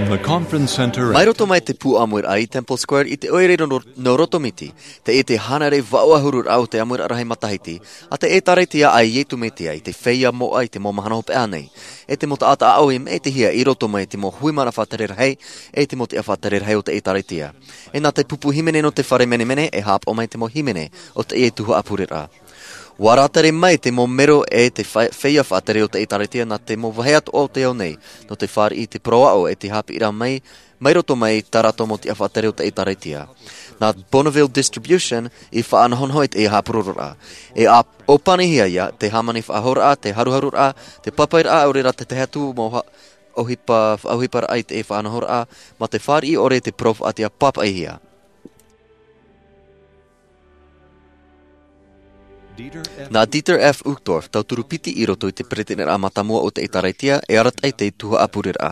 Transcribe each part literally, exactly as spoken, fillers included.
Mai roto mai te pū ʻāmuiraʻa i Temple Square i te ʻoire nō, nō Rotomiti, tei te hānere vaʻu ʻahuru raʻa o te ʻāmuiraʻa rahi matahiti, a te ʻĒtārētia a Iesu Mesia i te feiā moʻa i te mau mahana hopeʻa nei, e te mau taʻata ʻāʻau i maʻitihia i roto mai i te mau hui mana faʻatere rahi, e te mau tiʻa faʻatere rahi o te ʻĒtārētia. E nā te pupu hīmene nō te fare menemene e haʻapaʻo mai te mau hīmene o teie tuhaʻa pureraʻa. ʻUa rātere mai te mau mero e te fa-, feiā faʻatere o te ʻĒtārētia nā te mau vāhi atoʻa o te ao nei, nō te fāriʻi i te parau aʻo e te haʻapiʻiraʻa mai, mai roto mai i tā rātou mau tiʻa faʻatere o te ʻĒtārētia. Nā Bonneville Distribution i faʻanahonaho i teie haʻapurororaʻa. E ʻōpanihia ia te hāmani faʻahouraʻa, te haruharuraʻa, te pāpaʻiraʻa, ʻaore rā te tahi atu mau ha-, ʻohipa, ʻohiparaʻa i te faʻanahoraʻa, mā te fāriʻi ʻore i te parau faʻaʻite pāpaʻihia. Nā Dieter F. Uchtdorf, tauturu piti i roto i te peretiteniraʻa mātāmua o te ʻĒtārētia, e arataʻi i te tuhaʻa pureraʻa.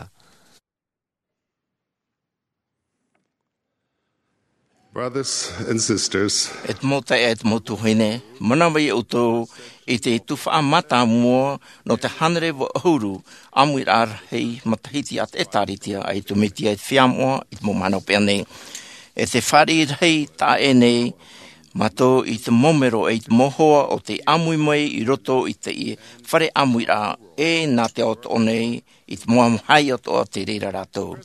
Brothers and sisters, e te mau taeaʻe, e te mau tuahine, manaʻo mai ʻoutou i te tuhaʻa mātāmua nō te hānere vaʻu ʻahuru ʻāmuiraʻa rahi matahiti a te ʻĒtārētia a Iesu Mesia i te feiā moʻa i te mau mahana hopeʻa nei. E te fāriʻi rahi taʻa ʻē nei mātou i te mau mero e i te mau hoa o tei ʻāmui mai i roto i te fare ʻāmuiraʻa e nā te ao atoʻa nei i te mau ʻāmuiraʻa atoʻa o te reira rātou.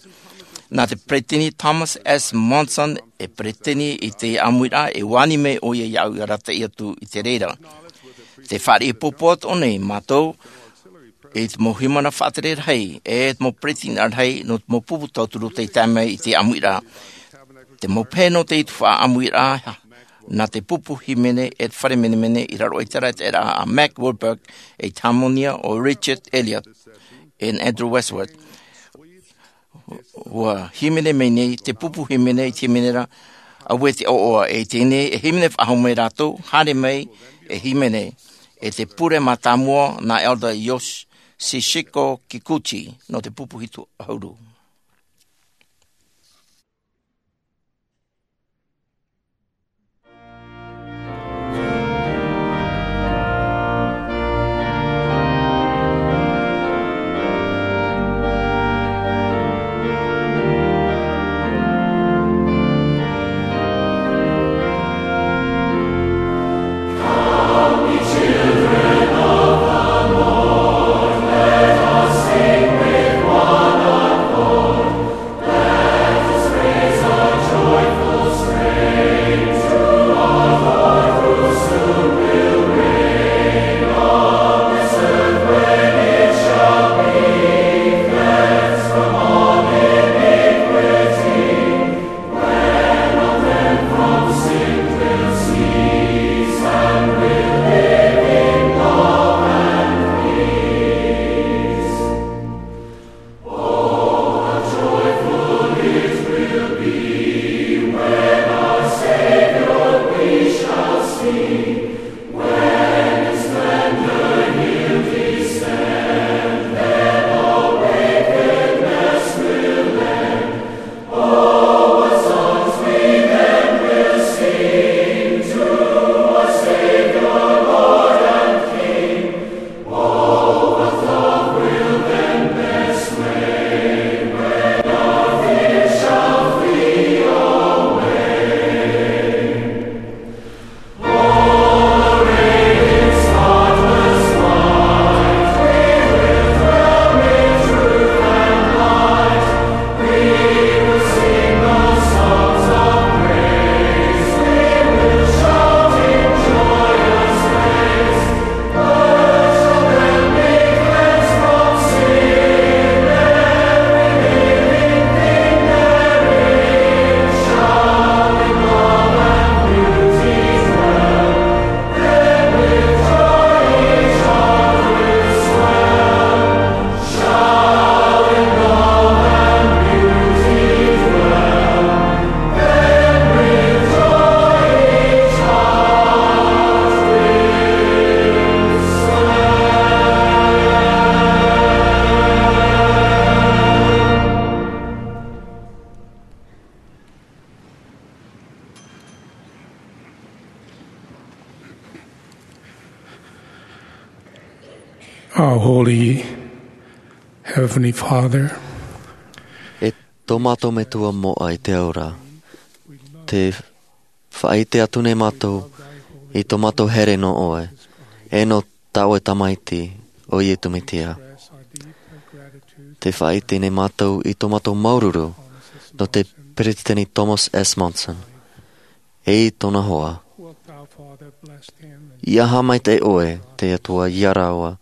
Nā te peretiteni Thomas S. Monson e peretiteni i te ʻāmuiraʻa e ani mai ʻoia iāʻu i arataʻi atu i te reira. Te fāriʻi pōpō atoʻa nei mātou i te mau hui mana faʻatere rahi, e te mau peretiteni rahi nō te mau pupu tauturu tei tae mai i te ʻāmuiraʻa. Te mau pehe nō te tuhaʻa ʻāmuiraʻa, nā te pupu hīmene e te fare menemene i raro i te arataʻiraʻa a Mack Wilberg, e te hāmani o Richard Elliott, e Andrew Westwood. ʻUa hīmene mai nei te pupu hīmene i te hīmene ra, ʻaore te ʻoaʻoa, e teie nei e hīmene faʻahou mai rātou, haere mai e hīmene, e te pure mātāmua nā Elder Yoshihiko Kikuchi, nō te pupu hitu ʻahuru. Our Holy Heavenly Father, e Tō mātou Metua moʻa i te ao ra, tē faʻaʻite atu nei mātou i tō mātou here nō ʻoe, e nō tā ʻoe Tamaiti, ʻo Iesu Mesia. Tē faʻaʻite nei mātou i tō mātou māuruuru nō te Peresideni Thomas S. Monson, e i tōna hoa. ʻIa haʻamaitaʻi ʻoe, te Atua, ia rāua,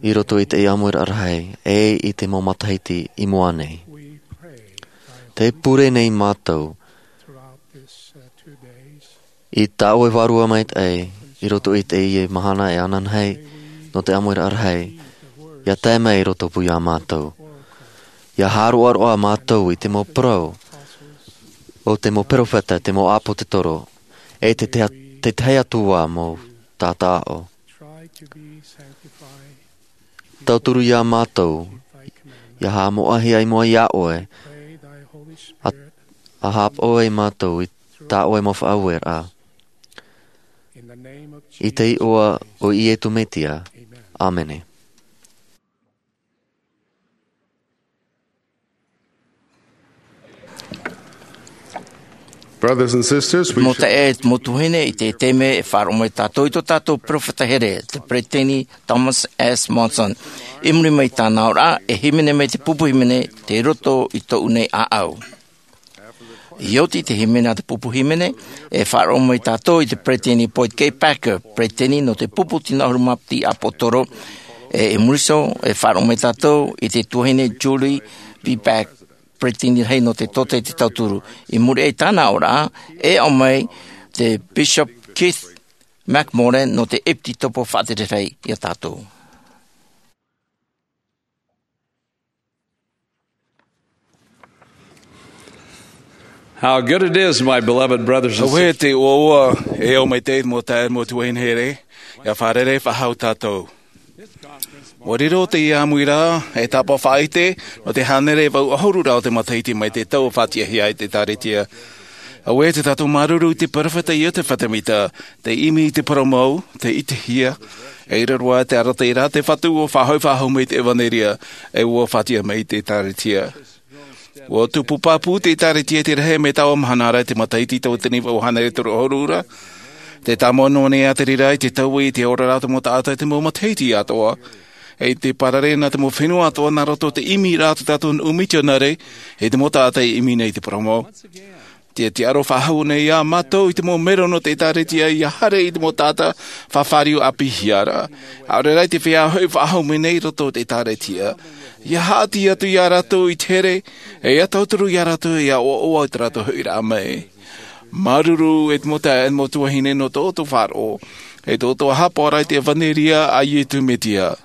i roto i te ʻāmuiraʻa rahi, e i te mau matahiti i mua nei. Tē pure nei mātou i tā ʻoe Vārua Maitaʻi i roto i teie mahana e ananahi nō te ʻāmuiraʻa rahi, ʻia tae mai i roto pū iā mātou. ʻIa haʻaroaroa mātou i te mau parau o te mau perofeta, te mau ʻāpōsetolo, e te, te, te tahi atu ā mau taʻata aʻo. Tauturu iā mātou, ʻia haʻamoʻahia i mua iā ʻoe, ʻa, ʻa haʻapaʻo ai mātou i tā ʻoe mau faʻaueraʻa. I te iʻoa o Iesu Mesia. ʻĀmene. Brothers and sisters, we mau should taeaʻe, mau tuahine, i teie taime e faʻaroʻo mai tātou i tō tātou perofeta here, te Peresideni Thomas S. Monson. I muri mai i tāna aʻoraʻa, e hīmene mai te pupu hīmene, Tei Roto i Tōʻu Nei ʻĀʻau. ʻIa oti te hīmene a te pupu hīmene, e faʻaroʻo mai tātou i te Peresideni Boyd K. Packer, Peresideni nō te pupu tino ʻahuru mā piti ʻāpōsetolo, e, i muri iho, e faʻaroʻo mai tātou i te tuahine Julie B. Packer, Peresideni rahi nō te Tōtaiete Tauturu. I muri aʻe i tāna aʻoraʻa, e aʻo mai te Bishop Keith McMorran nō te ʻEpitopo Faʻatere Rahi iā tātou. How good it is, my beloved brothers and sisters. Auē te ʻoaʻoa, e au maitaʻi mau taeaʻe, mau tuahine here, ʻia fārerei faʻahou tātou. ʻUa riro teie ʻāmuiraʻa, e tāpaʻo faʻaʻite, nō te hānere e vaʻu ʻahuru ra o te matahiti mai te tau ʻua faʻatiʻahia ai te ʻĒkālesia. Auē tē tātou māuruuru i te perofeta Iosefa Sāmita, tei ʻimi i te parau mau, tei ʻitehia, e ʻere roa te arataʻiraʻa a te Fatu ʻua faʻahoʻi faʻahou mai i te ʻevanelia, e ʻua faʻatiʻa mai i te ʻĒkālesia. ʻUa tupu pāpū te ʻĒkālesia i te rahi mai taua mahana ra i te matahiti tauatini vaʻu hānere toru ʻahuru ra. Tē tāmau noa nei ā te reira i te taui i te oraraʻa o te mau taʻata i te mau matahiti atoʻa. E tē parare nā te mau fenua atoʻa nā roto i te ʻimiraʻa a tō tātou nuʻu mitionare, e te mau taʻata i ʻimi nei i te parau mau. Te, te aro faʻahou nei iā mātou i te mau mero nō te ʻĒkālesia ʻia haere i te mau taʻata fāriu ʻāpīhia ra. ʻAore rā i te feiā hoʻi faʻahou mai nei i roto i te ʻĒkālesia. ʻIa haʻati atu iā rātou i te here, e ʻia tauturu iā rātou ʻia ʻoaʻoa i tā rātou hoʻiraʻa mai. Māuruuru e te mau taeaʻe, mau tuahine nō tō ʻoutou faʻaroʻo, e tō ʻoutou haʻapaʻoraʻa i te ʻevanelia a Iesu Mesia.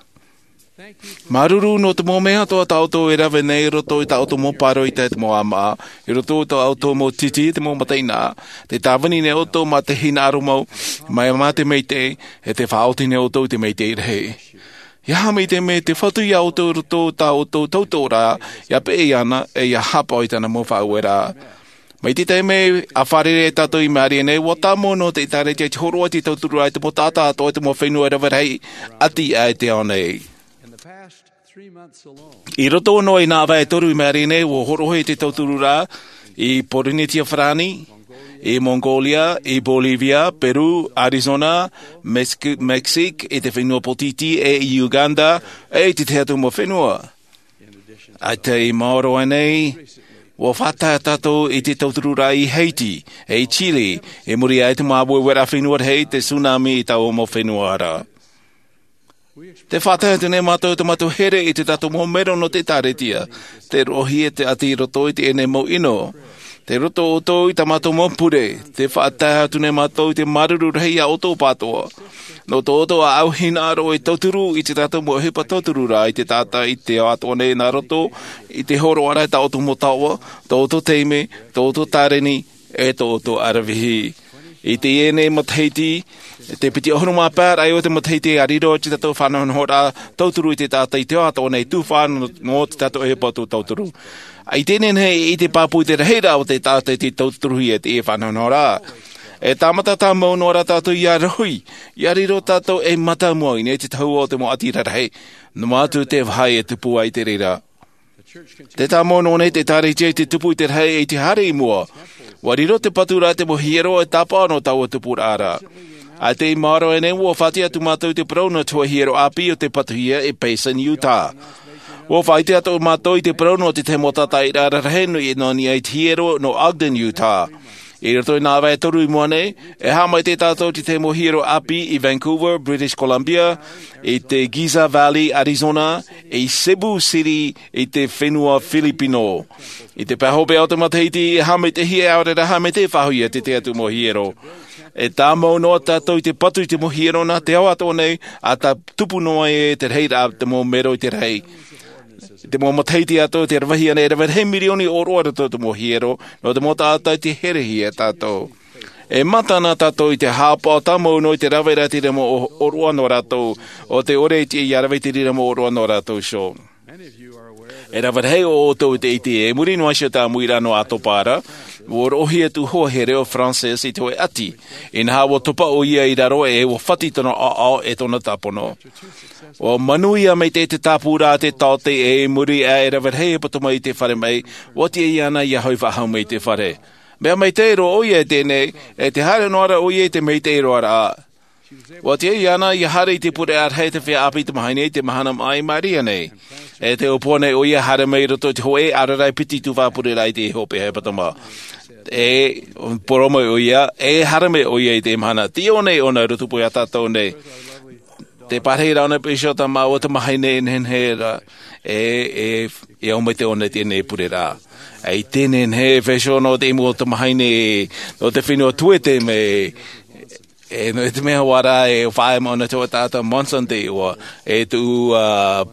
Māuruuru nō te mau mea atoʻa tā ʻoutou e rave nei i roto i tā ʻoutou mau pāroita e te mau ʻāmaʻa, i roto i tā ʻoutou mau tītī e te mau mataʻeinaʻa, tē tāvini nei ʻoutou mā te hinaʻaro mau, mai mā te maitaʻi, e tē faʻaoti nei ʻoutou i te maitaʻi rahi. ʻIa haʻamaitaʻi mai te Fatu iā ʻoutou i roto i tā ʻoutou tautoʻoraʻa, ʻia peʻe iāna, e ʻia haʻapaʻo i tāna mau faʻaueraʻa. Mai te taime a fārerei ai tātou i Marie nei, ʻua tāmau noa te ʻĒkālesia i te hōroʻa i te tautururaʻa i te mau taʻata atoʻa i te mau fenua rave rahi ʻati aʻe i te ao nei. I roto noa i nā vahi e toru i Marie nei, ʻua hōroʻahia te tautururaʻa i Pōrīnetia Farāni, i Mongolia, i Bolivia, Peru, Arizona, Mex-, Mexique, i te fenua Pōtītī, e i Uganda, e i te tahi atu mau fenua. ʻAita i maoro aʻe nei, ʻua faʻatae tātou i te tautururaʻa i Haiti, e i Chile, i muri aʻe i te māueueraʻa fenua rahi, te tsunami i taua mau fenua ra. Tē faʻatae atu nei mātou i tō mātou here i tō tātou mau mero nō te ʻĒkālesia, tē roʻohia te ʻati i roto i teie nei mau ʻino. Tei roto ʻoutou i tā mātou mau pure, tē faʻatae atu nei mātou i te māuruuru rahi iā ʻoutou pāʻatoʻa. Nō tō ʻoutou ʻāʻau hinaʻaro e tauturu i tō tātou mau ʻohipa tautururaʻa i te taʻata i te ao atoʻa nei nā roto i te hōroʻaraʻa i tā ʻoutou mau taoʻa, tō ʻoutou taime, tō ʻoutou tāreni, e tō ʻoutou ʻaravihi. I teie nei matahiti, te piti ʻahuru mā pae raʻa o te matahiti, ʻa riro tō tātou faʻanahonahoraʻa tauturu i te taʻata i te ao atoʻa nei, tufaʻa nō, nō tō tātou ʻohipa tauturu. I teie nei, ʻite pāpū i te rahiraʻa o te taʻata i te tauturuhia i teie faʻanahonahoraʻa. E tāmata tāmau noa ra tātou ʻia rohi, ʻia riro tātou ei mātāmua i niʻa i te tahua o te mau ʻati rarahi. Noa atu te vāhi e tupu ai te reira. Te tāmau nō nei te ʻĒkālesia i te tupu i te rahi i te haere i mua. Ua riro te patu ra te mau hiero e tāpaʻo nō taua tupuraʻa ra. ʻA te i māro e nei ua fāti atu mātou i te parau nō te hiero ʻāpī o te patuhia i Payson, Utah. Ua faʻaʻite atu mātou i te parau nō te tahi mau tātaʻiraʻa rahi nui nō niʻa i te hiero nō Ogden, Utah. I roto i nā vai e toru i mua nei, e haʻamaitaʻi tātou i te tahi mau hiero ʻāpī i Vancouver, British Columbia, i te Gila Valley, Arizona, i Cebu City, i te fenua Filipino. I te pae hopeʻa o te matahiti, e haʻamaitaʻihia e ʻaore rā haʻamaitaʻi faʻahou ia te tahi atu mau hiero. E tāmau noa tātou i te patu i te mau hiero nā te ao atoʻa nei, ʻa tā tupu noa ai te rahiraʻa te mau mero i te rahi. Te mau matahiti atoʻa te ravehia nei, e rave rahi mirioni ʻōroʻa roto te mau hiero, nō te mau taʻata i te herehia e tātou. E mata ana tātou i te haʻapaʻo tāmau noa i te rave ra te rima ʻōroʻa nō rātou, ʻo te ʻore i te ia rave i te rima ʻōroʻa nō rātou iho. E rave rahi o ʻoutou i te ʻite, e muri noa iho i te ʻāmuiraʻa nō ʻAtopa ra, ua roʻohia atu hoʻi e reo Frances i te hōʻē ʻati. Inaha ua topa ʻoia i raro e ua fati tōna ʻaʻao e tōna tāpono. Ua manuia maitaʻi te tāpūraʻa a te taote e muri aʻe e rave rahi e puta mai i te fare mai, ua tiʻa iāna ia hoʻi faʻahou mai i te fare. Mea maitaʻi roa ʻoia i teie nei, e te haere noa ra ʻoia i te maitaʻi roa ra. Ua tiʻa iāna ia haere i te pureraʻa rahi te feiā ʻāpī tamahine i te mahana maʻa i maʻiri nei. E te ʻōpua nei ʻoia haere mai i roto i te hōʻē ʻaore rā e piti tuhaʻa pureraʻa i te hopeʻa hepetoma. E parau mai ʻoia, e haere mai ʻoia i te mahana. Te ʻō nei ʻōna i roto pū ia tātou nei. Te parahiraʻa ʻōna i pēsio tā māua tamahine e nehenehe ra. E, e, e au mai te ʻōna i teie nei pureraʻa. E i teie nei e pēsio nō te imu o tamahine, nō te fenua Tuete mai, e, nō te mea hoʻi rā, e faʻaea mai ʻōna te hōʻē taʻata Monson te iʻoa, e tuʻu, ā,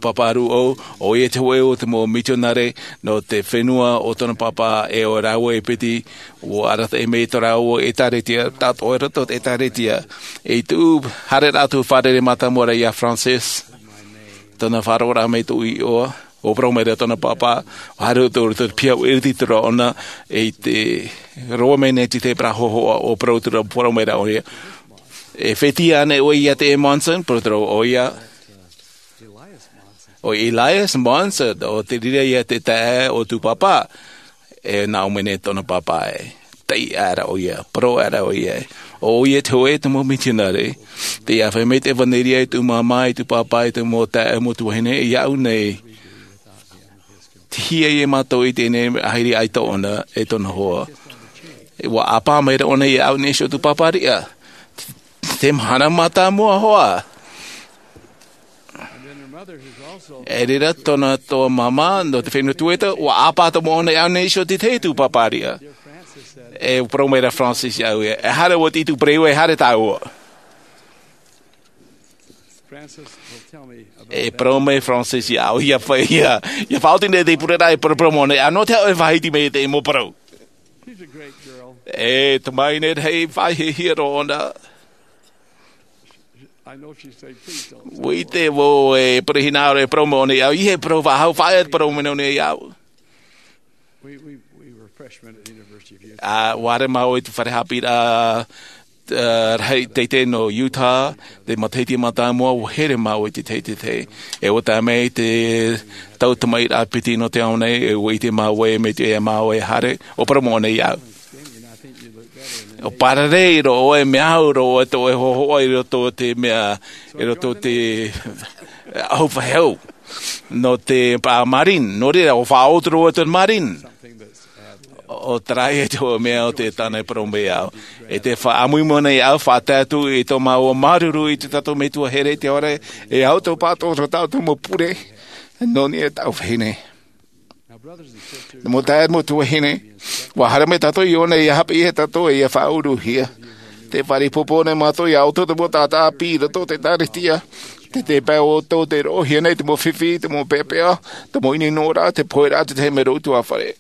pāpā rūʻau, ʻoia te hōʻē o te mau mitionare, nō te fenua o tōna pāpā, e ʻo rāua e piti, ua arataʻi mai tō rāua ʻēkālesia, tātou i roto i te ʻēkālesia. I tuʻu, haere rā atu fārerei mātāmua ra ia Frances, tōna faʻaroʻo ra mai tōʻu iʻoa, ʻua parau mai ra tōna pāpā, ʻua haere atu i roto i te piha ʻua ʻiriti atu ra ʻōna, i te roa mai nei te tēpara hōhoʻa, ʻua parau atu ra, parau mai ra ʻoia. E fētiʻi ānei ʻoe ia te Monson, parau atu ra ʻoia. ʻO Elias Monson, ʻo te reira ia te taeaʻe o tōʻu pāpā, e nā ʻō mai nei tōna pāpā e. Taiʻo aʻera ʻoia, parau aʻera ʻoia. ʻO ʻoia te hōʻē te mau mitionare, tei ʻāfaʻi mai te ʻevanelia i tōʻu māmā, i tōʻu pāpā, i te mau taeaʻe, mau tuahine, iāʻu nei. Tei hia ia mātou i teie nei ʻāhiri ʻaita ʻōna, e tōna hoa. ʻUa ʻāpā mai ra ʻōna iāʻu nei iho tōʻu pāpā riʻa. Te mahana mātāmua hoʻi. E reira tōna, tō māmā, nō te fenua Tuete, ʻua ʻāpā atoʻa ʻōna iāʻu nei iho te tahi tōʻu pāpā riʻa. E parau mai ra Frances iāʻu ē, e haere ʻoe i te ʻītu pereʻoʻo, e haere tāua. E parau mai Frances iāʻu, ʻia fa-, ʻia, ʻia faʻaoti nei te pureraʻa e parau, parau mai ʻōna, ā, nō te aha ʻoe e faʻahiti mai i teie mau parau. E tamahine rahi faʻahiahia roa ʻōna. ʻUa ʻite vau e parau hinaʻaro e parau mai ʻōna iāʻu, ʻeiaha e parau faʻahou, faʻaea te parau mai ʻōna iāʻu. Ā, ʻua haere māua i te fare haʻapiʻiraʻa, ā, rahi teitei nō Utah, te matahiti mātāmua, ʻua here māua i te teitei. E ʻua tae mai te tau tamaʻi ra piti nō te ao nei, e ʻua ʻite māua e mea tiʻa ia māua e haere, ʻua parau mai ʻōna iāʻu. ʻUa parare roa ʻoe, mea au roa ʻoe, tō ʻoe hōhoʻa i roto i te mea, i roto i te, ā, ʻahu faʻehau. Nō te pā Marine, nō reira, ʻua faʻaoti roa ʻoe i te Marine. ʻO terā ia te hōʻē mea ʻo tē tāna e parau mai iāʻu. E tē faʻaʻamuimu nei au, faʻatae atu i tō māua māuruuru i tō tātou Metua here i te ao ra, e au tō pātō tō tātou mau pure, nō niʻa i tāʻu vahine. Nō te mea, mau tuahine, ʻua haere mai tātou i ʻō nei ʻia haʻapiʻi ia tātou e ʻia faʻauruhia. Tē fāriʻi ʻoutou nei mātou iā ʻoutou te mau taʻata ʻāpī i roto i te ʻĒkālesia. Tē, tē pae ʻoutou tē roʻohia nei te mau fifi, te mau peʻapeʻa, te mau ʻinoʻinoraʻa, te pohe ra, te tahi mea roa ʻutuāfare.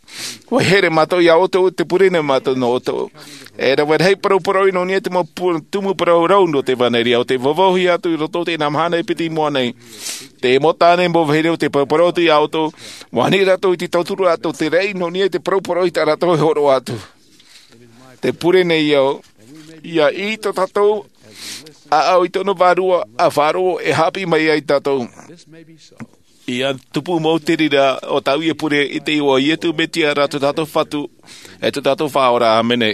ʻUa here mātou iā ʻoutou, tē pure nei mātou nō ʻoutou. E rave rahi parauparau nō niʻa i te mau pu-, tumu parau rau nō te ʻEvanelia, ʻo tē vauvauhia atu i roto i teie mahana e piti i mua nei. Te mau tāne, mau vahine, ʻo tē parauparau atu iā ʻoutou, ʻua ani rātou i te tauturu atu te raʻi nō niʻa i te parauparau i tā rātou e hōroʻa atu. Tē pure nei au, ʻia ʻī tō tātou ʻāʻau i tōna vārua, ʻa faʻaroʻo e haʻapiʻi mai ai tātou. ʻIa tupu mau te reira o tāʻu ʻia pure i te iʻoa o Iesu Mesia rā tō tātou Fatu, e tō tātou Faʻaora. ʻĀmene.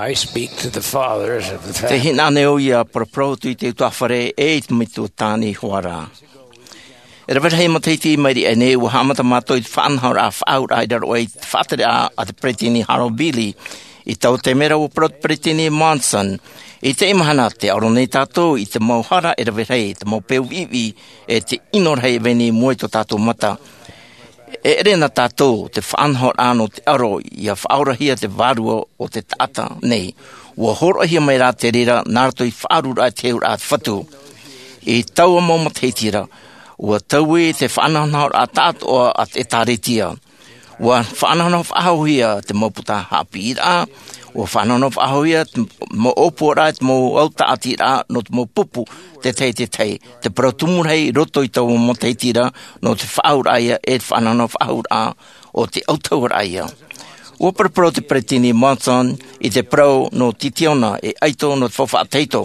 I speak to the fathers of the family. Te hinaʻaro ʻoia, paraparahi atu i te utuāfare e i te metua tāne hoʻi rā. E rave rahi matahiti i maʻiri aʻe nei, ua haʻamata mātou i te faʻanahoraʻa faʻaauraʻa i raro aʻe i te faʻatere a te peresideni Harold Bailey. I taua taime ra ua parau te peresideni Monson, i teie mahana tē ʻaro nei tātou i te mau hara e rave rahi, te mau peu viʻiviʻi, e te ʻino rahi e vai nei i mua i tō tātou mata. E ʻere na tātou te faʻanahoraʻa nō te ʻaro ʻia faʻaorahia te vārua o te taʻata nei. Ua hōroʻahia mai rā te reira nā roto i te faʻaruaraʻa i te heheuraʻa a te Fatu. I taua mau matahiti ra, ua taui te faʻanahonahoraʻa tāʻatoʻa a te ʻĒtārētia. Ua faʻanahonaho faʻahouhia te mau puta haʻapiʻiraʻa, ua faʻanahonaho faʻahouhia te mau ʻōpuaraʻa, te mau au tāʻatiraʻa nō te mau pupu, te tahi, te tahi. Te parau tumu rahi i roto i taua mau matahiti ra, nō te faʻaauraʻa ïa, e te faʻanahonaho faʻahouraʻa o te autahuʻaraʻa ïa. Ua paraparau te peresideni Monson i te parau nō Titiona e ʻaito nō te faufaʻa tahito.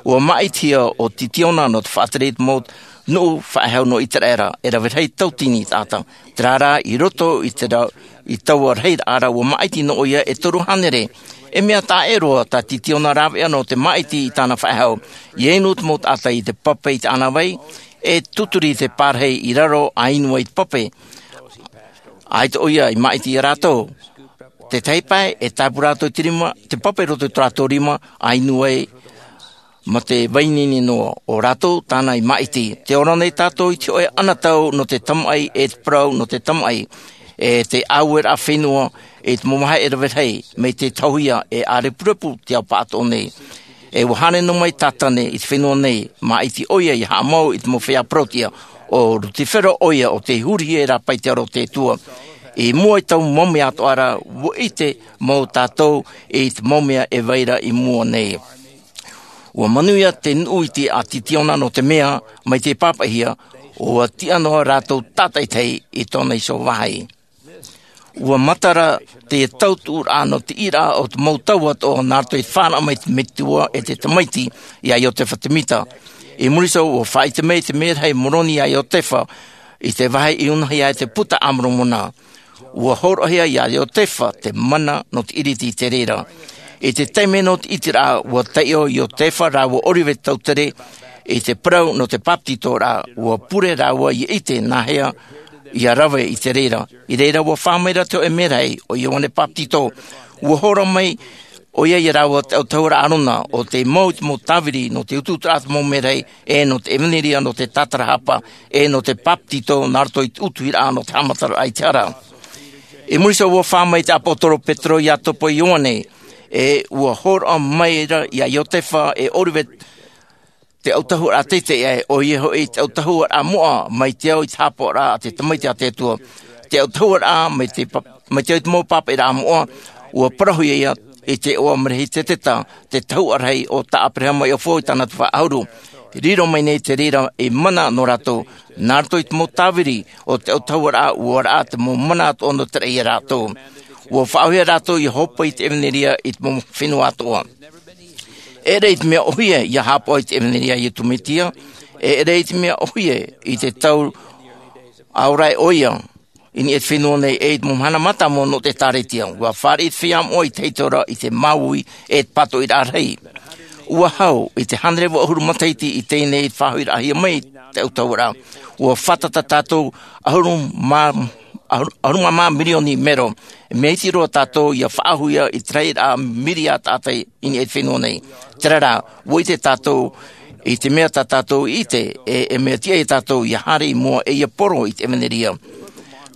Ua māʻitihia ʻo Titiona nō te faʻatere i te mau nuʻu faʻehau nō ʻĪteraʻera, e rave rahi tauatini taʻata. Terā rā, i roto i te ra-, i taua rahiraʻa ra, ua māʻiti noa ʻoia e toru hānere. E mea taʻa ʻē roa tā Titiona rāveʻa nō te māʻiti i tāna faʻehau. ʻIa inu te mau taʻata i te pape i te ʻānāvai, e tuturi te pārahi i raro ʻa inu ai i te pape. ʻAita ʻoia i māʻiti ia rātou. Te tahi pae, e tāpaʻo rātou i te rima, te pape i roto i tō rātou rima, ʻa inu ai Mā te vai nini noa o rātou tāna i māʻiti. Te ora nei tātou i te hoʻe anotau nō te tamaʻi e te parau nō te tamaʻi, e te aueraʻa fenua i te mau vāhi e rave rahi, mai te tauhia e ʻārepurepu te ao paʻatoʻa nei. E ua haere noa mai Tātane i te fenua nei, māʻiti ʻoia ia haʻamau i te mau feiā parauʻtiʻa. ʻO Rutifero ʻoia ʻo tei hurihia e rāpae i te aro o te Atua. I mua i taua mau mea atoʻa ra, ua ʻite mau tātou i te mau mea e vai ra i mua nei. Ua manuia te nuʻu iti a Titiona nō te mea, mai te pāpaʻihia, ua tiʻa noa rātou tātaʻitahi i tōna iho vāhi. Ua matara te tautuʻuraʻa nō te ʻīraʻa o te mau tau atoʻa nā roto i te fānaʻo mai te metua e te tamaiti iā Iotefa Temita. I muri iho ua faʻaʻite mai te merahi Moroni iā Iotefa i te vāhi i unahi ai te Puta a Moromona. Ua hōroʻahia iā Iotefa te mana nō te ʻiriti i te reira. I te taime nō te ʻiteraʻa, ua taiʻo Iotefa rāua ʻo Ōrive Tautere i te parau nō te papetitoraʻa, ua pure rāua ia ʻite nāhea ia rave i te reira. I reira ua fā mai ra te hoʻe merahi, ʻo Ioane Papetito. Ua hōroʻa mai ʻoia iā rāua te autahuʻaraʻa Arona, ʻo tei mau i te mau tāviri nō te utuuturaʻa a te mau merahi, e nō te ʻevanelia nō te tātarahapa, e nō te papetito nā roto i te utuhiraʻa nō te haʻamataraʻa i te hara. I muri iho ua fā mai te ʻāpōsetolo Petero, Iakobo, Ioane, e ua hōroʻa mai ra iā Iotefa e Ōrive te autahuʻaraʻa teitei aʻe, ʻoia hoʻi te autahuʻaraʻa moʻa mai te ao i te haʻapaʻoraʻa a te tamaiti a te Atua. Te autahuʻaraʻa mai te pa-, mai te ao i te mau pāpaʻiraʻa moʻa, ua parauhia ia i te iʻoa Melehizedeka, te tahuʻa rahi o tā ʻĀperahama i ʻōfua i tāna tuhaʻa ʻahuru. Riro mai nei te reira ei mana nō rātou, nā roto i te mau tāviri o te autahuʻaraʻa, ua raʻa te mau mana atoʻa nō te raʻi iā rātou. Ua faʻaauhia rātou ia hōpoi i te ʻevanelia i te mau fenua atoʻa. E ʻere i te mea ʻōhie ia haʻapaʻo i te ʻevanelia a Iesu Mesia, e ʻere i te mea ʻōhie i te tau ʻaore ʻoia i niʻa i te fenua nei, e i te mau mahana mātāmua nō te ʻĒtārētia. Ua fāriʻi te feiā moʻa i te tahito ra i te māuiui e te pātoʻiraʻa rahi. Ua hau i te hānere vaʻu ʻahuru matahiti i teie nei i te faʻahoʻiraʻahia mai te autahuʻaraʻa. Ua fātata tātou ʻahuru mā, ʻahuru, ʻahuru mā mirioni mero. Mea iti roa tātou ia faʻaauhia i te rahiraʻa miriā taʻata i niʻa i te fenua nei. Terā rā, ua ʻite tātou i te mea tā tātou i ʻite, e, e mea tiʻa ia tātou ia haere i mua e ia poro i te ʻevanelia.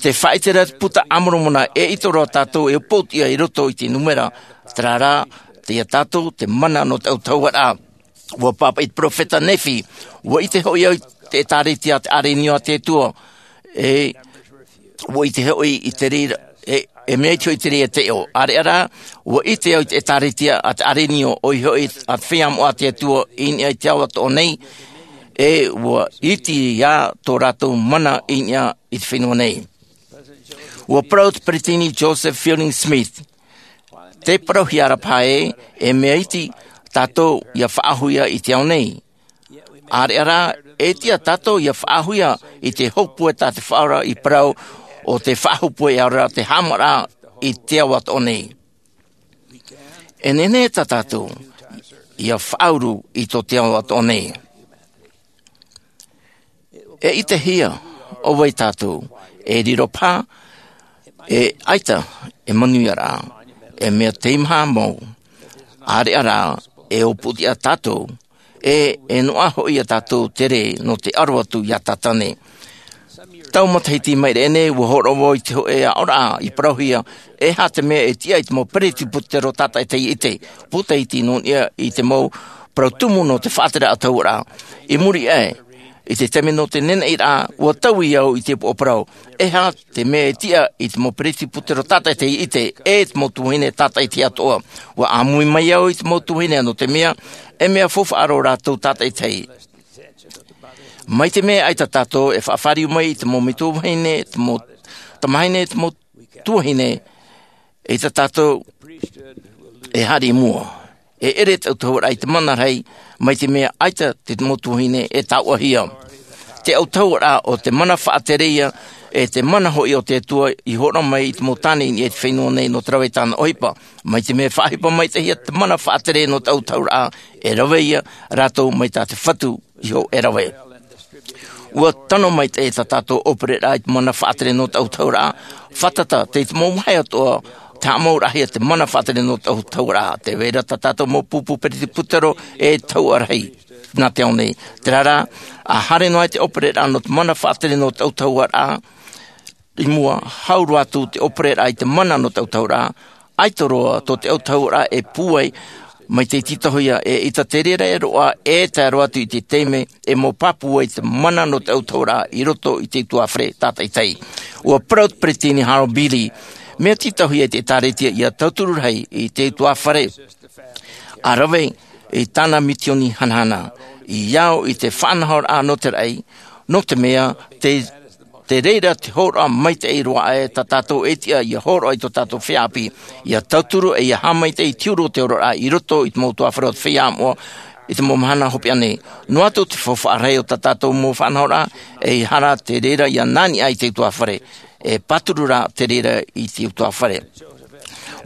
Tē faʻaʻite ra te Puta a Moromona, e ʻaita roa tātou e upoʻotiʻa i roto i te nūmera, terā rā, tei ia tātou te mana nō te autahuʻaraʻa. Ua pāpaʻi te peropheta Nephi, ua ʻite hoʻi au i te ʻĒtārētia a te ʻĀrenio a te Atua, e, ua ʻite hoʻi i te reira, e, e mea iti hoʻi te reira taiʻo. ʻĀreʻa rā, ua ʻite au i te ʻĒtārētia a te ʻĀrenio, ʻoia hoʻi a te feiā moʻa a te Atua i niʻa i te ao atoʻa nei, e ua iti ā tō rātou mana i niʻa i te fenua nei. Ua parau te Peresideni Joseph Fielding Smith, tē parauhia ra paha ē, e mea iti tātou ia faʻaauhia i te ao nei. ʻĀreʻa rā, e tiʻa tātou ia faʻaauhia i te hōpue tā te Faʻaora i parau ʻo tē faʻahōpue ʻē aʻe ra te haʻamāraʻa i te ao atoʻa nei. E nehenehe tā tātou ia faʻauru i tō te ao atoʻa nei. E ʻitehia ʻo vai tātou, e riro paha, e ʻaita e manuiaraʻa, e mea teimaha mau, ʻāreʻa rā, e upoʻotiʻa tātou, e, e noaʻa hoʻi ia tātou te rē nō te aro atu iā Tātane. Tau matahiti i maʻiri aʻe nei, ua hōroʻa vau i te hōʻē aʻoraʻa i parauhia, e aha te mea e tiʻa ai te mau peresibutero tātaʻitahi i ʻite, pūtaiti nō niʻa i te mau parau tumu nō te faʻatere autahuʻaraʻa. I muri aʻe, i te taime nō te neneʻiraʻa, ua taui au i te upoʻo parau, e aha te mea e tiʻa ai te mau peresibutero tātaʻitahi i ʻite, e te mau tuahine tātaʻitahi atoʻa. Ua ʻāmui mai au i te mau tuahine nō te mea, e mea faufaʻa roa rātou tātaʻitahi. Mai te mea ʻaita tātou e faʻafāriu mai i te mau metua vahine, te mau tamahine, te mau tuahine, ʻaita tātou e haere i mua. E ʻere te autahuʻaraʻa i te mana rahi, mai te mea ʻaita te mau tuahine e tāuʻahia. Te autahuʻaraʻa o te mana faʻatere ïa, e te mana hoʻi o te Atua i hōroʻa mai i te mau tāne i niʻa i te fenua nei nō te rave i tāna ʻohipa. Mai te mea faʻaʻohipa maitaʻi ïa te mana faʻatere nō te autahuʻaraʻa, e rave ïa rātou mai tā te Fatu iho e rave. Ua tano maitaʻi tā tātou ʻōpereraʻa i te mana faʻatere nō te autahuʻaraʻa, fātata tei te mau vāhi atoʻa Te haʻamauraʻahia te mana faʻatere nō te autahuʻaraʻa. Tē vai ra tā tātou mau pupu peretiputero e tahuʻa rahi nā te ao nei. Terā rā, ʻa haere noa ai te ʻōpereraʻa nō te mana faʻatere nō te autahuʻaraʻa, i mua, hau roa atu te ʻōpereraʻa i te mana nō te autahuʻaraʻa, ʻaita roa tō te autahuʻaraʻa e pūai mai te tītauhia, eʻita te reira e roaʻa, e tae roa atu i te taime e mau pāpū ai te mana nō te autahuʻaraʻa i roto i te utuāfare tātaʻitahi. ʻUa parau te peretiteni Harold B. Lee, mea tītauhia e te ʻĒtārētia ʻia tauturu rahi i te utuāfare, ʻa rave i tāna mitioni hanahana, i ao i te faʻanahoraʻa nō te raʻi, nō te mea, te, te reira te hōroʻa maitaʻi roa aʻe tā tātou e tiʻa ʻia hōroʻa i tō tātou feiā ʻāpī, ʻia tauturu ʻe ʻia haʻamaitaʻi i te huru o te oraraʻa i roto i te mau utuāfare o te feiā moʻa, i te mau mahana hopeʻa nei. Noa atu te faufaʻa rahi o tā tātou mau faʻanahoraʻa, ʻeiaha rā te reira ʻia nā niʻa i te utuāfare, e pāturu rā te reira i te utuāfare.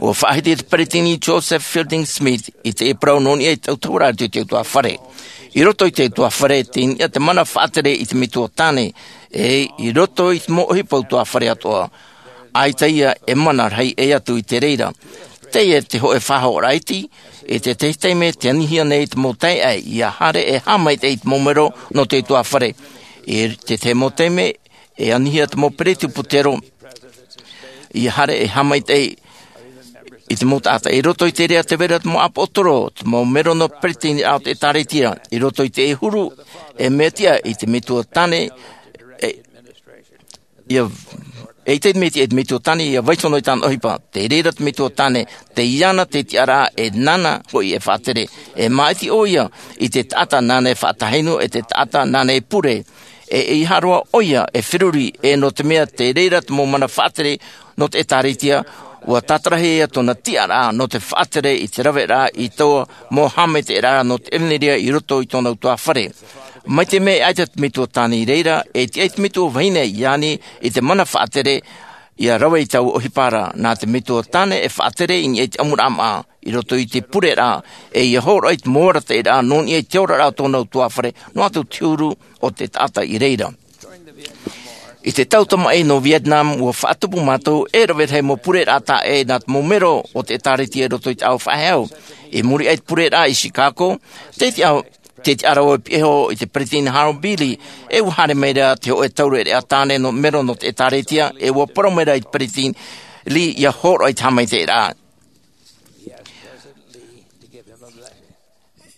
ʻUa faʻahiti te peretiteni Joseph Fielding Smith i te parau nō niʻa i te autahuʻaraʻa i te utuāfare. I roto i te utuāfare, tei niʻa te mana faʻatere i te metua tāne, ʻe i roto i te mau ʻohipa utuāfare atoʻa, ʻaita ia e mana rahi ʻē atu i te reira. Teie te hōʻē faʻahoʻoraʻa iti, i te tahi taime tē anihia nei te mau taeaʻe ʻia haere e haʻamaitaʻi i te mau mero nō te utuāfare. I te tahi mau taime, e anihia te mau peretiputero ʻia haere e haʻamaitaʻi i te mau taʻata. I roto i te reira tē vai ra te mau ʻāpōsetolo, te mau mero nō te peretiteniraʻa o te ʻĒtārētia, i roto i te huru, e mea tiʻa i te metua tāne, e, ʻia, eʻita te mea tiʻa i te metua tāne ʻia vaiiho noa i tāna ʻohipa. Tei reira te metua tāne, tei iāna te tiʻaraʻa, e nāna hoʻi e faʻatere. E māʻiti ʻoia i te taʻata nāna e faʻatāhinu, ʻe te taʻata nāna e pure. ʻE ʻeiaha roa ʻoia e feruri, ʻe nō te mea tei reira te mau mana faʻatere nō te ʻĒtārētia, ʻua tātarahia tōna tiʻaraʻa nō te faʻatere i te raveraʻa i taua mau haʻamaitaʻiraʻa nō te ʻevanelia i roto i tōna utuāfare. Mai te mea e ʻaita te metua tāne i reira, e tiʻa ai te metua vahine iāna i te mana faʻatere, ʻia rave i taua ʻohipa ra, nā te metua tāne e faʻatere i niʻa i te ʻamuraʻa māʻa, i roto i te pureraʻa, ʻe ʻia hōroʻa i te mau arataʻiraʻa nō niʻa i te oraraʻa o tōna utuāfare, noa atu te huru o te taʻata i reira. I te tau tamaʻi nō Vietnam, ʻua faʻatupu mātou e rave rahi mau pureraʻa taʻa ʻē nā te mau mero o te ʻĒtārētia i roto i te ao faʻahou. I muri aʻe i te pureraʻa i Chicago, te tiʻa, te tiʻaraʻa e piʻi iho i te peretiteni Harold B. Lee, ʻe ʻua haere mai ra te hōʻē taureʻareʻa tāne nō mero nō te ʻĒtārētia, ʻe ʻua parau mai ra i te peretiteni Lee ʻia hōroʻa i te haʻamaitaʻiraʻa.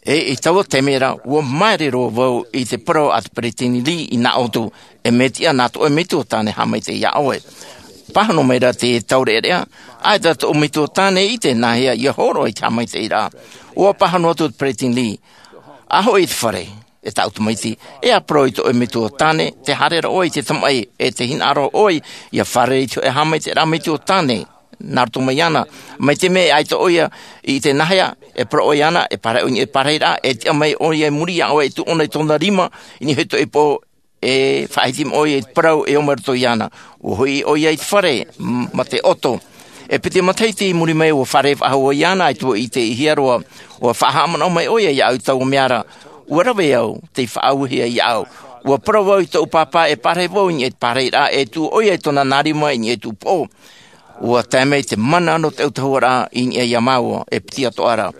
ʻE i taua taime ra, ʻua māere roa vau i te parau a te peretiteni Lee i nā ʻō atu, e mea tiʻa nā tō ʻoe metua tāne haʻamaitaʻi iā ʻoe. Pāhono mai ra te taureʻareʻa, ʻaita tō ʻoe metua tāne i ʻite nāhea ʻia hōroʻa i te haʻamaitaʻiraʻa. ʻUa pāhono atu te peretiteni Lee, ʻa hoʻi i te fare, e tāʻu tamaiti, e ʻa parau i tō ʻoe metua tāne, tē haere ra ʻoe i te tamaʻi, ʻe tē hinaʻaro ʻoe ʻia fārerei i te hōʻē haʻamaitaʻiraʻa metua tāne nā roto mai iāna. Mai te mea e ʻaita ʻoia i ʻite nāhea e parau ʻoe iāna, e pārahi ʻoe i niʻa i te pārahiraʻa, e tiʻa mai ʻoia i muri iā ʻoe, e tuʻu ʻōna i tōna rima i niʻa i te hōʻē ipo, e faʻahiti mai ʻoia i te parau e ō mai roto iāna. ʻUa hoʻi ʻoia i te fare, m-, mā te ʻoto. E piti matahiti i muri mai, ʻua fārerei faʻahou vau iāna, ʻaita vau i ʻitehia roa. ʻUa faʻahaʻamanaʻo mai ʻoia iāʻu i taua mea ra. ʻUa rave au tei faʻaauhia iāʻu. ʻUa parau vau i tōʻu pāpā e pārahi vau i niʻa i te pārahiraʻa, e tuʻu ʻoia i tōna nā rima i niʻa i tōʻu poʻo. ʻUa tae mai te mana nō te autahuʻaraʻa i niʻa iā māua, e piti atoʻa ra.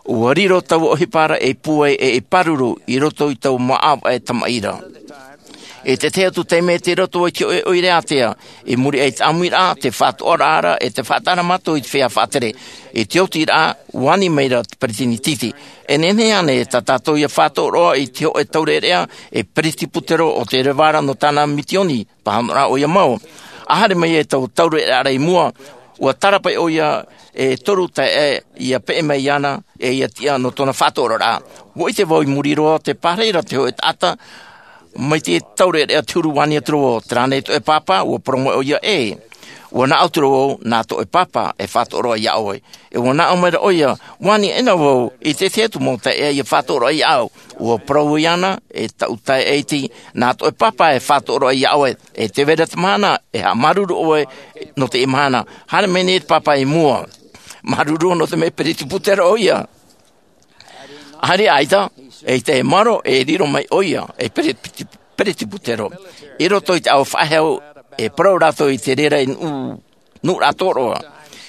ʻUa riro taua ʻohipa ra ei pūai ʻe ei pāruru i roto i taua mau ʻāvaʻe tamaʻi ra. I te tahi atu taime tei roto i te hōʻē ʻoire ātea, i muri aʻe i te ʻāmuiraʻa, te faʻatoʻaraʻa ra, ʻe te faʻataʻa ra mātou i te feiā faʻatere. I te otiraʻa, ʻua ani mai ra te peretiteni Titi. E nehenehe ānei tā tātou ʻia faʻatoʻo roa i te hōʻē taureʻareʻa, ei peretiputero ʻo tē reva ra nō tāna mitioni? Pāhonoraʻa ʻoia mau. ʻA haere mai ai taua taureʻareʻa ra i mua, ʻua tārapaʻi ʻoia e toru taeaʻe ʻia peʻe mai iāna, ʻe ʻia tiʻa nō tōna faʻatoʻoraʻa. ʻUa ʻite vau i muri roa, tē pārahi ra te hōʻē taʻata, mai te taureʻareʻa te huru, ʻua ani atu ra vau, terā nei tō ʻoe pāpā? ʻUa parau mai ʻoia, ʻē. ʻUa nā ʻō atu ra vau, nā tō ʻoe pāpā e faʻatoʻo roa iā ʻoe. ʻE ʻua nā ʻō mai ra ʻoia, ʻua ani aʻena vau i te tahi atu mau taeaʻe ʻia faʻatoʻo roa iāʻu. ʻUa parau vau iāna, e tāʻu taeaʻe iti, nā tō ʻoe pāpā e faʻatoʻo roa iā ʻoe. ʻE tē vai ra te mahana, e haʻamāuruuru ʻoe nō teie mahana. Haere mai nei te pāpā i mua. Māuruuru nō te mea peretiputero ʻoia. ʻAita, ʻaita e maoro, e riro mai ʻoia, ei pere-, piti-, peretiputero. I roto i te ao faʻahou, e parau rātou i te reira i nuʻu, nuʻuraʻa tōroa.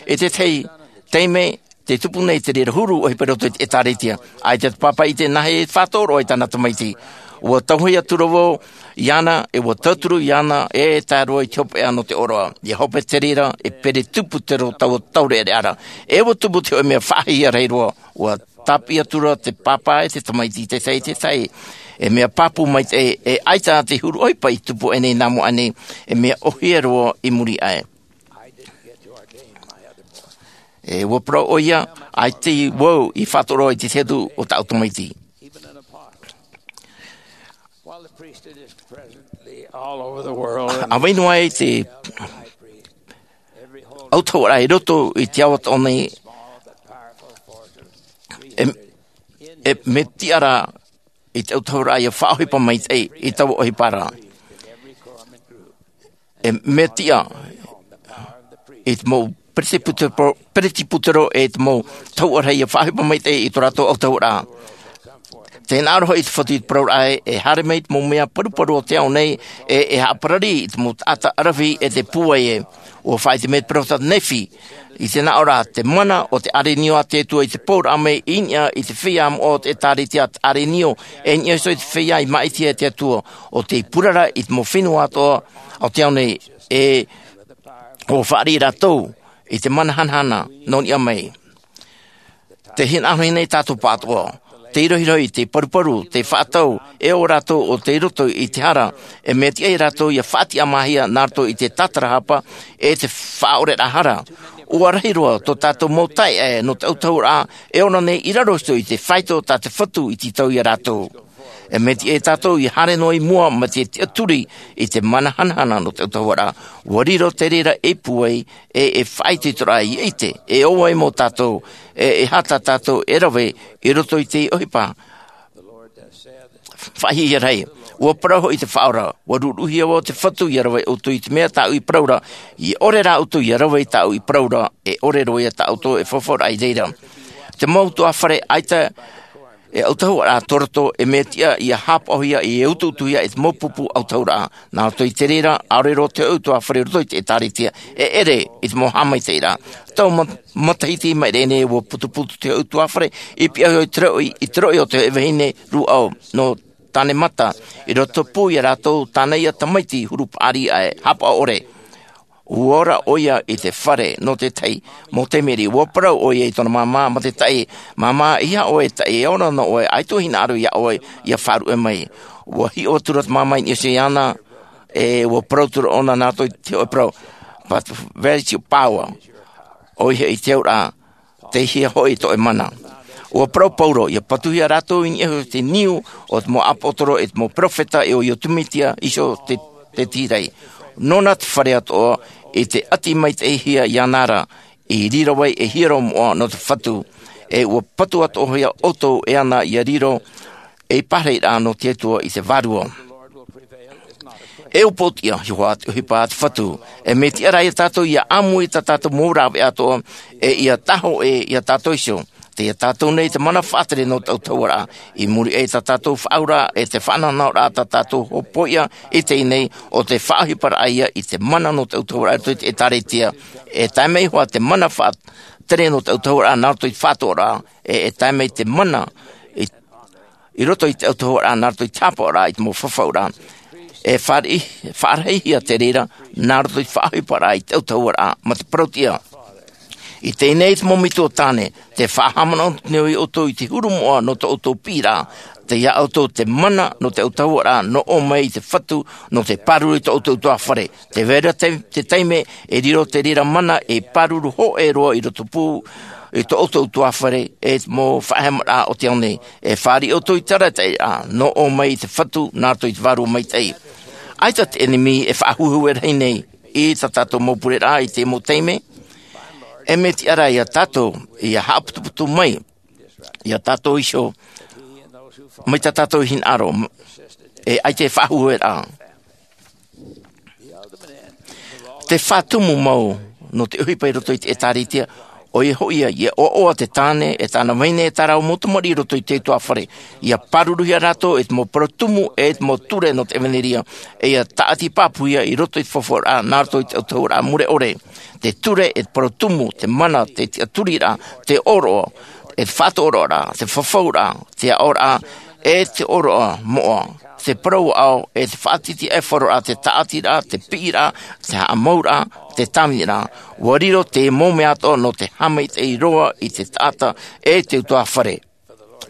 E te tahi taime te tupu nei te reira huru ʻohipa i roto i te ʻētāretia. ʻAita te pāpā i te nāhea e faʻatoroʻa i tāna tamaiti. Ua tauhia atu ra vau iāna, e ua tauturu iāna e tae roa i te hopeʻa nō te ʻōroʻa. Ia hope te reira e pere tupu te rō taua taureʻareʻa ra. E ua tupu te hoʻe mea faʻahiahia rahi roa. Ua tāpī atu ra te pāpā e te tamaiti i te tahi i te tahi. E mea pāpū maitaʻi, e ʻaita te huru ʻohipa i tupu aʻe nei nā mua aʻe nei, e mea ʻohie roa i muri aʻe. E ua parau ʻoia, ʻaita vau i faʻatoroʻa i te tahi atu o tāʻu tamaiti. ʻĀvaʻe noa ai te ʻautahuʻaraʻa i roto i te ao atoʻa nei, e, e mea tiʻa ra i te ʻautahuʻaraʻa ia faʻaʻohipa maitaʻi i taua ʻohipa ra. E mea tiʻa i te mau peretiputero, peretiputero e te mau ʻautahuʻaraʻa ia faʻaʻohipa maitaʻi i tō rātou ʻautahuʻaraʻa. Tē hinaʻaro hoʻi te Fatu i te parauraʻa ē, e haere mai te mau mea paruparu o te ao nei, e, e haʻaparari i te mau taʻata ʻaravihi e te pūai ē. ʻUa faʻaʻite mai te perofeta Nephi, i te hinaʻaro ra, te mana o te ʻārenio a te Atua i te pouraʻa mai i niʻa i te feiā moʻa o te ʻētāretia, te ʻārenio, e niʻa iho i te feiā i māʻitihia e te Atua, ʻo tei purara i te mau fenua atoʻa o te ao nei, e ʻua fāriʻi rātou i te mana hanahana nō niʻa mai. Tē hinaʻaro nei tātou pāʻatoʻa, tei rohirohi, tei paruparu, tei faʻatau, e ʻo rātou ʻo tei roto i te hara, e mea tiʻa ia rātou ia faʻatiʻamāhia nā roto i te tātarahapa, e te faʻaʻoreraʻa hara. ʻUa rahi roa tō tātou mau taeaʻe nō te ʻautahuʻaraʻa, e ora nei i raro iho i te faito tā te Fatu i tītau ia rātou. E mea tiʻa ia tātou ia haere noa i mua mai te tiʻaturi i te mana hanahana nō te ʻautahuʻaraʻa. ʻUa riro te reira ei pūai, e, e faʻaitoitoraʻa ia ʻite, e ʻo vai mau tātou, e, e aha tā tātou e rave i roto i te ʻohipa faʻahiahia ra. ʻUa parau hoʻi te Faʻaora, ʻua ruruhia vau te Fatu ia rave ʻoutou i te mea tāʻu i parau ra, e ʻore rā ʻoutou ia rave i tāʻu i parau ra, e ʻore roa ia tā ʻoutou e fafauraʻa i reira. Te mau ʻutuāfare ʻaita e ʻautahuʻaraʻa tō roto, e mea tiʻa ia haʻapaʻohia, e utuutuhia e te mau pupu ʻautahuʻaraʻa. Nā roto i te reira, ʻaore roa te ʻutuāfare roto i te ʻētāretia e ʻere i te mau haʻamaitaʻiraʻa. Tau ma-, matahiti mai rā nei ʻua putuputu te ʻutuāfare i pihaʻi iho i te roʻi, i te roʻi o te vahine rūʻau nō Tānemata, i rotopū ia rātou tāna ia tamaiti huru paʻari ʻae, haʻapaʻo ʻore. ʻUa ora ʻoia i te fare nō te tahi mau taime riʻi. ʻUa parau ʻoia i tōna māmā, mā te taʻi, māmā, e aha ʻoe, taʻi, e ora noa ʻoe, ʻaita e hinaʻaro ia ʻoe ia faʻaruʻe mai. ʻUa hiʻo atu ra te māmā i niʻa iho iāna, e ʻua parau atu ra ʻōna nā roto i te hōʻē parau, but where is your power? ʻOia hoʻi te auraʻa, tei hea hoʻi tō ʻoe mana? ʻUa parau Paulo, ia patuhia rātou i niʻa iho i te niu o te mau ʻāpōsetolo e te mau perofeta, e ʻo Iotu Metia iho te, te tīrai. Nōna te fare atoʻa i te ʻati maitaʻihia iāna ra, i riro ai e hiero moʻa nō te Fatu. E ʻua patu atoʻahia ʻoutou e ana ia riro ei parahiraʻa nō te Atua i te vārua. E upoʻotiʻa, ʻeiaha te ʻohipa a te Fatu. E mea tiʻa rā ia tātou ia ʻāmui i tā tātou mau rāveʻa atoʻa, e ia tahoʻē ia tātou iho. Tei ia tātou nei te mana faʻatere nō te ʻautahuʻaraʻa. I muri aʻe i tā tātou faʻaauraʻa, e te faʻanahonahoraʻa tā tātou hōpoiʻa i teie nei, ʻo te faʻaʻohiparaʻa ia i te mana nō te ʻautahuʻaraʻa i roto i te ʻētāretia. E tae mai hoʻi te mana faʻatere nō te ʻautahuʻaraʻa nā roto i te faʻatoʻaraʻa, e, e tae mai te mana i, i roto i te ʻautahuʻaraʻa, nā roto i te haʻapaʻoraʻa i te mau fafauraʻa. E faʻari-, faʻarahihia te reira, nā roto i te faʻaʻohiparaʻa i te ʻautahuʻaraʻa, mā te parauʻtiʻa. I teie nei te mau metua tāne, tē faʻahaʻamanaʻo nei ʻoutou i te huru moʻa nō tō ʻoutou piʻiraʻa, tei ia ʻoutou te mana nō te ʻautahuʻaraʻa, nō ʻō mai i te Fatu, nō te pāruru i tō ʻoutou ʻutuāfare. Tē vai ra te, te taime, e riro te reira mana e pāruru hōʻē roa i rotopū i tō ʻoutou ʻutuāfare, e te mau faʻaheamaraʻa o te ao nei. E fāriʻi ʻoutou i te arataʻiraʻa, nō ʻō mai i te Fatu, nā roto i te Vārua Maitaʻi. ʻAita te ʻenemi e faʻahuehue rahi nei i tā tātou mau pureraʻa i te mau taime. E mea tiʻa rā ia tātou, ia haʻaputuputu mai ia tātou iho, mai tā tātou hinaʻaro, e ʻaita e faʻahuehue ra. Te faʻatumu mau nō te ʻohipa i roto i te ʻētāretia, ʻOia hoʻi ia, ia ʻoaʻoa te tāne e tāna vahine e tā rāua mau tamariʻi i roto i te utuāfare. Ia pāruruhia rātou e te mau parau tumu e te mau ture nō te ʻevanelia. E ia tāʻati pāpūhia i roto i te fafauraʻa nā roto i te autahuʻaraʻa mure ʻore. Te ture e te parau tumu, te mana, te tiʻaturiraʻa, te ʻōroʻa, e te faʻatoʻoroʻaraʻa, te fafauraʻa, te aʻoraʻa, e te ʻōroʻa moʻa, te parau ʻāʻau, e te faʻatitiʻaifaro, te tāʻatiraʻa, te piʻiraʻa, te haʻamauraʻa, te tāviniraʻa. Ua riro te mau mea atoʻa nō te haʻamaitaʻi roa i te taʻata e te utuāfare.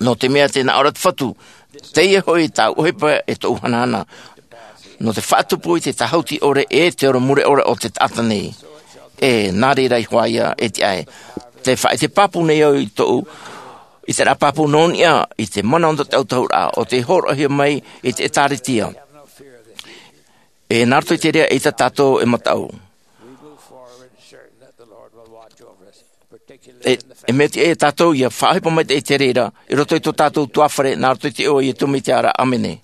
Nō te mea tē nā ʻō ra te Fatu, teie hoʻi tāʻu ʻohipa e tōʻu hanahana, nō te faʻatupu i te tāhuti ʻore e te ora mure ʻore o te taʻata nei. E nā reira iho ā ia e tiʻa ai. Te faʻaʻite pāpū nei au i tōʻu, i te rā pāpū nō niʻa i te mana nō te autahuʻaraʻa o te hōroʻahia mai i te ʻĒtārētia. E nā roto i te reira ʻaita tātou e mataʻu. E, e mea tiʻa ia tātou ia faʻaʻohipa mai i te reira i roto i tō tātou utuāfare, nā roto i te iʻoa o Iesu Mesia. ʻĀmene.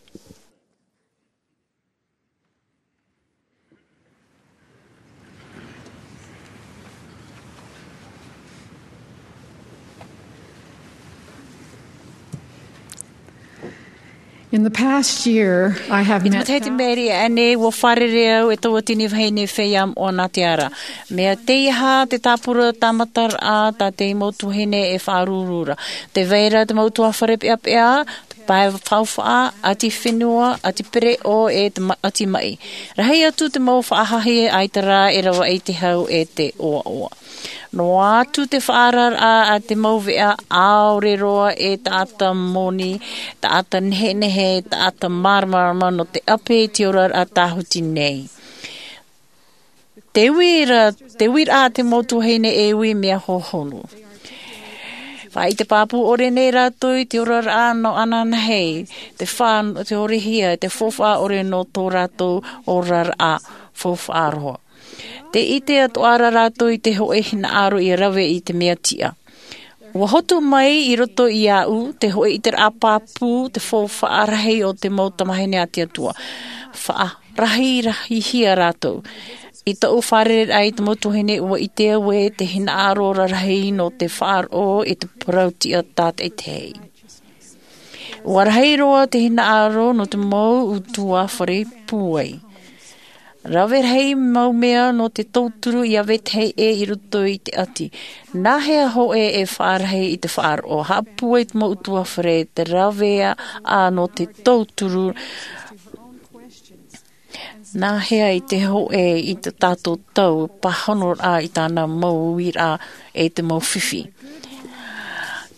In the past year, I have I te met matahiti maʻiri aʻenei, ua fārerei au e taua tini vahine feiā moʻa nā te ara. Mea tei aha te tāpura tāmataraʻa tā te mau tuahine e faʻaruru ra? Tē vai ra te mau utuāfare peʻapeʻa, te pae faufaʻa, ʻati fenua, ʻati pereʻoʻo, e te ma-, ʻati maʻi. Rahi atu te mau faʻahahi ʻaita rā e ravaʻi i te hau e te ʻoaʻoa. Noa atu te faʻaararaʻa a te mau veʻa ʻaore roa e taʻata moni, taʻata nehenehe, taʻata māramarama nō te ʻape i te oraraʻa tāhuti nei. Te uira, te uiraʻa a te mau tuahine e ui mea hohonu. Faʻaʻite pāpū ʻore nei rātou i te oraraʻa nō ananahi, te fā-, te ʻorehia, te faufaʻa ʻore nō tō rātou oraraʻa faufaʻa roa. Tē ʻite atoʻa ra rātou i te hōʻē hinaʻaro ia rave i te mea tiʻa. Ua hotu mai i roto iāʻu te hōʻē ʻiteraʻa pāpū, te faufaʻa rahi o te mau tamahine a te Atua. Faʻarahirahihia rātou. I tōʻu fārereiraʻa i te mau tuahine, ua ʻite au ē te hinaʻaro rarahi nō te faʻaroʻo i te parau tiʻa tātaʻitahi. Ua rahi roa te hinaʻaro nō te mau utuāfare pūai. Rave rahi mau mea nō te tauturu ia vetahi ʻē i roto i te ʻati. Nā hea hōʻē e faʻarahi i te faʻaroʻo? Haʻapūai te mau utuāfare, te rave ā nō te tauturu. Nā hea i te hōʻē i tā tātou tau pāhonoraʻa i tāna mau uiraʻa e te mau fifi?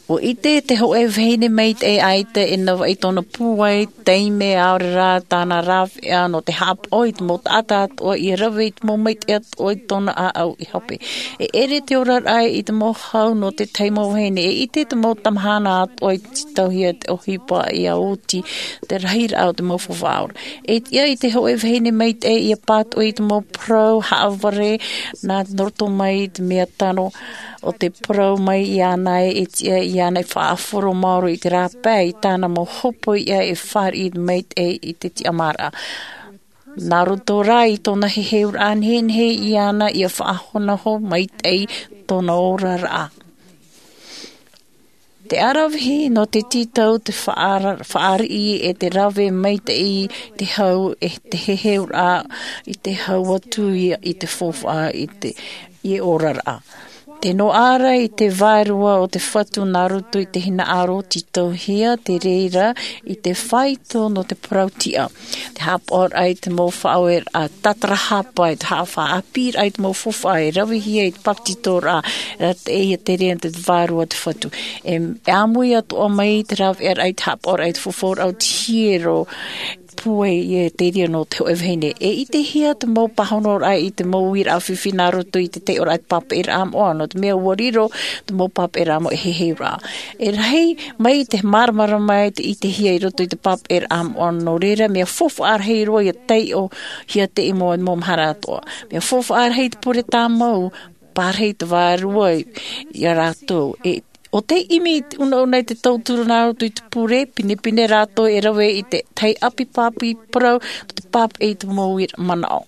Ua ʻite te hōʻē vahine maitaʻi ʻaita e navaʻi tōna pūai, taime ʻaore rā tāna rāveʻa nō te haʻapaʻo i te mau taʻata atoʻa ia rave i te mau maitaʻi atoʻa i tōna ʻāʻau i hape. E ʻere te oraraʻa i te mau hau nō te tahi mau vahine. E ʻite te mau tamahana atoʻa i tītauhia te ʻohipa ia oti te rahiraʻa o te mau faufaʻa ora. E tiʻa i te hōʻē vahine maitaʻi ia pātoʻi i te mau parau haʻavare nā roto mai i te mea tano o te parau mai iāna ē, e tiʻa iāna e faʻahoro maoro i te rāpae i tāna mau hopoiʻa e fāriʻi maitaʻi i te tiʻamāraʻa. Nā roto rā i tōna heheuraʻa nehenehe iāna ia faʻahonohono maitaʻi tōna oraraʻa. Te aravihi nō te tītau, te faʻara-, fāriʻi e te rave maitaʻi te hau e te heheuraʻa i te hau atu ia i te faufaʻa i te, i oraraʻa. Te noaʻa ra i te vārua o te Fatu nā roto i te hinaʻaro tītauhia te reira i te faito nō te parau tiʻa. Te haʻapaʻoraʻa i te mau faʻaoreraʻa tātarahapa, e te haʻafaʻaʻāpīraʻa i te mau faufaʻa e ravehia i te papetitoraʻa, e rā te ia te reira te vārua o te Fatu. E, e ʻāmui atoʻa mai te rāveʻaraʻa i te haʻapaʻoraʻa i te fafauraʻa o te hiero, pūai e te reira nō te hōʻē vahine. E ʻitehia te mau pāhonoraʻa i te mau uiraʻa fifi nā roto i te taiʻoraʻa i te pāpaʻiraʻa moʻa, nō te mea ua riro te mau pāpaʻiraʻa moʻa e heheuraʻa. E rahi mai te māramarama e te ʻitehia i roto i te pāpaʻiraʻa moʻa, nō reira mea faufaʻa rahi roa ia taiʻohia te mau, mau mahana atoʻa. Mea faufaʻa rahi te pure tāmau, pārahi te vārua ia rātou. E, ʻo tei ʻimi i te unauna i te tauturu nā roto i te pure, pinepine rātou e rave i te tahi ʻāpī pāpū parau, te pāpaʻi i te mau uiraʻa manaʻo.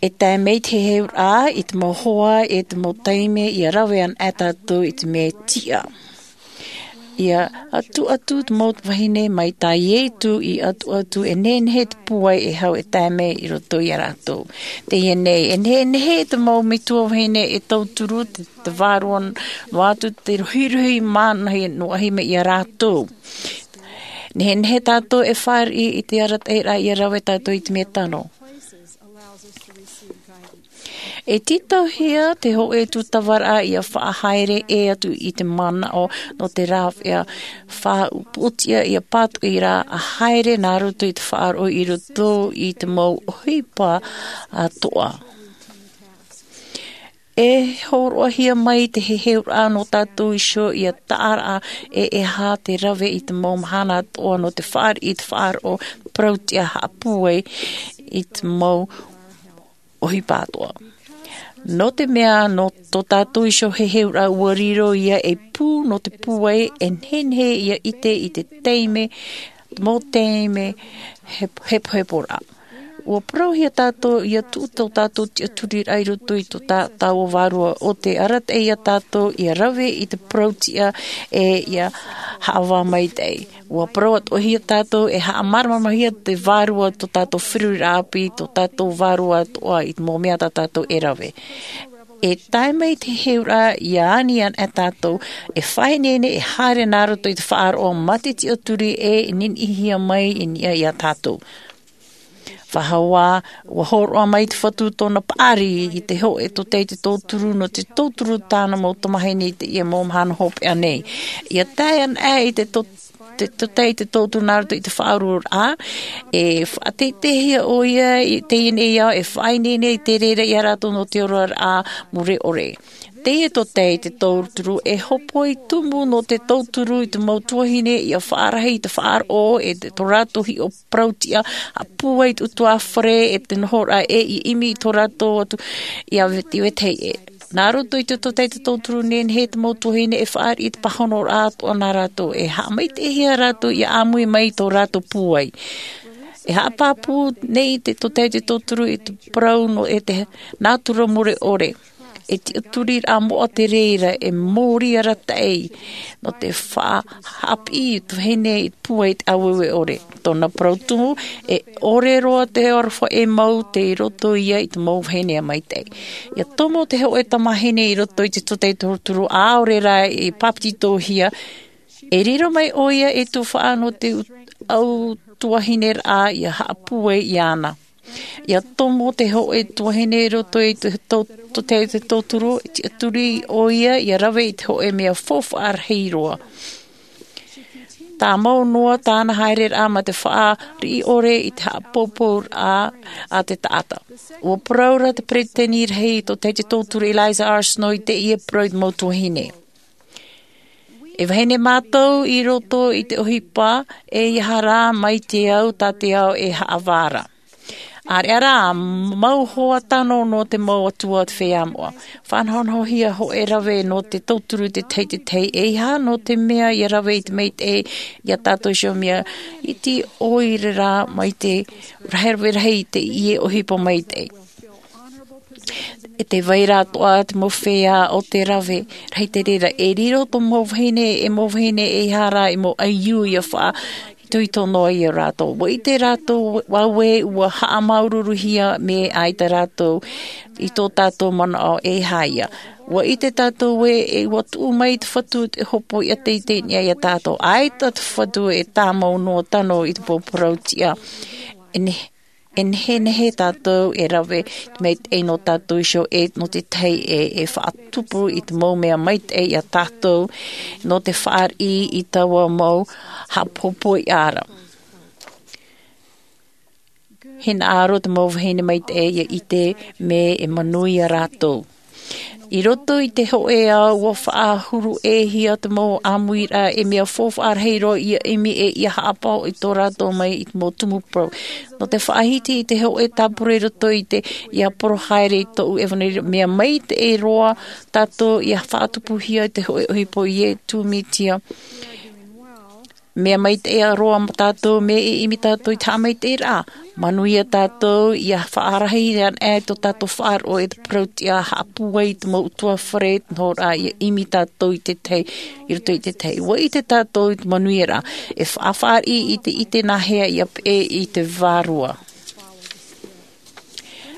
E tae mai te heheuraʻa i te mau hoa e te mau taime ia rave ana e tātou i te mea tiʻa. Ia atuatu te mau vahine mai tā Iesu i atuatu e nehenehe te pūai e hau e tae mai i roto ia rātou. Teie nei, e nehenehe te mau metua vahine e tauturu te, te vārua noa atu te rohirohi mānahi noa ahi mai ia rātou. Nehenehe tātou e fāriʻi i te arataʻiraʻa ia rave tātou i te mea tano. E tītauhia te hōʻē tūtavaraʻa ia faʻahaere ʻē atu i te manaʻo nō te rāveʻa faʻaʻupuʻutiʻa ia pātoʻi rā a haere nā roto i te faʻaroʻo i roto i te mau ʻohipa atoʻa. E hōroʻahia mai te heheuraʻa nō tātou iho ia taʻaraʻa e e aha te rave i te mau mahana atoʻa nō te fāriʻi i te faʻaroʻo parautiʻa haʻapūai i te mau ʻohipa atoʻa. Nō te mea nō tō tātou iho heheuraʻa ua riro ia ei pū nō te pūai e nehenehe ia ʻite i te taime mau taime hepoheporaʻa. Ua parauhia tātou ia tuʻu tō tātou tiʻaturiraʻa i roto i tō tā, taua vārua o te arataʻi ia tātou ia rave i te parautiʻa e ia haʻavā maitaʻi. Ua parau atoʻahia tātou e haʻamāramaramahia te vārua tō tātou feruriraʻa ʻāpī, tō tātou vārua atoʻa i te mau mea tā tātou e rave. E tae mai te heheuraʻa ia ani ana e tātou e faʻaineine e haere nā roto i te faʻaroʻo mā te tiʻaturi e niniʻihia mai i niʻa ia tātou. Faʻahou ā, ua hōroʻa mai te Fatu tōna paʻari i te hōʻē tōtaiete tauturu nō te tauturu tāna mau tamahine i teie mau mahana hopeʻa nei. Ia tae ana i te tō te tōtaiete tauturu nā roto i te faʻaroʻoraʻa, e faʻateiteihia ʻoia i teie nei ao e faʻaineine i te reira ia rātou nō te oraraʻa mure ʻore. Teie tōtaiete tauturu e hōpoi tumu nō te tauturu i te mau tuahine ia faʻarahi i te faʻaroʻo e te, tō rātou hiʻo parautiʻa a pūai te utuāfare e te nohoraʻa e i ʻimi i tō rātou atu ia veti vetahi e. Nā roto i te tōtaiete tauturu nehenehe te mau tuahine e fāriʻi i te pāhonoraʻa atoʻa nā rātou e haʻamaitaʻihia rātou ia ʻāmui mai i tō rātou pūai. E haʻapāpū nei te tōtaiete tauturu i te parau nō e te nātura mure ʻore. E tiʻaturiraʻa moʻa te reira e mōrī arataʻi nō te faʻahaʻapiʻi i te vahine i pūai i te ʻāueue ʻore. Tōna parau tumu, e ʻore roa te aroha e mau tei roto ia i te mau vahine maitaʻi. Ia tomo te hōʻē tamahine i roto i te tōtaiete tauturu ʻaore rā i pāpetitohia, e riro mai ʻoia e tufaʻa nō te au tuahineraʻa ia haʻapūai iāna. Ia tomo te hōʻē tuahine i roto i te tō-, tōtaiete tauturu, tiʻaturi ʻoia ia rave i te hōʻē mea faufaʻa rahi roa. Tāmau noa tāna haereraʻa mā te fāriʻi ʻore i te haʻapōpōraʻa a te taʻata. Ua parau ra te peresideni rahi i tōtaiete tauturu Eliza R. Snow i teie parau i te mau tuahine. E vahine mātou i roto i te ʻohipa, e ʻeiaha rā mai te au tā te ao e haʻavā ra. ʻĀreʻa rā, mau hoa tano nō te mau atua o te feiā moʻa. Faʻanahonahohia hōʻē rave nō te tauturu i te tahi i te tahi, ʻeiaha nō te mea ia rave i te maitaʻi ia tātou iho mea iti ʻoire rā mai te rahi rave rahi i teie ʻohipa maitaʻi. E te vai ra atoʻa te mau feiā o te rave rahi te reira. E riro tō mau vahine, e mau vahine ʻeiaha rā, e mau ʻaiū ia faʻaitoito noa ia rātou. Ua ʻite rātou, ua, ua haʻamāuruuruhia mai ʻaita rātou i tō tātou manaʻo ʻeiaha ia. Ua ʻite tātou ē, e ua tuʻu mai te Fatu te hōpoiʻa teitei nei ia tātou. ʻAita te Fatu e tāmau noa tano i te mau parautiʻa. E ne-, e nehenehe tātou e rave te maitaʻi nō tātou iho e nō te tahi e, e faʻatupu i te mau mea maitaʻi ia tātou nō te fāriʻi i taua mau haʻapōpōraʻa. Hinaʻaro te mau vahine maitaʻi ia ʻite mea e manuia rātou. I roto i te hōʻē ao ua faʻahuru ʻē hia te mau ʻāmuiraʻa e mea faufaʻa rahi roa ia ʻimi e ia haʻapaʻo i tō rātou mai i te mau tumu parau. Nō te faʻahiti i te hōʻē tāpura i roto i te ia poro haere i tōʻu ʻevanelia, mea maitaʻi roa tātou ia faʻatupuhia i te hōʻē ʻohipa o Iesu Mesia. Mea maitaʻi roa ma tātou, mea e ʻimi tātou i te haʻamaitaʻiraʻa. Manuia tātou ia faʻarahi ana e tō tātou faʻaroʻo e te parau tiʻa haʻapūai i te mau ʻutuāfare nō rā ia ʻimi tātou i te tahi, i roto i te tahi. Ua ʻite tātou i te manuiaraʻa e faʻafaʻariʻi i te ʻite nāhea ia peʻe i te vārua.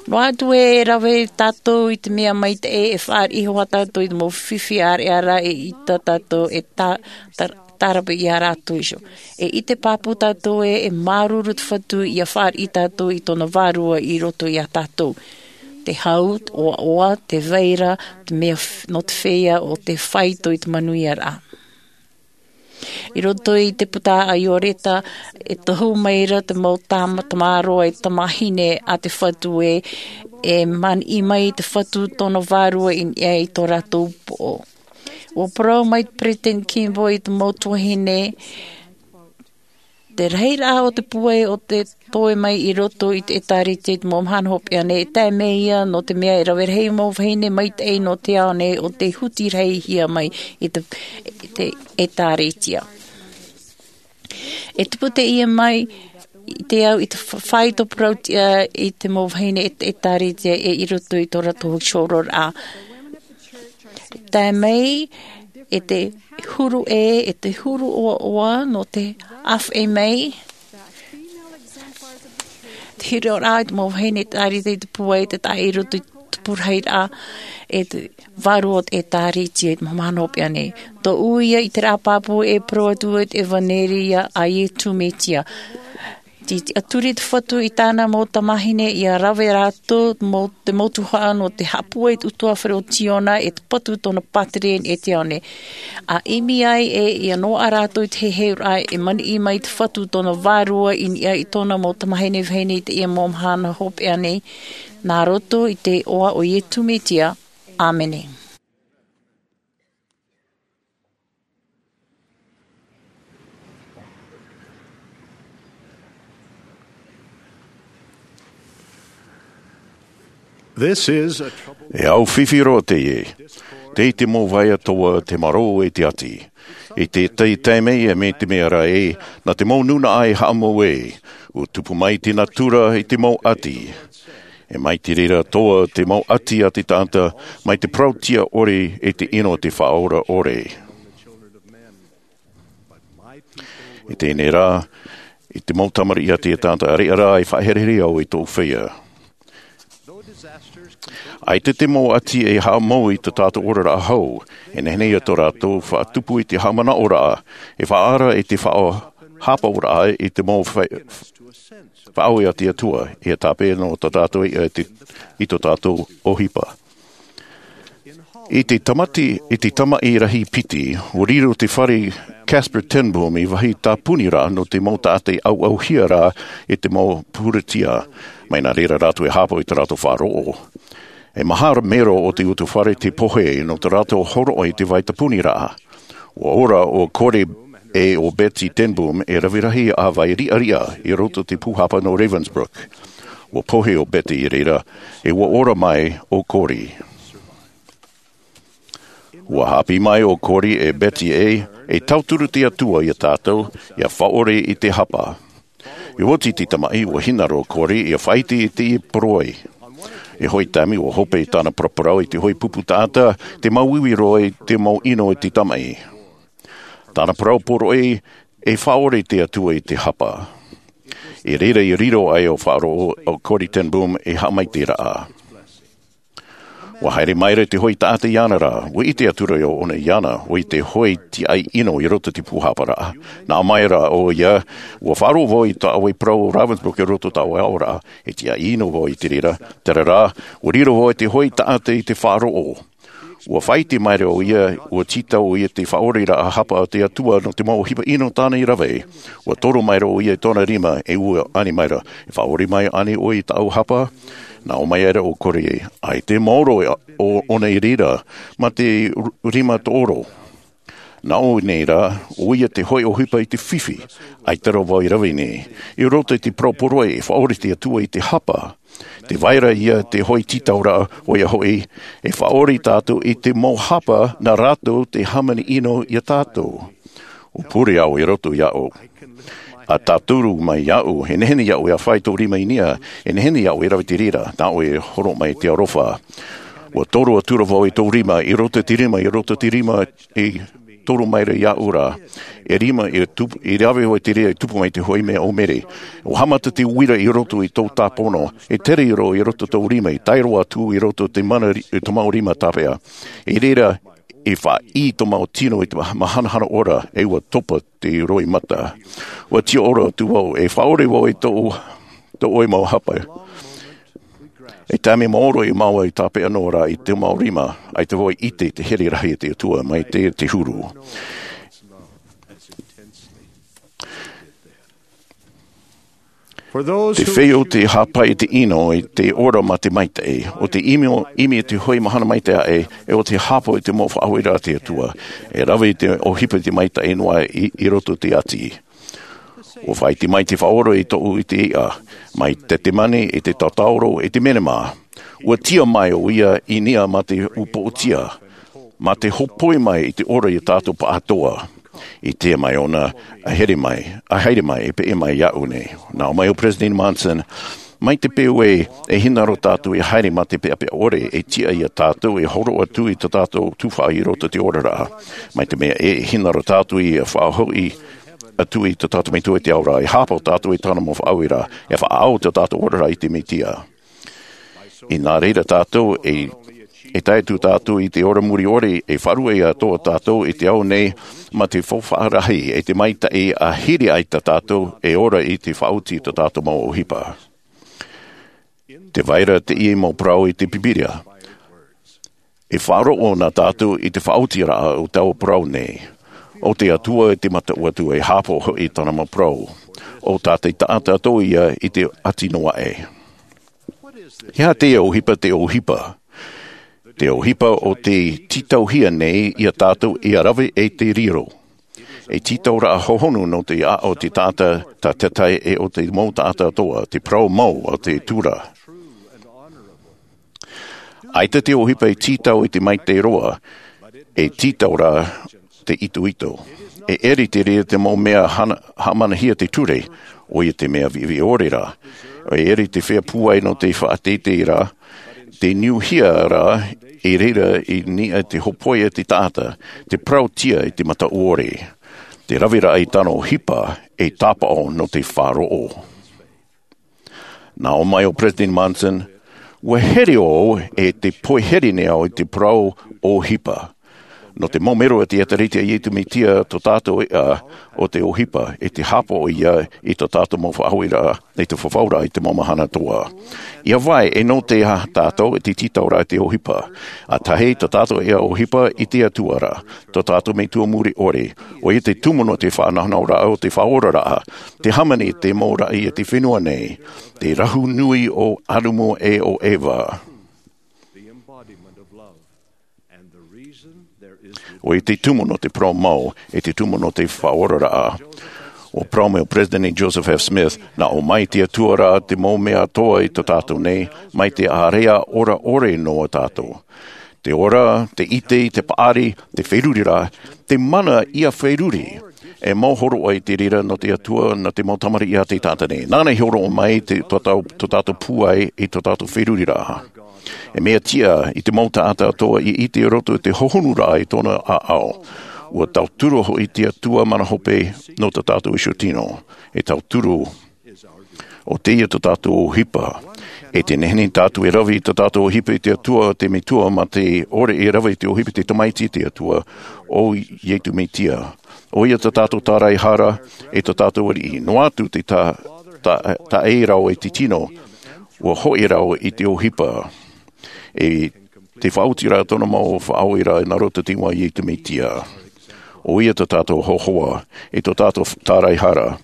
Noa atu e rave tātou i te mea maitaʻi e faʻariʻi hoʻi tātou i te mau fifi ʻāreʻa rā e ʻita tātou e tā, tā, tarape i a rātou iho. E ʻite pāpū tātou e, e māuruuru te Fatu ia faʻariʻi tātou i tōna vārua i roto i a tātou. Te hau, te ʻoaʻoa, te vaira, te mea f-, nō te feiā o te faito i te manuiaraʻa. I roto i te puta a Ioreta, e tohu maira te mau tama-, tamaroa e tamahine a te Fatu e, e maniʻi mai te Fatu tōna vārua i niʻa i tō rātou poʻo. Ua parau mai te Peresideni Kimball i te mau tuahine, te rahiraʻa o te pūai o te toe mai i roto i te ʻĒtārētia i te mau mahana hopeʻa nei, e tae mai ia nō te mea e rave rahi mau vahine maitaʻi nō te ao nei o tei huti rahihia mai i te, i te ʻĒtārētia. E tupu teie mai i te au i te fa-, faito parau tiʻa i te mau vahine e te ʻĒtārētia e i roto i tō rātou hōʻē oraraʻa. Tae mai e te huru ʻē, e te huru ʻoaʻoa nō te ʻāfaʻi mai. Te hiroraʻa i te mau vahine e te ʻĒtārētia i te pūai, te taʻa i roto i te pūrahiraʻa, e te vārua o te ʻĒtārētia i te mau mahana hopeʻa nei. Tōʻu ia ʻiteraʻa pāpū e parau atu i te ʻevanelia a Iesu Mesia. Tei tiʻaturi te Fatu i tāna mau tamahine ia rave rātou mau, te mau tuhaʻa nō te haʻapūai i te ʻutuāfare o Ziona e te patu tōna pātireia i te ao nei. A ʻimi ai e ia noaʻa rātou i te heheuraʻa e maniʻi mai te Fatu tōna vārua i niʻa i tōna mau tamahine vahine i teie mau mahana hopeʻa nei. Nā roto i te iʻoa o Iesu Mesia. ʻĀmene. This is a trouble. E au fifi roa teie. Tei te mau vaea toa te marō e te ati. I te, te taime ia me te mea rā e, nā te mau nūnaʻa e haʻamau e, ua tupu mai te natura i te mau ati. E mai te reira toa te mau ati a te taʻata, mai te parauʻtiʻa ʻore e te ʻino o te Faʻaora ʻore. I teie nei rā, i te mau tamariʻi a te taʻata, ʻareʻa rā e faʻaherehere au i tōʻu feiā. ʻAita te mau ati e haʻamau i tō tātou oraraʻa hou, e nehenehe ia tō rātou faʻatupu i te haʻamanaʻoraʻa, e faʻaara i te faʻa-, haʻapaʻoraʻa i te mau fa-, faʻaue a te Atua, ia tāpeʻa noa tā tātou i te, i tō tātou ʻohipa. I te tamati, i te tamaʻi rahi piti, ua riro te fare Casper Ten Boom i vāhi tāpuni rā nō te mau taʻata i ʻauʻauhia rā e te mau pūretia. Mai nā reira rātou e haʻapaʻo i tā rātou faʻaroʻo. E maha mero o te ʻutuāfare te pohe nō tā rātou hōroʻa i te vai tāpuni rā. Ua ora ʻo Corrie e ʻo Betsie Ten Boom e rave rahi ā vai riʻariʻa i roto i te pūhapa nō Ravensbrück. Ua pohe ʻo Betsie i reira, e ua ora mai ʻo Corrie. Ua haʻapiʻi mai ʻo Corrie e Betsie e, e tauturu te Atua ia tātou, ia faʻaʻore i te hapa. I oti te tamaʻi, ua hinaʻaro ʻo Corrie ia faʻaʻite i te poroʻi. I te hōʻē taime ua hope tāna paraparau i te hōʻē pupu taʻata, te māuiui roa i te mau ʻino i te tamaʻi. Tāna parau poroʻi, e faʻaʻore te Atua i te hapa. I reira i riro ai ʻo faʻaroʻo ʻo Corrie Ten Boom e haʻamaitaʻiraʻa. Ua haere maira te hōʻē taʻata iāna rā, ua ʻite atu ra ʻōna iāna, ʻo ia te hōʻē tiaʻi ʻino i roto i te pūhapa rā. Nā ʻō mai ra ʻoia, ua faʻaroʻo vau i tā ʻoe parau o Ravensbrück i roto i tā ʻoe aʻoraʻa, e tiaʻi ʻino vau i te reira, terā rā, ua riro vau i te hōʻē taʻata i te faʻaroʻo. Ua faʻaʻite maira ʻoia, ua tītau ʻoia te faʻaʻoreraʻa hapa a te Atua nō te mau ʻohipa ʻino tāna i rave. Ua toro maira ʻoia i tōna rima, e ʻua ani maira, e faʻaʻore mai ānei ʻoe i tāʻu hapa? Nā ʻō mai ra ʻo Corrie, ʻaita e maoro ʻo, ʻōna i reira, mā te r-, rima tōʻoro. Nā ʻō nei rā, ʻoia te hōʻē ʻohipa i te fifi, ʻaita rā vau i rave nei. I roto i te parau poroʻi e faʻaʻore te Atua i te hapa. Te vai ra ia te hōʻē tītauraʻa, ʻoia hoʻi, e faʻaʻore tātou i te mau hapa nā rātou te hāmani ʻino ia tātou. ʻUa pure au i roto iāʻu. ʻA tāturu mai iāʻu, e nehenehe iāʻu e ʻāfaʻi tō rima i niʻa, e nehenehe iāʻu e rave i te reira, nā ʻoe e horo mai te aroha. ʻUa toro atura vau i tō rima, i roto i te rima, i roto i te rima, i toro mai ra iāʻu ra. E rima, i tupu, i rave vau i te reira, i tupu mai te hoʻi mea ʻōmere. ʻUa haʻamata te uira i roto i tō tāpono, e tere roa i roto tō rima, i tae roa atu i roto te mana ri-, i tō mau rima tāpeʻa. I reira, i faʻaʻī tō mau tino i te ma-, mahanahana ora, e ʻua topa te roimata. ʻUa tiʻa ora atu vau, e faʻaʻore vau i tō, tō ʻoe mau hapa. E taime maoro i maua i tāpeʻa noa ra i te mau rima, ʻaita vau i ʻite te here rahi a te Atua mai te, te huru. Te feiʻa o te hāpaʻi i te ʻino i te ora mā te maitaʻi, ʻo te ʻimi, ʻimi i te hoʻi mahana maitaʻi aʻe, e ʻo te hāpaʻo i te mau faʻahoʻiraʻa a te Atua, e rave i te ʻohipa i te maitaʻi noa i, i roto i te ati. ʻUa faʻaʻite mai te Faʻaora i tōʻu ʻite iʻa, mai Tetemani i te Tataoro i te Menema. ʻUa tiʻa mai ʻo ia i niʻa mā te upoʻotia, mā te hōpoi mai i te ora ia tātou pāʻatoʻa. I te mea ʻōna, ʻa here mai, ʻa haere mai, e peʻe mai iāʻu nei. Nā ʻō mai ʻo Peresideni Monson, mai te peu ē, e hinaʻaro tātou ia haere mā te peʻapeʻa ʻore, e tiʻa ia tātou, e horo atu i tā tātou tuhaʻa i roto i te oraraʻa. Mai te mea ē, e hinaʻaro tātou ia faʻahoʻi atu i tā tātou Metua i te ao ra, e hāpaʻo tātou i tāna mau faʻahoʻiraʻa, e faʻaau tā tātou oraraʻa i te Mesia. I nā reira tātou e, e tae atu tātou i te ora muri ʻore, e faʻaruʻe atoʻa tātou i te ao nei, mā te faufaʻa rahi, e te maitaʻi ʻa hiri ai tā tātou, e ora i te faʻaoti i tā tātou mau ʻohipa. Tē vai ra teie mau parau i te Pīpīria. E faʻaroʻo na tātou i te faʻaotiraʻa o taua parau nei. ʻO te Atua e te mataʻu atu, e hāpaʻo hoʻi i tāna mau parau. ʻO tā te taʻata atoʻa ia i te ati noa aʻe. E aha te ʻohipa, te ʻohipa? Te ʻohipa ʻo tē tītauhia nei ia tātou ia rave e te riro. E tītauraʻa hohonu nō te aʻo o te taʻata, tā te tahi e ʻo te mau taʻata atoʻa, te parau mau a te atua. ʻAita te ʻohipa e tītau i te maitaʻi roa, e tītau rā te itoito. E ʻere te reira te mau mea hana-, haʻamanahia te ture, ʻoia te mea viʻiviʻi ʻore ra. E ʻere te fea pūai nō te faʻateitei ra, te niuhia ra, i reira i niʻa te hōpoi a te taʻata, te parauʻtiʻa i te mataʻu ʻore. Te raveraʻa i tāna ʻohipa, e tāpaʻo nō te faʻaroʻo. Nā ʻō mai ʻo Peresideni Monson, ʻua here au e te pohe here nei au i te parau ʻohipa. Nō te mau melo a te ʻĒtārētia a Iesu Mesia, tō tātou iʻa ʻo te ʻohipa, e te hāpaʻo ia i tō tātou mau faʻahoʻiraʻa, i te fafauraʻa i te mau mahana atoʻa. ʻIa vai, e nō te aha tātou e te tītauraʻa i te ʻohipa? ʻA tahi, tō tātou iʻa ʻohipa i te Atua ra, tō tātou Metua muri ʻore, ʻoia te tumu nō te faʻanahonahoraʻa o te faʻaoraraʻa, te hāmani i te mau raʻi a te fenua nei, te rahu nui o Adamu e o Eva. ʻOia te tumu nō te parau mau, e te tumu nō te faʻaoraraʻa. ʻUa parau mai ʻo Peresideni Joseph F. Smith, nā ʻō mai te Atua ra te mau mea atoʻa i tō tātou nei, mai te ārea ora ʻore noa tātou. Te ora, te ʻite, te paʻari, te feruriraʻa, te mana ʻia feruri. E mau hōroʻa i te reira nō te Atua, nō te mau tamariʻi a te taʻata nei. Nāna i hōroʻa mai te, tō tātou, tō tātou pūai i tō tātou feruriraʻa. E mea tiʻa i te mau taʻata atoʻa i ʻite i roto i te hohonuraʻa i tōna ʻāʻau. ʻUa tauturu hoʻi te Atua mana hope nō tō tātou iho tino. E tauturu ʻo teie tō tātou ʻohipa. E te nehenehe tātou e rave i tō tātou ʻohipa i te Atua, te Metua, mā te ʻore e rave i te ʻohipa i te Tamaiti te Atua, ʻo Iesu Mesia. ʻOia tō tātou tāraehara, e tō tātou ariʻi. Noa atu te tā-, tā-, taʻeʻaravaʻe i te tino, ʻua hoʻi rā i te ʻohipa. E te faʻaotiraʻa tōna mau faʻahoʻiraʻa nā roto i te iʻoa o Iesu Mesia. ʻOia tō tātou hōhoʻa, e tō tātou tāraehara.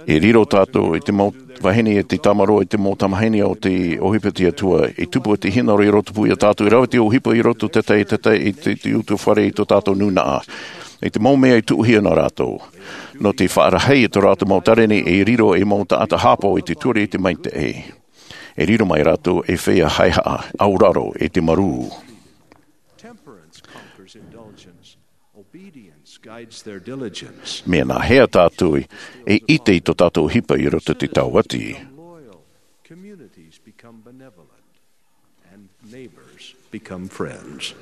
E riro tātou i te mau vahine, e te tāmarō, i te mau tamahine o te ʻohipa a te Atua, e tupu te hinaʻaro i rotopū ia tātou, e rave te ʻohipa i roto i te tahi, te tahi, i te, te utuafare i tō tātou nūnaʻa. I te mau mea i tuʻuhia nā rātou. Nō te faʻarahi i tō rātou mau taʻata nei, e riro ei mau taʻata hāpaʻo i te ture i te maitaʻi. E riro mai rātou ei feiā haʻehaʻa, auraro, e te marū. Temperance conquers indulgence. Obedience guides their diligence. Mea nāhea tātou e ʻite i tō tātou ʻohipa i roto i te tāuati? Communities become benevolent, and neighbors become friends.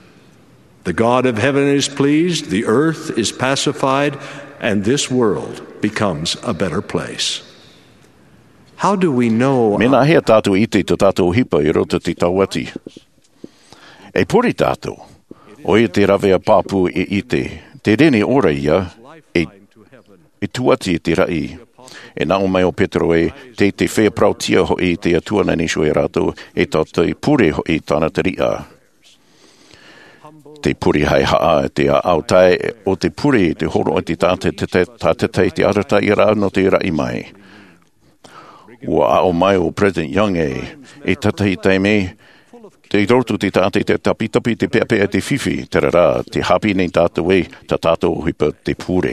The God of heaven is pleased, the earth is pacified, and this world becomes a better place. How do we know? Mea nāhea tātou e ʻite i tō tātou ʻohipa i roto i te tāuati? E pure tātou. ʻOia te rāveʻa pāpū e ʻite. Te reni ora ia, e, e tūʻati i te raʻi. E nā ʻō mai ʻo Petero ē, tē, tē feiā parauhia hoʻi te Atua nā niʻa iho ia rātou, e tō te pure hoʻi tāna teriʻa. Te pure haʻehaʻa, te ʻāʻau tae, ʻo te pure, te hōroʻa i te taʻata, te, te, tātaʻitahi, te arataʻiraʻa nō te raʻi mai. ʻUa aʻo mai ʻo President Young ē, i te tahi taime, tei roto te taʻata i te tapitapi, te peʻapeʻa, te fifi, terā rā, tē haʻapiʻi nei tātou ē, tā tātou ʻohipa te pure.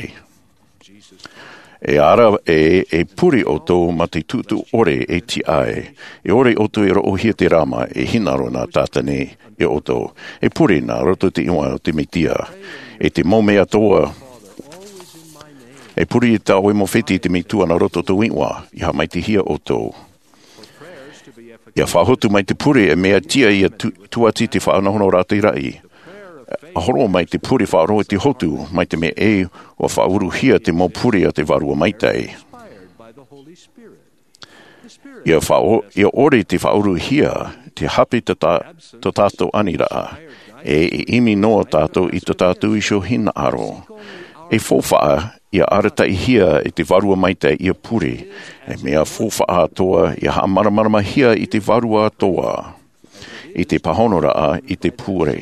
E ara ē, e pure ʻoutou mā te tuʻutuʻu ʻore e tiʻa ai. E ʻore ʻoutou e roʻohia te rāma, e hinaʻaro nā Tātane ia ʻoutou. E pure nā roto i te iʻoa o te Mesia. E te mau mea atoʻa, e pure i tā ʻoe mau fētiʻi i te Metua nā roto i tōʻu iʻoa, ʻia haʻamaitaʻihia ʻoutou. ʻIa faʻahotu mai te pure, e mea tiʻa ʻia tū-, tūʻati te faʻanahonahoraʻa i te raʻi. ʻA hōroʻa mai te pure faʻaroʻo i te hotu, mai te mea ē, ʻua faʻauruhia te mau pure a te Vārua Maitaʻi. ʻIa faʻa-, ʻia ʻore te faʻauruhia, te hape tā tā-, tō tātou aniraʻa, e, e ʻimi noa tātou i tō tātou iho hinaʻaro. E faufaʻa, ʻia arataʻihia e te Vārua Maitaʻi ʻia pure, e mea faufaʻa atoʻa, ʻia haʻamāramaramahia i te vārua atoʻa, i te pāhonoraʻa, i te pure.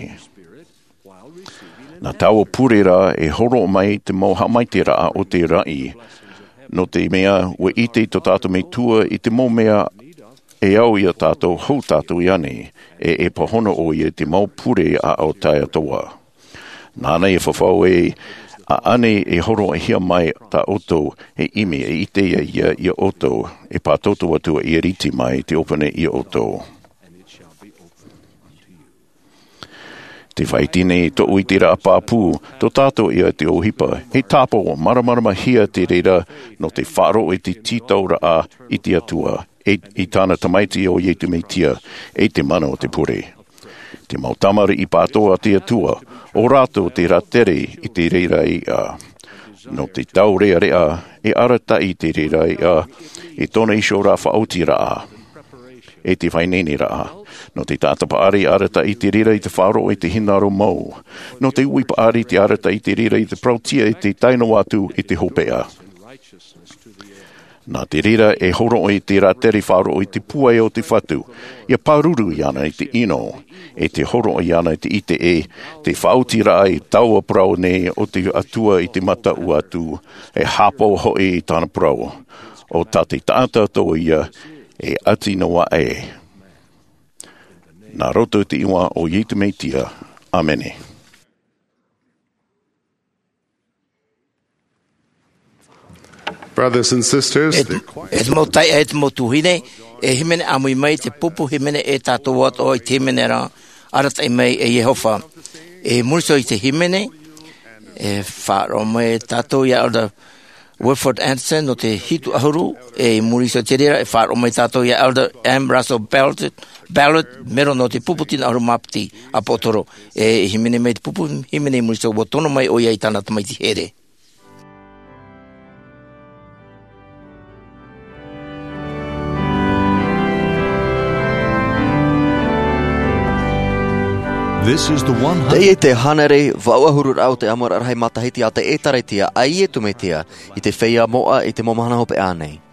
Nā taua pure rā, e hōroʻa mai te mau haʻamaitaʻiraʻa o te raʻi, nō te mea, ʻua ʻite tō tātou Metua i te mau mea e au ia tātou, hou tātou i ani, e, e pāhono ʻoia i te mau pure ʻāʻau tae atoʻa. Nāna e fafau ē, ʻaʻana e hōroʻahia mai tā ʻoutou, e ʻimi, e ʻite ia, ia, ia ʻoutou, e pātoutou atu ʻia rite mai te ʻōpani ia ʻoutou. Te faʻaʻite nei tōʻu ʻiteraʻa pāpū, tō tātou ia te ʻohipa, e tāpaʻo māramaramahia te reira nō te faʻaroʻo i te tītauraʻa i te Atua, e, i tāna Tamaiti ʻo Iesu Mesia, e te mana o te pure. Te mau tamariʻi pātoʻi a te Atua, ʻo rātou te rātere i te reira iʻa. Nō te taurearea, e arataʻi i te reira iʻa, i tōna iho rā faʻaotiraʻa. E te faʻaineineraʻa. Nō te taʻata paʻari arataʻi i te reira i te faʻaroʻo i te hinaʻaro mau. Nō te uʻi paʻari te arataʻi i te reira i te parauhia i te tae noa atu i te hopeʻa. Nā te reira e hōroʻa i te rātere faʻaroʻo i te pūai o te Fatu, ʻia pāruru iāna i te ʻino, e te hōroʻa iāna i te ʻite ē, te faʻaotiraʻa i taua parau nei o te Atua i te mataʻu atu, e hāpaʻo hoʻi i tāna parau, ʻo tā te taʻata atoʻa ia, e ʻati noa aʻe. Nā roto i te iʻoa o Iesu Mesia. ʻĀmene. Brothers and sisters, e, e te mau taeaʻe, e te mau tuahine, e hīmene ʻāmui mai te pupu hīmene e tātou atoʻa i te hīmene ra, Arataʻi Mai e Iehova. E muri iho i te hīmene, e faʻaroʻo mai tātou ia Elder Wilford Andersen nō te hitu ʻahuru, e i muri iho i te reira, e faʻaroʻo mai tātou ia Elder M. Russell Ballard, Ballard, mero nō te pupu tino ʻahuru mā piti ʻāpōsetolo, e hīmene mai te pupu hīmene i muri iho, ʻua tono mai ʻoia i tāna tamaiti here. This is the one hundred. Teie te hānere vaʻu ʻahuru ra o te ʻāmuiraʻa rahi matahiti a te ʻĒtārētia a Iesu Mesia i te feiā moʻa i te mau mahana hopeʻa nei.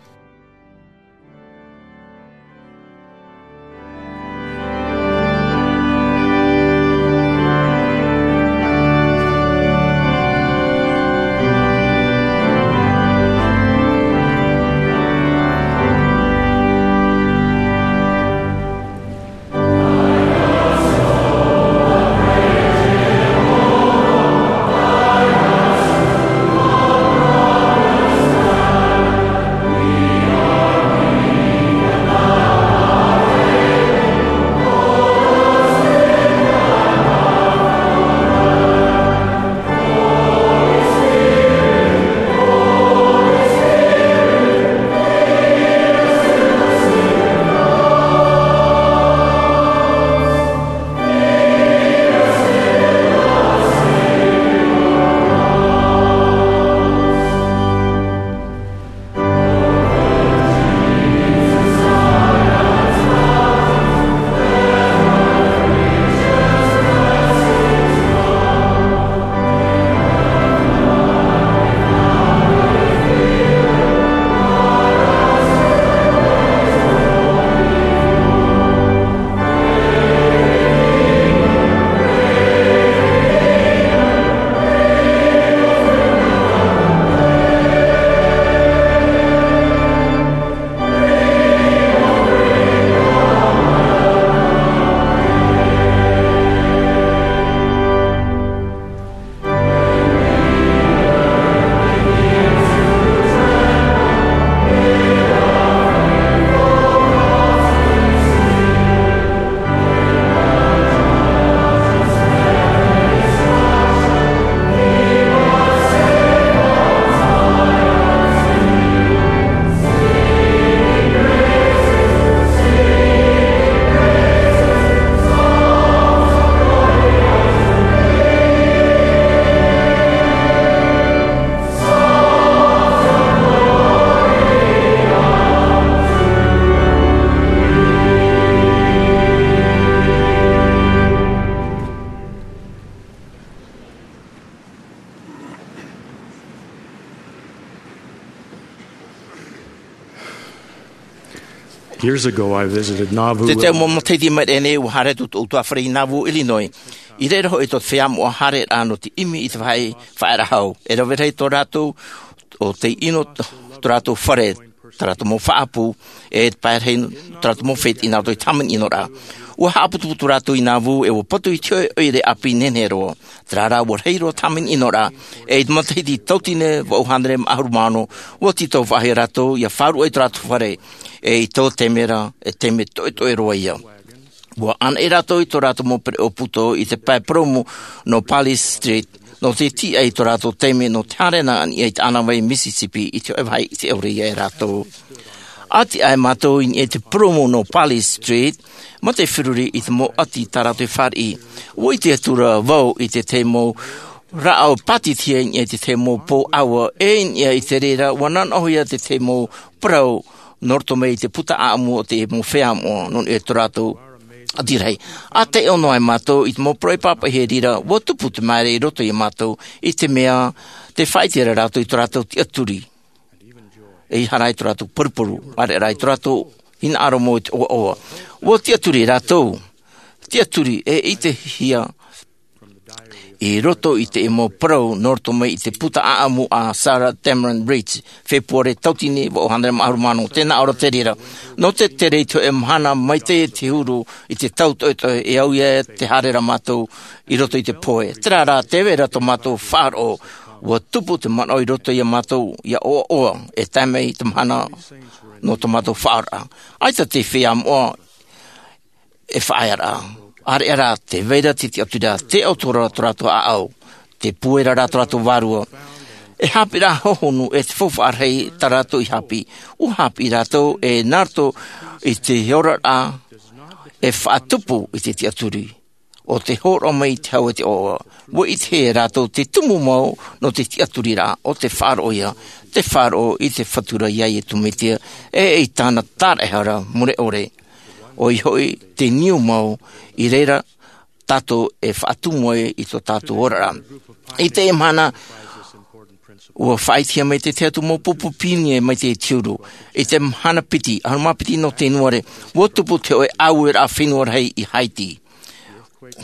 Years ago, I visited Nauvoo. Te tau mau matahiti mai nei, ua haere atu tōʻu ʻutuāfare i Nauvoo, Illinois. I reira hoʻi tō te feiā moʻa haereraʻa nō te ʻimi i te vāhi faʻaearaʻa hau. E rave rahi tō rātou, ʻo tei ʻino tō rātou fare, tā rātou mau faʻaʻapu, e te pae rahi tō rātou mau fete i nā roto i te hāmani ʻinoraʻa. Ua haʻaputuputu rātou i Nauvoo, e ua patu i te hōʻē ʻoire ʻāpī nehenehe roa. Terā rā, ua rahi roa te hāmani ʻinoraʻa, e i te matahiti tauatini vaʻu hānere mā ʻahuru mā ono, ua tītau faʻahou rātou, ʻia faʻaruʻe i tō rātou fare, e i tō taime ra, e taime toʻetoʻe roa ia. Ua ʻānaʻi rātou i tō rātou mau pereʻoʻo puto i te pae purōmu nō Parley Street, nō te tiʻa i tō rātou taime nō te haere nā niʻa i te ʻānāvai Mississippi i te hōʻē vāhi ʻite ʻore ia e rātou. ʻA tiʻa ai mātou i niʻa i te purōmu nō Parley Street, mā te feruri i te mau ʻati tā rātou e fāriʻi. Ua ʻite atu ra vau i te tahi mau rāʻau pātitihia i niʻa i te tahi mau pō ʻāua, e i niʻa i te reira, ua nanaʻohia te tahi mau parau nō roto mai i te puta ʻāʻamu o te mau feiā moʻa, nō niʻa i tō rātou ʻati rahi. ʻA taiʻo noa ai mātou i te mau parau e pāpaʻihia i reira, ua tupu te māere i roto ia mātou, i te mea, tē faʻaʻite ra rātou i tō rātou tiʻaturi. E ʻaita rā i tō rātou paruparu, ʻaore rā i tō rātou hinaʻaro mau i te ʻoaʻoa. Ua tiʻaturi rātou, tiʻaturi e ʻitehia i roto i te mau parau nō roto mai i te puta ʻāʻamu a Sarah Damron Rich, Fepuare tauatini vaʻu hānere mā ʻahuru mā ono, tē nā ʻō ra te reira. Nō te tere i te hōʻē mahana maitaʻi te huru i te tau toʻetoʻe, e au ia te haere ra mātou i roto i te pohe. Terā rā, tē vai ra tō mātou faʻaroʻo, ua tupu te manaʻo i roto ia mātou, ʻia ʻoaʻoa, e tae mai te mahana nō tō mātou faʻaroʻo. ʻAita te feiā moʻa e faʻaearaʻa. ʻAreʻa rā, tē vai ra te tiʻaturi ra, tē ʻoto ra tō rātou ʻāʻau, tē pūai ra rā tō rātou vārua. E haʻapiʻiraʻa hohonu e te faufaʻa rahi tā rātou i haʻapiʻi. Ua haʻapiʻi rātou e nā roto i te oraraʻa e faʻatupu i te tiʻaturi. ʻO te hōroʻa mai i te hau e te ʻoaʻoa. Ua ʻitehia e rātou te tumu mau nō te tiʻaturiraʻa, ʻo te faʻaroʻo ia, te faʻaroʻo i te Fatu ra ia Iesu Mesia, e i tāna taraehara mure ʻore. ʻOia hoʻi te niu mau, i reira tātou e faʻatumu ai i tō tātou oraraʻa. I teie mahana, ua faʻaʻitehia mai te tahi atu mau pupu pionie mai te huru. I te mahana piti, ʻahuru mā piti nō Tenuare, ua tupu te hōʻē ʻāueraʻa fenua rahi i Haiti.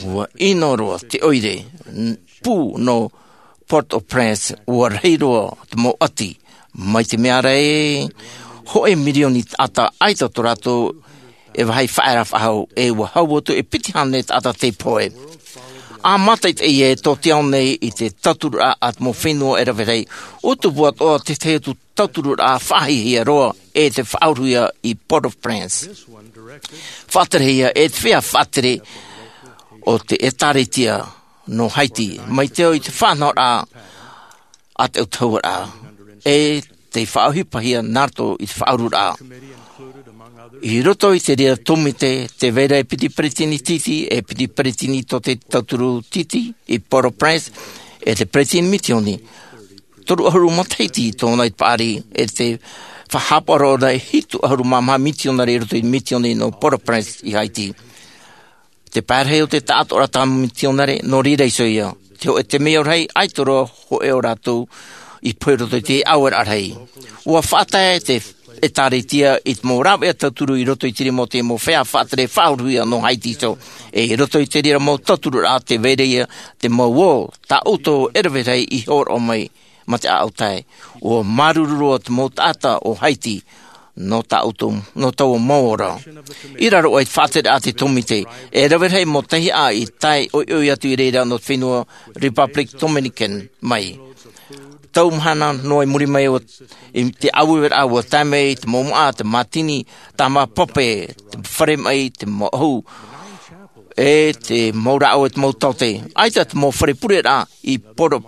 Ua ʻino roa te ʻoire, n-, pū nō Port-au-Prince, ua rahi roa te mau ʻati, mai te mea ra ē, hōʻē mirioni taʻata ʻaita tō rātou e vāhi faʻaearaʻa faʻahou, e ua hau atu e piti hānere taʻata tei pohe. ʻA mātaʻitaʻi e tō te ao nei i te tauturu a te mau fenua e rave rahi, ʻua tupu atoʻa te tahi atu tauturu faʻahiahia roa e te faʻauruhia i Port-au-Prince. Faʻaterehia e te feiā faʻatere o te ʻĒtārētia nō Haiti, mai te ao i te faʻanahoraʻa a te ʻautahuʻaraʻa, e tei faʻaʻohipahia nā roto i te faʻaururaʻa. I roto i te reira tōmite, tē vai ra e piti peretiteni tītī, e piti peretiteni tō te tauturu tītī i Port-au-Prince, e te peretiteni mitioni, toru ʻahuru matahiti tōna i te paʻari, e te faʻahaʻapaʻo ra e hitu ʻahuru mā maha mitionare i roto i te mitioni nō Port-au-Prince i Haiti. Te pae rahi o te taʻatoʻaraʻa tā mitionare, nō reira iho ia. Te hōʻē temeio rahi, ʻaita roa hōʻē o rātou i pohe i roto i te ʻāueraʻa rahi. ʻUa faʻatae te ʻĒtārētia i te mau rāveʻa tauturu i roto i te rima o te mau feiā faʻatere faʻauruhia nō Haiti iho. E i roto i te reira mau tauturu ra, tē vai ra ia te mau ō, tā ʻoutou e rave rahi i hōroʻa mai, mā te ʻāʻau tae. ʻUa māuruuru roa te mau taʻata o Haiti, nō tā ʻoutou, nō taua mau ora. I raro aʻe i te faʻatere a te tōmite, e rave rahi mau tahiaʻa i tae ʻoiʻoi atu i reira nō te fenua Republic Dominican mai. Tau mahana noa i muri mai, ʻua, i te ʻāueraʻa ʻua tae mai te mau māʻa, te mātini, tāmā pape, te fare maʻi, te mau ʻahu, e te mau rāʻau e te mau taote. ʻAita te mau fare pureraʻa i Port-au-,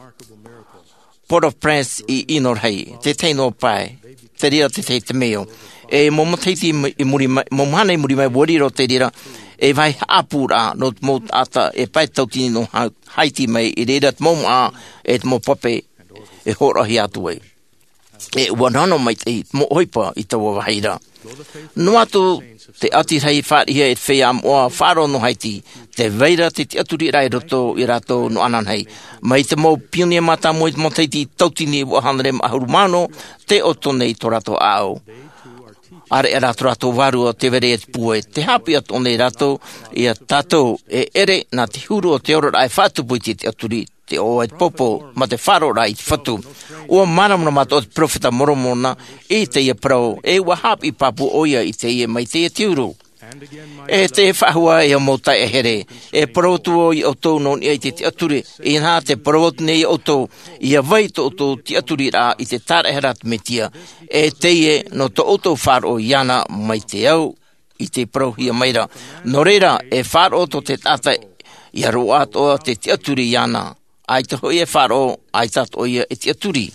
Port-au-Prince i ʻino rahi, te tahi noa pae, te reira te tahi temeio. E mau matahiti i mu-, i muri mai, mau mahana i muri mai, ʻua riro te reira, e vāhi haʻapūraʻa nō te mau taʻata e pae tauatini nō Ha-, Haiti mai, i reira te mau māʻa, e te mau pape, e hōroʻahia atu ai. E ʻua nonoʻa maitaʻi te mau ʻohipa i taua vāhi ra. Noa atu te ʻati rahi fāriʻihia e te feiā moʻa faʻaroʻo nō Haiti, tē vai ra te tiʻaturiraʻa i roto ia rātou nō ananahi. Mai te mau pionie mātāmua i te matahiti tauatini vaʻu hānere mā ʻahuru mā ono, tē ʻoto nei tō rātou ʻāʻau. ʻAreʻa rātou rātou vārua te vere e te pūai, te haʻapiʻi atoʻa nei rātou iā tātou e ʻere nā te huru o te oraraʻa e faʻatupu i te tiʻaturi, te ʻoaʻoa e te pōpou, mā te faʻaroʻoraʻa i te Fatu. ʻUa māramarama atoʻa te peropheta Moromona i teie parau, e ʻua haʻapiʻi pāpū ʻoia i teie mai teie te huru. E te faʻahou ā, e mau taeaʻe here, e parau atu vau iā ʻoutou nō niʻa i te tiʻaturi, ʻinaha tē parau atu nei iā ʻoutou, ʻia vai tō ʻoutou tiʻaturiraʻa i te tāraʻehara a te Mesia, e teie nō tō ʻoutou faʻaroʻo iāna mai te au i te parauhia mai ra. Nō reira, e faʻaroʻo tō te taʻata ʻia roaʻa atoʻa te tiʻaturi iāna. ʻAita hoʻi e faʻaroʻo, ʻaita atoʻa ïa e tiʻaturi.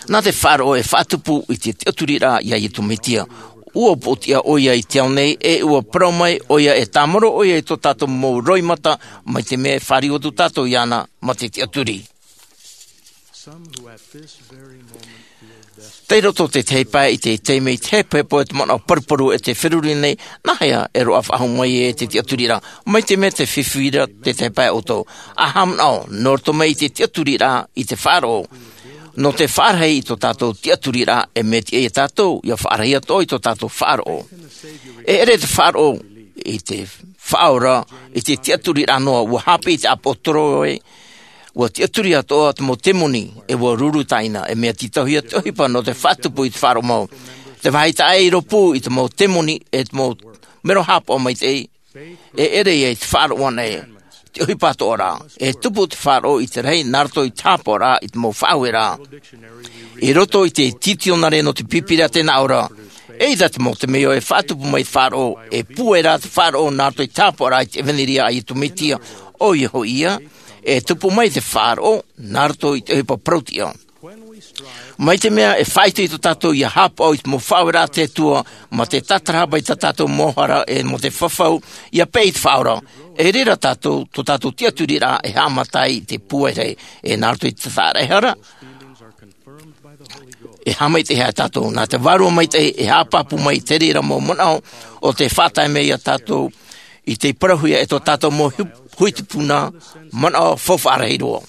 Nā te faʻaroʻo e faʻatupu i te tiʻaturiraʻa iā Iesu Mesia. ʻUa poʻotiʻa ʻoia i te ao nei, e ʻua parau mai ʻoia e tāmarū ʻoia i tō tātou mau roimata, mai te mea e fāriu atu tātou iāna mā te tiʻaturi. Tei roto te tahi pae i te taime i te hepohepo e te manaʻo paruparu e te feruri nei, nāhea e roaʻa faʻahou mai e te tiʻaturiraʻa, mai te mea tē fifi ra te tahi pae ʻoutou. ʻA haʻamanaʻo, nō roto mai i te tiʻaturiraʻa i te faʻaroʻo. Nō te faʻarahi i tō tātou tiʻaturiraʻa, e mea tiʻa iā tātou ʻia faʻarahi atoʻa i tō tātou faʻaroʻo. E ʻere te faʻaroʻo i te Faʻaora, i te tiʻaturiraʻa noa, ʻua haʻapiʻi te ʻāpoʻo Toroe, ʻua tiʻaturi atoʻa te mau temoni, e ʻua ruru tāina, e mea tītauhia te ʻohipa nō te faʻatupu i te faʻaroʻo mau. Te vāhi taʻa ʻē i rōpū i te mau temoni, e te mau mero haʻapaʻo maitaʻi, e ʻere ïa i te faʻaroʻo anaʻe, te ʻohipa atoʻa ra, e tupu te faʻaroʻo i te rahi, nā roto i te haʻapaʻoraʻa i te mau faʻaueraʻa. I roto i te titionare nō te Pīpīria tē nā ʻō ra, eʻita te mau temeio e faʻatupu mai te faʻaroʻo, e pūai rā te faʻaroʻo nā roto i te haʻapaʻoraʻa i te ʻevanelia a Iesu Mesia, ʻoia hoʻi ïa, e tupu mai te faʻaroʻo nā roto i te ʻohipa parauʻtiʻa. Mai te mea e faʻaitoito tātou ʻia haʻapaʻo i te mau faʻaueraʻa a te Atua, mā te tātarahapa i tā tātou mau hara e mō te fafau, ʻia peʻe i te Faʻaora. E reira tātou, tō tātou tiʻaturiraʻa e haʻamata ai i te pūai rahi, e nā roto i te tāraʻehara, e haʻamaitaʻihia tātou, nā te Vārua Maitaʻi e haʻapāpū mai i te reira mau manaʻo, ʻo tē faʻatae mai iā tātou, i te parauhia e tō tātou mau hu-, huitupuna, manaʻo faufaʻa rahi roa.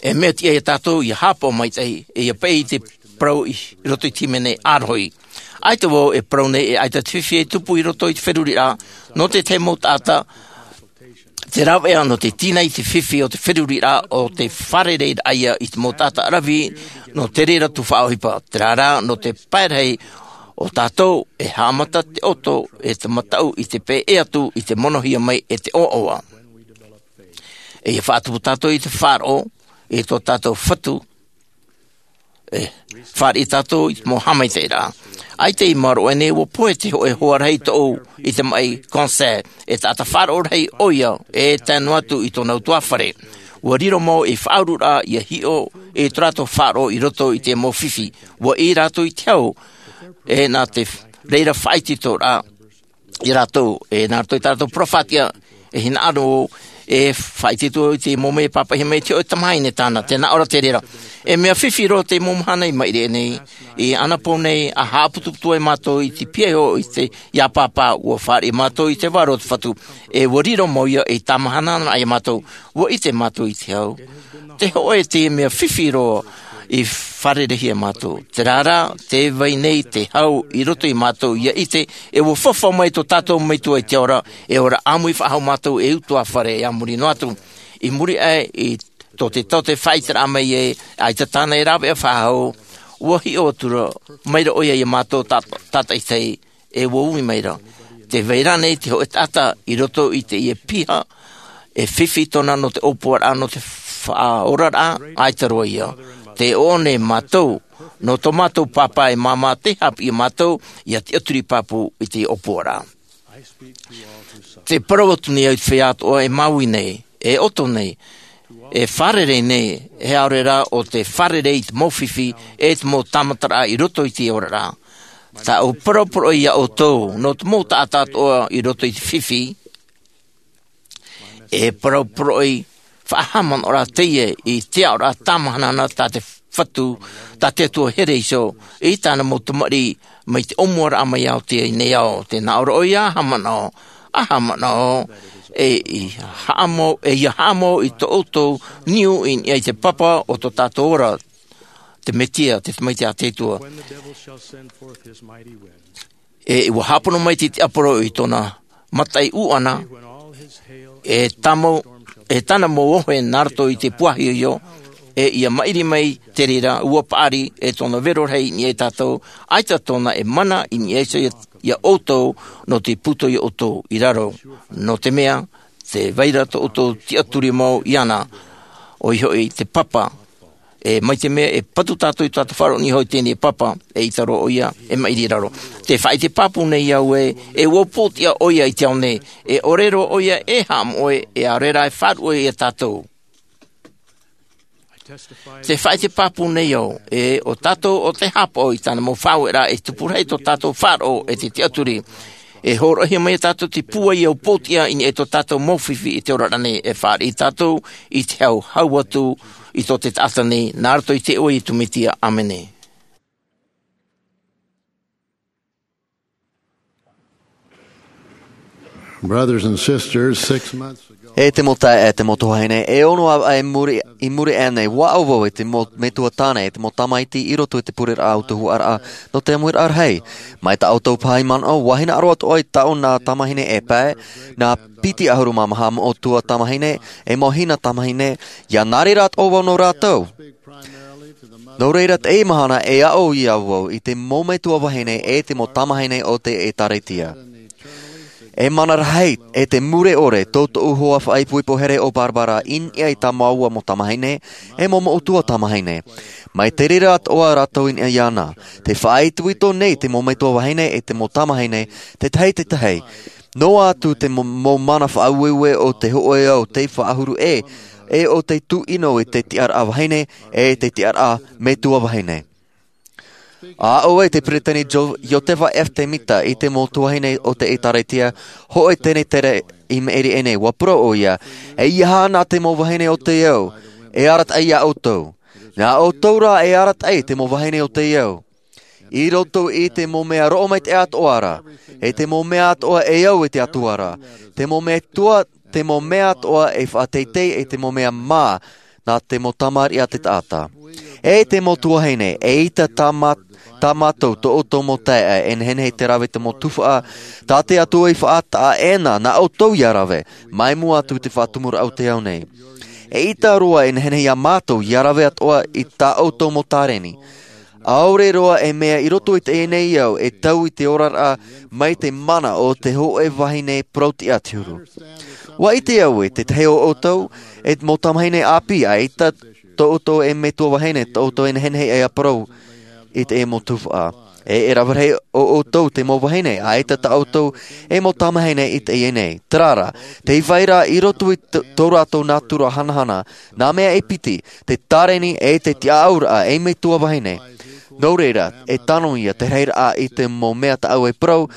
E mea tiʻa iā tātou ʻia haʻapaʻo maitaʻi, e ʻia peʻe i te parau i roto i te hīmene ʻārohi. ʻAita vau e parau nei e ʻaita te fifi e tupu i roto i te feruriraʻa, nō te tahi mau taʻata, te rāveʻa nō te tīnai i te fifi o te feruriraʻa ʻo te fārereiraʻa ïa i te mau taʻata ʻaravihi, nō te reira tū faʻaʻohipa, terā rā, nō te pae rahi o tātou e haʻamata te ʻoto, e te mataʻu i te peʻe atu i te monohia mai e te ʻoaʻoa. E ʻia faʻatupu tātou i te faʻaroʻo, i tō tātou Fatu, e fāriʻi tātou i te mau haʻamaitaʻiraʻa. ʻAita i maoro aʻe nei ʻua pohe te hōʻē hoa rahi tōʻu i te maʻi concert, e taʻata faʻaroʻo rahi ʻoia, e tae noa atu i tōna ʻutuāfare. ʻUa riro mau ei faʻaururaʻa ʻia hiʻo i tō rātou faʻaroʻo i roto i te mau fifi. ʻUa ʻī rātou i te hau, e nā te reira faʻaitoitoraʻa iā rātou, e nā roto i tā rātou peropheta, e hinaʻaro, e faʻaitoito i te mau mea e pāpaʻihia mai te hōʻē tamahine tāna, tē nā ʻō ra te reira. E mea fifi roa te mau mahana i maʻiri aʻe nei, i ʻanapō nei, ʻa haʻaputuputu ai mātou i te piahi i te, iā Pāpā, ʻua fāriʻi mātou i te vārua o te Fatu, e ʻua riro mau ïa ei tāmahana iā mātou, ʻua ʻite mātou i te hau. Te hōʻē te mea fifi roa i fārereihia mātou. Terā rā, tē vai nei te hau i roto iā mātou ʻia ʻite, e ʻua fafau mai tō tātou Metua i te ao ra, e ora ʻāmui faʻahou mātou ei ʻutuāfare a muri noa atu. I muri aʻe i tō te taote faʻaʻiteraʻa mai ē, ʻaita tāna e rāveʻa faʻahou, ʻua hiʻo atu ra, mai ra ʻoia iā mātou tā-, tātaʻitahi, e ʻua ui mai ra. Tē vai ra nei te hōʻē taʻata i roto i teie piha, e fifi tōna nō te ʻōpuaraʻa, nō te faʻaoraraʻa, ʻaita roa ïa. Tē ʻō nei mātou, nō tō mātou Pāpā e māmā tei haʻapiʻi iā mātou, ʻia tiʻaturi pāpū i te ʻōpuaraʻa. Tē parau atu nei au i te feiā atoʻa e māuiui nei, e ʻoto nei, e fārerei nei, e ʻaore rā ʻo tē fārerei i te mau fifi, e te mau tāmataraʻa i roto i te oraraʻa. Tāʻu parau poroʻi iā ʻoutou, nō te mau taʻata atoʻa i roto i te fifi, e parau poroʻi faʻahaʻamanaʻoraʻa teie i te aʻoraʻa tāmahanahana tā te Fatu, tā te Atua here iho, i tāna mau tamariʻi, mai te ʻōmuaraʻa mai ao teie nei ao, tē nā ʻō ra ʻoia, haʻamanaʻo, ʻa haʻamanaʻo, e i haʻamau, e ʻia haʻamau i tō ʻoutou niu i niʻa i te papa o tō tātou ora. te Mesia, te Tamaiti a te Atua. E ua hāpono mai te tiaporo i tōna mataʻi ʻūʻana, e tāmau, e tāna mau ohe nā roto i te puahi io, e ia maʻiri mai te reira, ua paʻari e tōna vero rahi i niʻa ia tātou, ʻaita tōna e mana i niʻa iho ia, ia ʻoutou, nō te puto ia ʻoutou i raro, nō te mea, te vai ra tō ʻoutou tiʻaturi mau iāna, ʻoia hoʻi te papa, e mai te mea e patu tātou i tō tātou faʻaroʻo nei hoʻi teie papa, e ʻaita roa ʻoia, e maʻiri i raro. Te faʻaʻite pāpū nei au ē, e ua upoʻotiʻa ʻoia i te ao nei, e ʻore roa ʻoia e haʻamoʻe, e ʻaore rā e faʻaruʻe ia tātou. Te faʻaʻite pāpū nei au, e ʻo tātou ʻo tē haʻapaʻo i tāna mau faʻaueraʻa e tupu rahi tō tātou faʻaroʻo e te tiʻaturi. E hōroʻahia mai ia tātou te pūai ia upoʻotiʻa i niʻa i tō tātou mau fifi i te oraraʻa nei, e fāriʻi tātou i te hau hau atu i tō te taʻata nei, nā roto i te iʻoa o Iesu Mesia. ʻĀmene. Brothers and sisters, six months ago, E te mau taeaʻe, e te mau tuahine, e ono ā i muri, i muri aʻe nei, ua aʻo vau e te mau metua tāne, e te mau tamaiti i roto i te pureraʻa o te huaraʻa nō te ʻāmuiraʻa rahi. Mai tā ʻoutou paʻi manaʻo, ua hinaʻaro atoʻa i taʻu nā tamahine e pae, nā piti ʻahuru mā maha mau ʻutuāfare tamahine, e mau hina tamahine, ʻia nā reira atoʻa vau nō rātou. Nō reira, teie mahana e aʻo ia vau i te mau metua vahine e te mau tamahine o te ʻĒtārētia. E mana rahi, e te mure ʻore, tō tōʻu hoa faʻaipoipo here ʻo Barbara i niʻa i tā māua mau tamahine, e mau ʻutuāfare tamahine. Mai te reira atoʻa rātou i niʻa iāna. Te faʻaitoito nei te mau metua vahine e te mau tamahine, te tahi te tahi. Noa atu te mo-, mau mana faʻaueue o te hōʻē ao tei faʻahuru ʻē, e o te tūʻino i te tiʻaraʻa vahine, e te tiʻaraʻa metua vahine. ʻA aʻo ai te peresideni Jo-, Iosepha F. Semita i te mau tuahine o te ʻĒtārētia, hōʻē tenetere i maʻiri aʻe nei, ua parau ʻoia, e ʻeiaha nā te mau vahine o te ao, e arataʻi ia ʻoutou. Nā ʻoutou rā e arataʻi te mau vahine o te ao. I roto i te mau mea roʻo maitaʻi atoʻa ra, e te mau mea atoʻa e au e te Atua ra, te mau mea tua, te mau mea atoʻa e faʻateitei, e te mau mea mā, nā te mau tamariʻi a te taʻata. E te mau tuahine, eʻita tā mā-, tā mātou tō ʻoutou mau taeaʻe, e nehenehe te rave te mau tuhaʻa, tā te Atua i faʻataʻa ʻē na, nā ʻoutou ʻia rave, mai mua atu i te faʻatumuraʻa o te ao nei. Eʻita roa e nehenehe ia mātou ʻia rave atoʻa i tā ʻoutou mau tāreni. ʻAore roa e mea i roto i teie nei ao e tau i te oraraʻa mai te mana o te hōʻē vahine parau-tiʻa te huru. ʻUa ʻite au e te tahi o ʻoutou, e mau tamahine ʻāpī, eʻita tō ʻoutou e metua vahine, tō ʻoutou e nehenehe e parau i te mau tuhaʻa. E, e rave rahi o ʻoutou te mau vahine, eʻita tā ʻoutou e mau tamahine i teie nei. Terā rā, tē vai ra i roto i tō, tō rātou nātura hanahana, nā mea e piti, te tāreni e te tiʻaʻauraʻa ei metua vahine. Nō reira, e tano ia te rahiraʻa i te mau mea tāʻu e parau,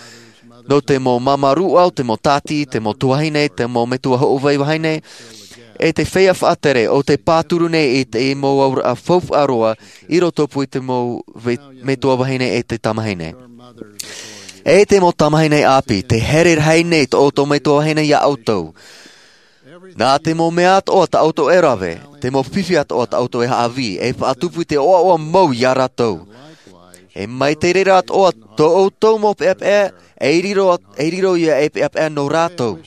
nō te mau māmā rūʻau, te mau tāti, te mau tuahine, te mau metua hoʻovai vahine, e te feiā faʻatere o tē pāturu nei i te mau auraʻa faufaʻa roa i roto pū i te mau ve-, metua vahine e te tamahine. E te mau tamahine ʻāpī, tē here rahi nei tō ʻoutou metua vahine ia ʻoutou. Nā te mau mea atoʻa tā ʻoutou e rave, te mau fifi atoʻa tā ʻoutou e haʻavī, e faʻatupu i te ʻoaʻoa mau ia rātou. E mai te reira atoʻa tō ʻoutou mau peʻapeʻa, e riro, e riro ia ei peʻapeʻa nō rātou.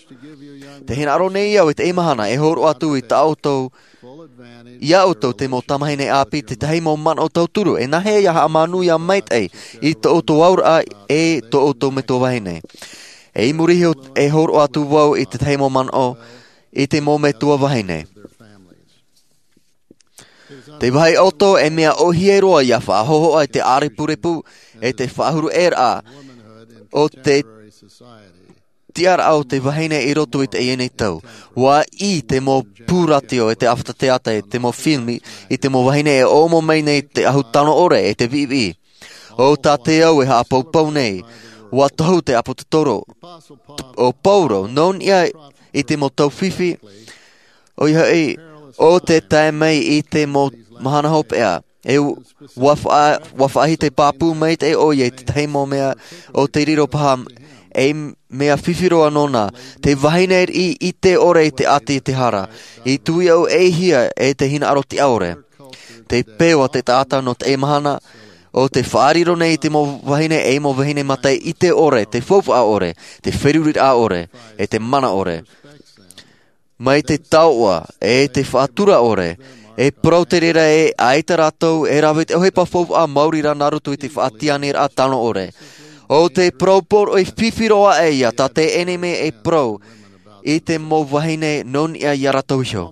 Tē hinaʻaro nei au i teie mahana e hōroʻa atu i tā ʻoutou, ia ʻoutou te mau tamahine ʻāpī te tahi mau manaʻo tauturu, e nāhea ia haʻamanuia maitaʻi i tō ʻoutou auraʻa e tō ʻoutou metua vahine. E i muri iho e hōroʻa atu vau i te tahi mau manaʻo, i te mau metua vahine. Te vāhi ʻoto e mea ʻōhie roa ia faʻahōhoʻa i te ʻārepurepu, e te faʻahuruʻeraʻa o te tiʻaraʻa o te vahine i roto i teie nei tau. ʻUa ʻī te mau pū rātio, e te ʻāfata teata, e te mau filimi, i te mau vahine e ʻōmo mai nei te ahu tano ʻore, e te viʻiviʻi. ʻO tā te ao e haʻapaupau nei, ʻua tohu te ʻāpōsetolo o Paulo, nō niʻa i te mau tau fifi, ʻoia hoʻi, ʻo tē tae mai i te mau mahana hopeʻa, e ʻua faʻa-, ʻua faʻahiti pāpū maitaʻi ʻoia i te tahi mau mea ʻo tē riro paha, ei mea fifi roa nōna, te vahine riʻi ʻite ʻore i te ʻati i te hara, i tuiaʻu e hia e te hinaʻaro tiʻa ʻore. Te peu a te taʻata nō teie mahana, ʻo te faʻariro nei i te mau vahine ʻe mau vahine mātaʻi ʻite ʻore, te faufaʻa ʻore, te feruriraʻa ʻore, ʻe te mana ʻore. Mai te taoʻa ʻe te faʻatura ʻore, e parau te reira ē ʻaita rātou e rave i te ʻohipa faufaʻa maori rā nā roto i te faʻatiʻaniraʻa tano ʻore. ʻO te parau poroʻi fifi roa aʻe ia tā te ʻenemi e parau i te mau vahine nō niʻa ia rātou iho.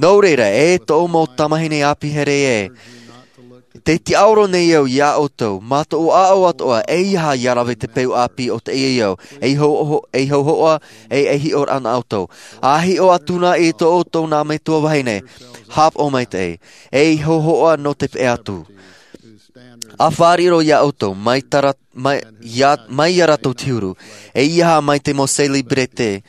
Nō reira, e tōʻu mau tamahine ʻāpī here ē, tē tiʻaoro nei au ia ʻoutou, mā tōʻu ʻāʻau atoʻa, ʻeiaha ia rave i te peu ʻāpī o teie ao, ei hauhoʻa, ei hauhoʻa, ʻe ei hiʻoraʻa nā ʻoutou. ʻA hiʻo atu na i tō ʻoutou nā metua vahine, haʻapaʻo maitaʻi, ei hauhoʻa nō te peʻe atu. ʻA faʻariro ia ʻoutou, mai tara, mai, ia, mai ia rātou te huru, ʻeiaha mai te mau celebrity,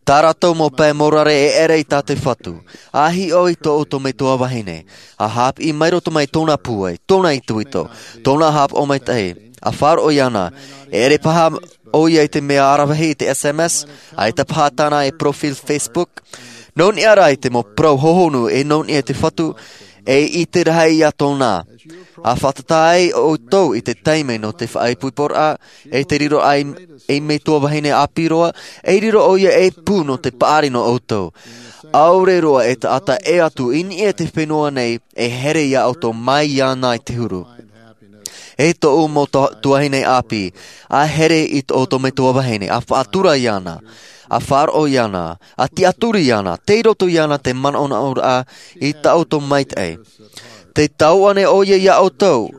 tā rātou mau pae morare e ʻere i tā te Fatu. ʻA hiʻo i tō ʻoutou metua vahine, ʻa haʻapiʻi mai roto mai tōna pūai, tōna itoito, tōna haʻapaʻo maitaʻi, ʻa faʻaroʻo iāna, e ʻere paha ʻoia i te mea aravihi i te S M S, ʻaita paha tāna e profile Facebook, nō niʻa rā i te mau parau hohonu e nō niʻa i te Fatu, e ʻite rahi ia tōna. ʻA fātata ai ʻoutou i te taime nō te faʻaipoiporaʻa, ʻe te riro ai ei metua vahine ʻāpī roa, e riro ʻoia ei pū nō te paʻari nō ʻoutou. ʻAore roa e taʻata ʻē atu i niʻa i te fenua nei, e here ia ʻoutou mai iāna i te huru. E tōʻu mau ta-, tuahine ʻāpī, ʻa here i tō ʻoutou metua vahine, ʻa faʻatura iāna, ʻa faʻaroʻo iāna, ʻa tiʻaturi iāna, tei roto iāna te manaʻonaʻoraʻa i tā ʻoutou maitaʻi. Tē taoʻa nei ʻoia ia ʻoutou,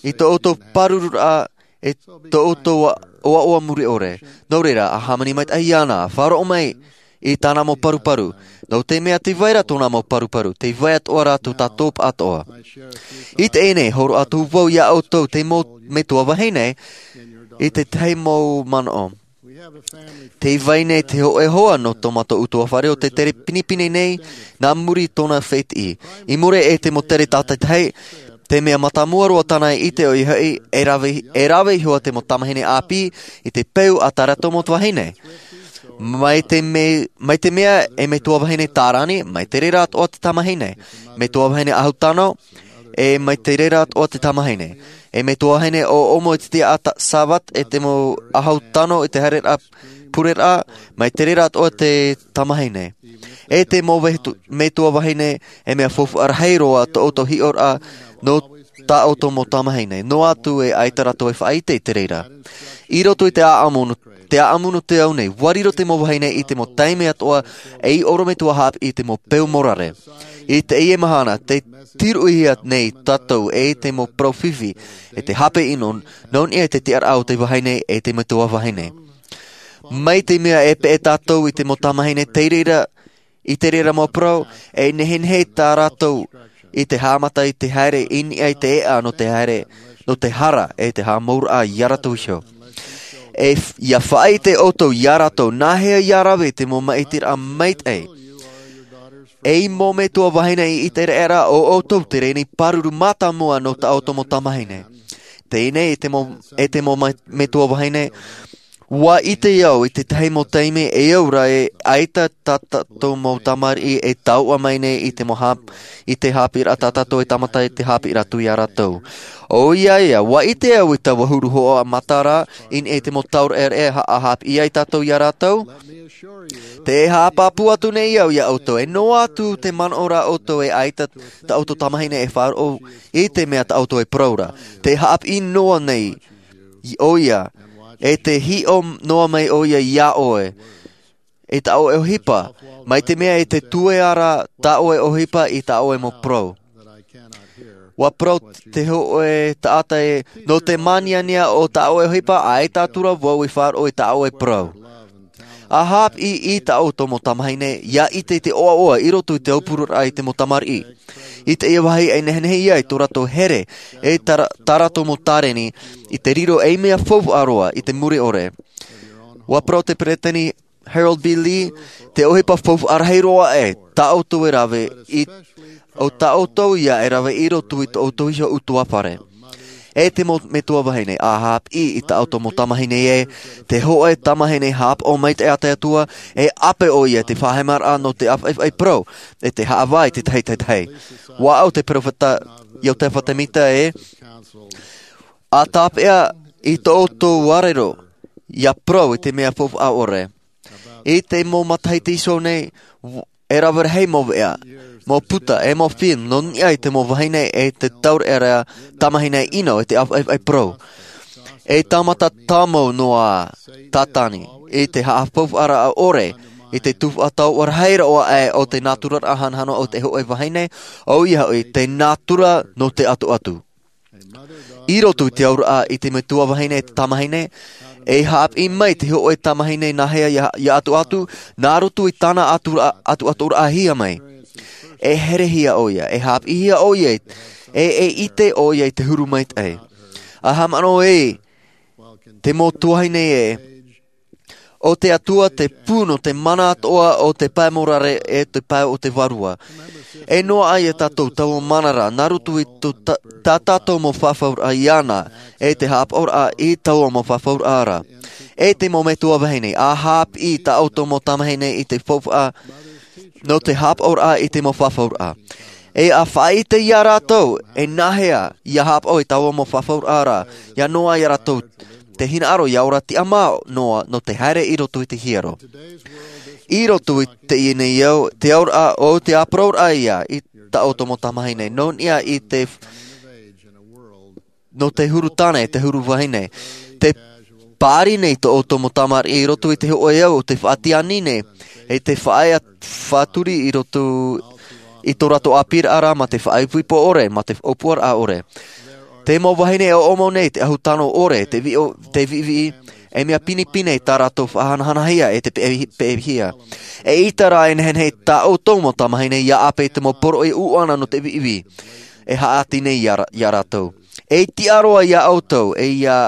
i tō ʻoutou pārururaʻa, ʻe tō ʻoutou ʻoaʻoa muri ʻore. Nō reira, ʻa hāmani maitaʻi iāna, ʻa faʻaroʻo mai i tāna mau paruparu. Nō te mea tē vai ra tōna mau paruparu, tē vai atoʻa ra tō tātou paʻatoʻa. I teie nei, hōroʻa atu vau ia ʻoutou te mau metua vahine, i te tahi mau manaʻo. Tē vai nei te hōʻē hoa nō tō mātou ʻutuāfare ʻo tē tere pinepine nei, nā muri i tōna fētiʻi. I muri i te mau tere tātaitahi, te mea mātāmua roa tāna i ʻite ʻoia hoʻi, e rave, e rave iho ā te mau tamahine ʻāpī, i te peu a tā rātou mau vahine. Mai te me-, mai te mea e metua vahine tārani, mai te reira atoʻa te tamahine. Metua vahine ʻahu tano, e mai te reira atoʻa te tamahine. E metua vahine ʻoʻomo i te tiʻaraʻa Sābati, e te mau ʻahu tano i te haereraʻa pureraʻa, mai te reira atoʻa te tamahine. E te mau vetu-, metua vahine, e mea faufaʻa rahi roa tō ʻoutou hiʻoraʻa, nō tā ʻoutou mau tamahine. Noa atu e ʻaita rātou e faʻaʻite i te reira. I roto i te ʻāʻamu nō, te ʻāʻamu nō te ao nei, ʻua riro te mau vahine i te mau taime atoʻa, ei ʻorometua haʻapiʻi i te mau peu morare. I teie mahana, tē tiruʻihia nei tātou e te mau parau fifi, e te hape ʻino, nō niʻa i te tiʻaraʻa o te vahine e te metua vahine. Mai te mea e peʻe tātou i te mau tamahine tei reira, i te reira mau parau, e nehenehe tā rātou i te haʻamata i te haere i niʻa i te eʻa nō te haere, nō te hara e te haʻamauraʻa ia rātou iho. E f-, ʻia faʻaʻite ʻoutou ia rātou, nāhea ʻia rave te mau maʻitiraʻa maitaʻi. Ei mau metua vahine i ʻĪteraʻera, ʻo ʻoutou te reni pāruru mātāmua nō tā ʻoutou mau tamahine. Teie nei e te mau, e te mau mai-, metua vahine, ʻua ʻite au i te tahi mau taime e au ra e ʻaita tā tātou mau tamariʻi e taoʻa mai nei i te mau hap-, i te haʻapiʻiraʻa tā tātou e tāmata i te haʻapiʻiraʻa atu ia rātou. ʻOia ia, ʻua ʻite au i taua huru hoʻo matara, i niʻa i te mau tauraʻereʻe ha-, ʻa haʻapiʻi ai tātou ia rātou. Tē haʻapāpū atu nei au ia ʻoutou, e noa atu te manaʻo ra ʻoutou e ʻaita tā ʻoutou tamahine e faʻaroʻo i te mea tā ʻoutou e parau ra. Tē haʻapiʻi noa nei ʻoia, e tē hiʻo noa mai ʻoia ia ʻoe, i tā ʻoe ʻohipa, mai te mea e tē tuea ra tā ʻoe ʻohipa i tā ʻoe mau parau. ʻUa parau te hōʻē taʻata ē, nō te māniania o tā ʻoe ʻohipa, ʻaita atu ra vau i faʻaroʻo i tā ʻoe parau. ʻA haʻapiʻi i tā ʻoutou mau tamahine, ʻia ʻite i te ʻoaʻoa i roto i te aupururaʻa i te mau tamariʻi. I teie vāhi e nehenehe ia i tō rātou here, e tā ra-, tā rātou mau tāreni, i te riro ei mea faufaʻa roa i te mure ʻore. ʻUa parau te peresideni Harold B. Lee, te ʻohipa faufaʻa rahi roa ē, tā ʻoutou e rave i, ʻo tā ʻoutou ia e rave i roto i tō ʻoutou iho ʻutuāfare. E te mau metua vahine, a haʻapiʻi i tā ʻoutou mau tamahine ē, te hōʻē tamahine haʻapaʻo maitaʻi a te Atua, e ʻape ʻoia i te faʻaheamaraʻa nō te ʻāfaʻifaʻi parau, e te haʻavā i te tahi, tahi, tahi. Ua ʻau te peropheta Iosepha Semita ē, ʻa tāpeʻa i tō ʻoutou ʻāʻau, ʻia parau i te mea faufaʻa ʻore. I te mau matahiti iho nei, e rave rahi mau veʻa, mau puta, e mau film, nō niʻa i te mau vahine e te taureʻareʻa tamahine ʻino e te ʻāfaʻifaʻi parau. E tāmata tāmau noa Sātane, i te haʻafaufaʻaraʻa ʻore, i te tuhaʻa tauʻa rahi roa aʻe o te nāturaraʻa hanahana o te hōʻē vahine, ʻoia hoʻi te nātura nō te ʻatuʻatu. I roto i te auraʻa i te metua vahine e te tamahine, e haʻapiʻi mai te hōʻē tamahine nāhea ʻia, ʻia ʻatuʻatu, nā roto i tāna ʻatu-, ʻatuʻaturaʻahia mai. E herehia ʻoia, e haʻapiʻihia ʻoia, e, e ʻite ʻoia i te huru maitaʻi. ʻA haʻamanaʻo ē, te mau tuahine ē, ʻo te Atua te pū nō te mana atoʻa o te pae morare e te pae o te vārua. E noaʻa ia tātou taua mana ra, nā roto i tō ta-, tā tātou mau fafauraʻa iāna, e te haʻapaʻoraʻa i taua mau fafauraʻa ra. E te mau metua vahine, ʻa haʻapiʻi tā ʻoutou mau tamahine i te faufaʻa, nō te haʻapaʻoraʻa i te mau fafauraʻa. E ʻa faʻaʻite ia rātou, e nāhea, ʻia haʻapaʻo i taua mau fafauraʻa ra, ʻia noaʻa ia rātou, te hinaʻaro ʻia ora tiʻamā noa, nō te haere i roto i te hiero. I roto i teie nei au, te auraʻa o te ʻāparauraʻa ia, i tā ʻoutou mau tamahine, nō niʻa i te, nō te huru tāne, te huru vahine. Te pāri nei tō ʻoutou mau tamariʻi i roto i te hōʻē au o te faʻatiani nei, e te faʻaea faʻaturi i roto i tō rātou ʻāpīraʻa ra mā te faʻaipoipo ʻore, mā te ʻōpuaraʻa ʻore. Te mau vahine e ʻoʻomo nei te ʻahu tano ʻore, te viʻo-, te viʻiviʻi, e mea pinepine tā rātou faʻahanahanahia e te peʻe-, peʻehia. E ʻita rā e nehenehe tā ʻoutou mau tamahine ʻia ʻape i te mau poroʻi ʻuʻana nō te viʻiviʻi. E haʻati nei ia ra-, ia rātou. E tiʻa roa ia ʻoutou, e ia,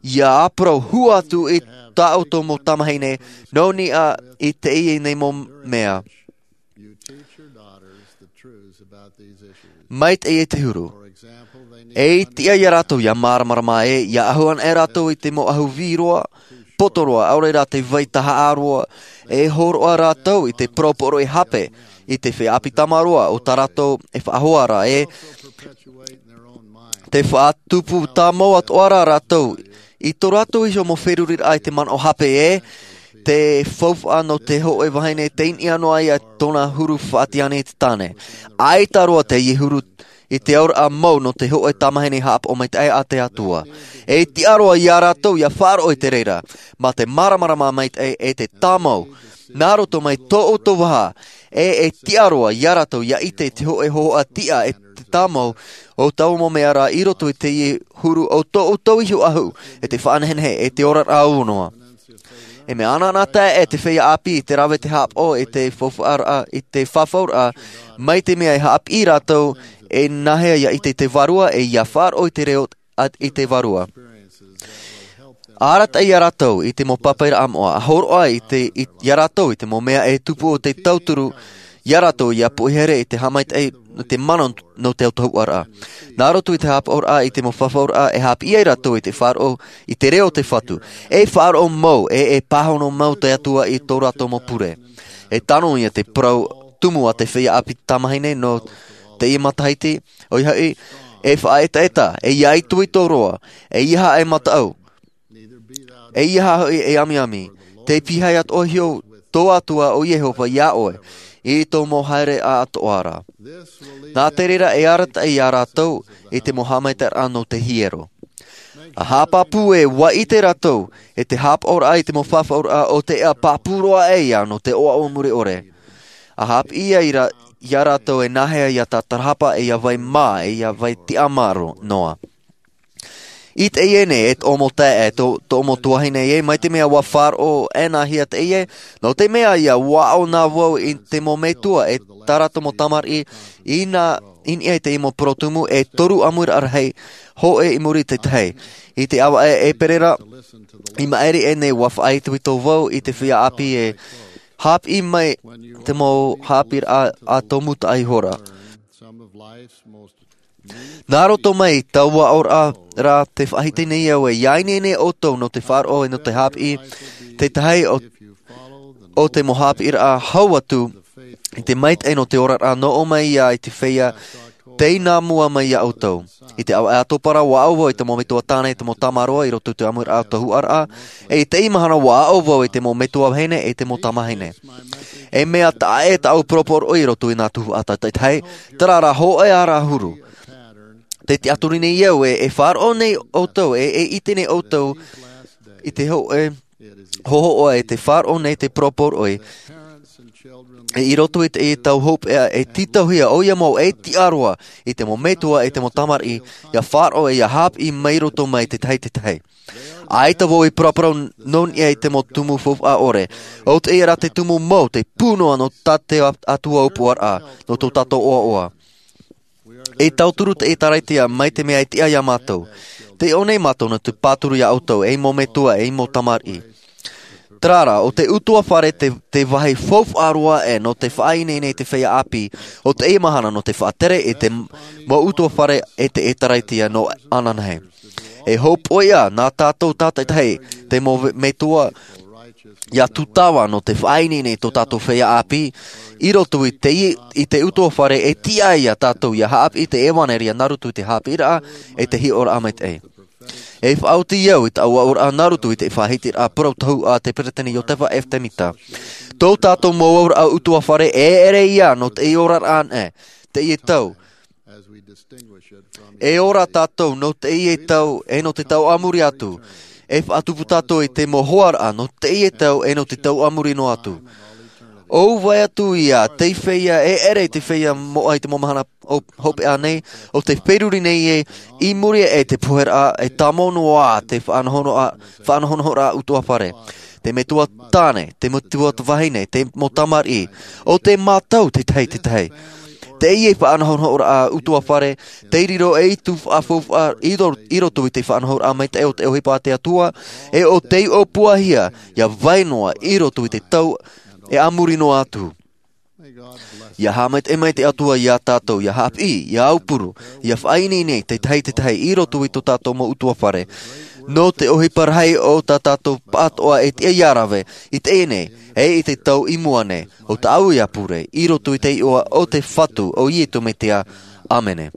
ʻia ʻāparau hua atu i tā ʻoutou mau tamahine, nō niʻa i teie nei mau mea. Maitaʻi e te huru. E tiʻa ia rātou ʻia māramarama ē, ʻia ʻahu ana e rātou i te mau ʻahu vī roa, poto roa, ʻaore rā te vai tahaʻa roa, e hōroʻa rātou i te parau poroʻi hape, i te feiā ʻāpī tāmāroa, o tā rātou e faʻahoa ra ē, te faʻatupu tāmau atoʻa ra rātou, i tō rātou iho mau feruriraʻa i te manaʻo hape ē, te faufaʻa nō te hōʻē vahine tei niʻa noa ia tōna huru faʻatiani i te tāne. ʻAita roa teie huru i te auraʻa mau nō te hōʻē tamahine haʻapaʻo maitaʻi a te Atua. E tiʻa roa ia rātou ʻia faʻaroʻo i te reira, mā te māramarama maitaʻi e te tāmau, nā roto mai tō ʻoutou vaha, e, e tiʻa roa ia rātou ʻia ʻite te hōʻē hōhoʻa tiʻa e te tāmau o taua mau mea ra i roto i teie huru o tō ʻoutou iho ʻahu, e te faʻanehenehe, e te oraraʻa noa. E mea anaanatae e te feiā ʻāpī i te rave te haʻapaʻo i te faufaʻaraʻa, i te fafauraʻa, mai te mea e haʻapiʻi rātou, e nāhea ʻia ʻite i te vārua, e ʻia faʻaroʻo i te reo a, i te vārua. Arataʻi ia rātou i te mau pāpaʻiraʻa moʻa, ʻa hōroʻa i te, i, ia rātou i te mau mea e tupu o te tauturu, ia rātou ʻia poʻihere i te haʻamaitaʻi, te mana nō te autahuʻaraʻa. Nā roto i te haʻapaʻoraʻa i te mau fafauraʻa e haʻapiʻi ai rātou i te faʻaroʻo i te reo o te Fatu. E faʻaroʻo mau, e, e pāhono mau te Atua i tō rātou mau pure. E tano ia te parau tumu a te feiā ʻāpī tamahine nō teie matahiti, ʻoia hoʻi, e faʻaetaeta, e ʻia itoito roa, e ʻeiaha e mataʻu, e ʻeiaha hoʻi e amiami, tei pīhaʻi atoʻa iho tō Atua ʻo Iehova ia ʻoe, i tō mau haereʻa atoʻa ra. Nā te reira e arataʻi ia rātou i te mau haʻamaitaʻiraʻa nō te hiero. ʻA haʻapāpū ē ʻua ʻite rātou, e te haʻapaʻoraʻa i te mau fafauraʻa o te ea pāpū roa aʻe ia nō te ʻoaʻoa mure ʻore. ʻA haʻapiʻi ia i ra-, ia rātou e nāhea ʻia tātarahapa e ʻia vai mā, e ʻia vai tiʻamā noa. I teie nei, e tō ʻoutou mau taeaʻe, e tō, tō ʻoutou mau tuahine ē, mai te mea ʻua faʻaroʻo ʻēnahia teie, nō te mea ia ʻua aʻo na vau i te mau metua, e tā rātou mau tamariʻi, i nā, i niʻa i te mau parau tumu, e toru ʻāmuiraʻa rahi, hōʻē i muri i te tahi. I te ʻāvaʻe ʻēperēra, i maʻiri aʻe nei ʻua faʻaitoito vau i te feiā ʻāpī e haʻapiʻi mai te mau haʻapiʻiraʻa ʻa tō Muta Ihora. Nā roto mai i taua aʻoraʻa, te faʻahiti nei au e ia ineine ʻoutou nō te faʻaroʻo e nō te haʻapiʻi, te tahi o, o te mau haʻapiʻiraʻa hau atu i te maitaʻi nō te oraraʻa nō ʻō mai ia i te feiā, tei nā mua mai ia ʻoutou. I te ʻāvaʻe ʻātopa ra, ua aʻo vau i te mau metua tāne, i te mau tamaroa, i roto i te ʻāmuiraʻa o te tuhaʻaraʻa, e i teie mahana ua aʻo vau i te mau metua vahine, e te mau tamahine. E mea taʻa ʻē tāʻu poroporoʻi i roto i nā tuhaʻa tātaitahi, terā rā hōʻē ā rā huru. Te tiʻaturi nei au e, e faʻaroʻo nei ʻoutou, e, e ʻite nei ʻoutou, i te hōʻē, hōhoʻa e te faʻaroʻo nei te poroporoʻi. E i roto i te, i tau hopeʻa, e tītauhia ʻoia mau e tiʻa roa, i te mau metua, e te mau tamariʻi, ia faʻaroʻo, ia haʻapiʻi mai roto mai te tahi te tahi. ʻAita vau i paraparau nō niʻa i te mau tumu faufaʻa ʻore. ʻO teie rā te tumu mau, te pū noa nō tā te Atua ʻōpuaraʻa, nō tō tātou ʻoaʻoa. E tauturu te ʻĒtārētia mai te mea e tiʻa ia mātou. Tei ʻō nei mātou nō te pāturu ia ʻoutou, ei mau metua, ei mau tamariʻi. Terā rā, ʻo te ʻutuāfare te, te vāhi faufaʻa roa aʻe nō te faʻaineine i te feiā ʻāpī, ʻo teie mahana nō te faʻatere i te mau ʻutuāfare e te ʻĒtārētia nō ananahi. E hōpoiʻa nā tātou tātaitahi, te mau ve-, metua, ia tūtava nō te faʻaineine i tō tātou feiā ʻāpī, i roto i te, i te ʻutuāfare e tiʻa ia tātou ia haʻapiʻi te ʻevaneria nā roto i te haʻapiʻiraʻa e te hiʻoraʻa maitaʻi. E faʻaoti au i taua aʻoraʻa nā roto i te faʻahitiraʻa parau tohu a te Peresideni Iosepha F. Smith. Tō tātou mau aʻoraʻa ʻutuāfare e ʻere ia nō te oraraʻa nei, teie tau. E ora tātou nō teie tau, e nō te tau a muri atu. E faʻatupu tātou i te mau hoaraʻa nō teie tau, e nō te tau a muri noa atu. ʻO vai atu ia, te feiā, e ʻere i te feiā moʻa i te mau mahana o, hopeʻa nei, ʻo tē feruri nei e, i muri e te poheraʻa, e tāmau noa te faʻanahonahoraʻa, faʻanahonahoraʻa ʻutuāfare. Te metua tāne, te metua vahine, te mau tamariʻi, ʻo tē mātau te tahi te tahi. Teie faʻanahonahoraʻa ʻutuāfare, tei riro ei tū faʻafaufaʻa i ro-, i roto i te faʻanahoraʻa maitaʻi o te ʻohipa a te Atua, e ʻo tei ʻōpuahia, ia vai noa i roto i te tau e a muri noa atu. Ia haʻamaitaʻi mai te Atua ia tātou, ia haʻapiʻi, ia aupuru, ia faʻaineine te tahi te tahi i roto i tō tātou mau ʻutuāfare. Nō te ʻohipa rahi o tā tātou pāʻātoʻa e tiʻa ia rave, i teie nei, e i te tau i mua nei, ʻo tāʻu ia pure, i roto i te iʻoa o te Fatu, ʻo Iesu Mesia. ʻĀmene.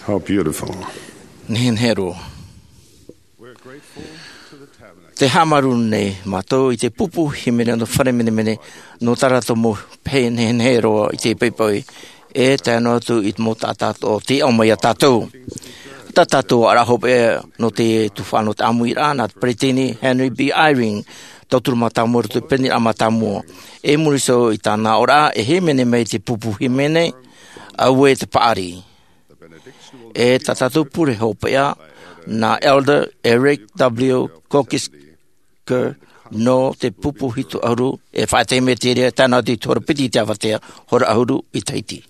How beautiful. Nehenehe roa. Te haʻamāuruuru nei mātou i te pupu hīmene nō Fare Menemene, nō tā rātou mau pehe nehenehe roa i te poʻipoʻi, e tae noa atu i te mau taʻata o tei ao mai iā tātou. Tā tātou ʻāraʻa hopeʻa nō te tuhaʻa nō te ʻāmuiraʻa, nā te Peresideni Henry B. Eyring, tauturu mātāmua i roto i te Peresideni mātāmua. I muri iho i tāna aʻoraʻa, e hīmene mai te pupu hīmene, Auē te paʻari. E tā tātou pure hopeʻa, nā Elder Eric W. Kokisker, nō te pupu hitu ʻahuru, e faʻaʻite mai te reira tāna i te hora piti i te avatea, hora ʻahuru i Tahiti.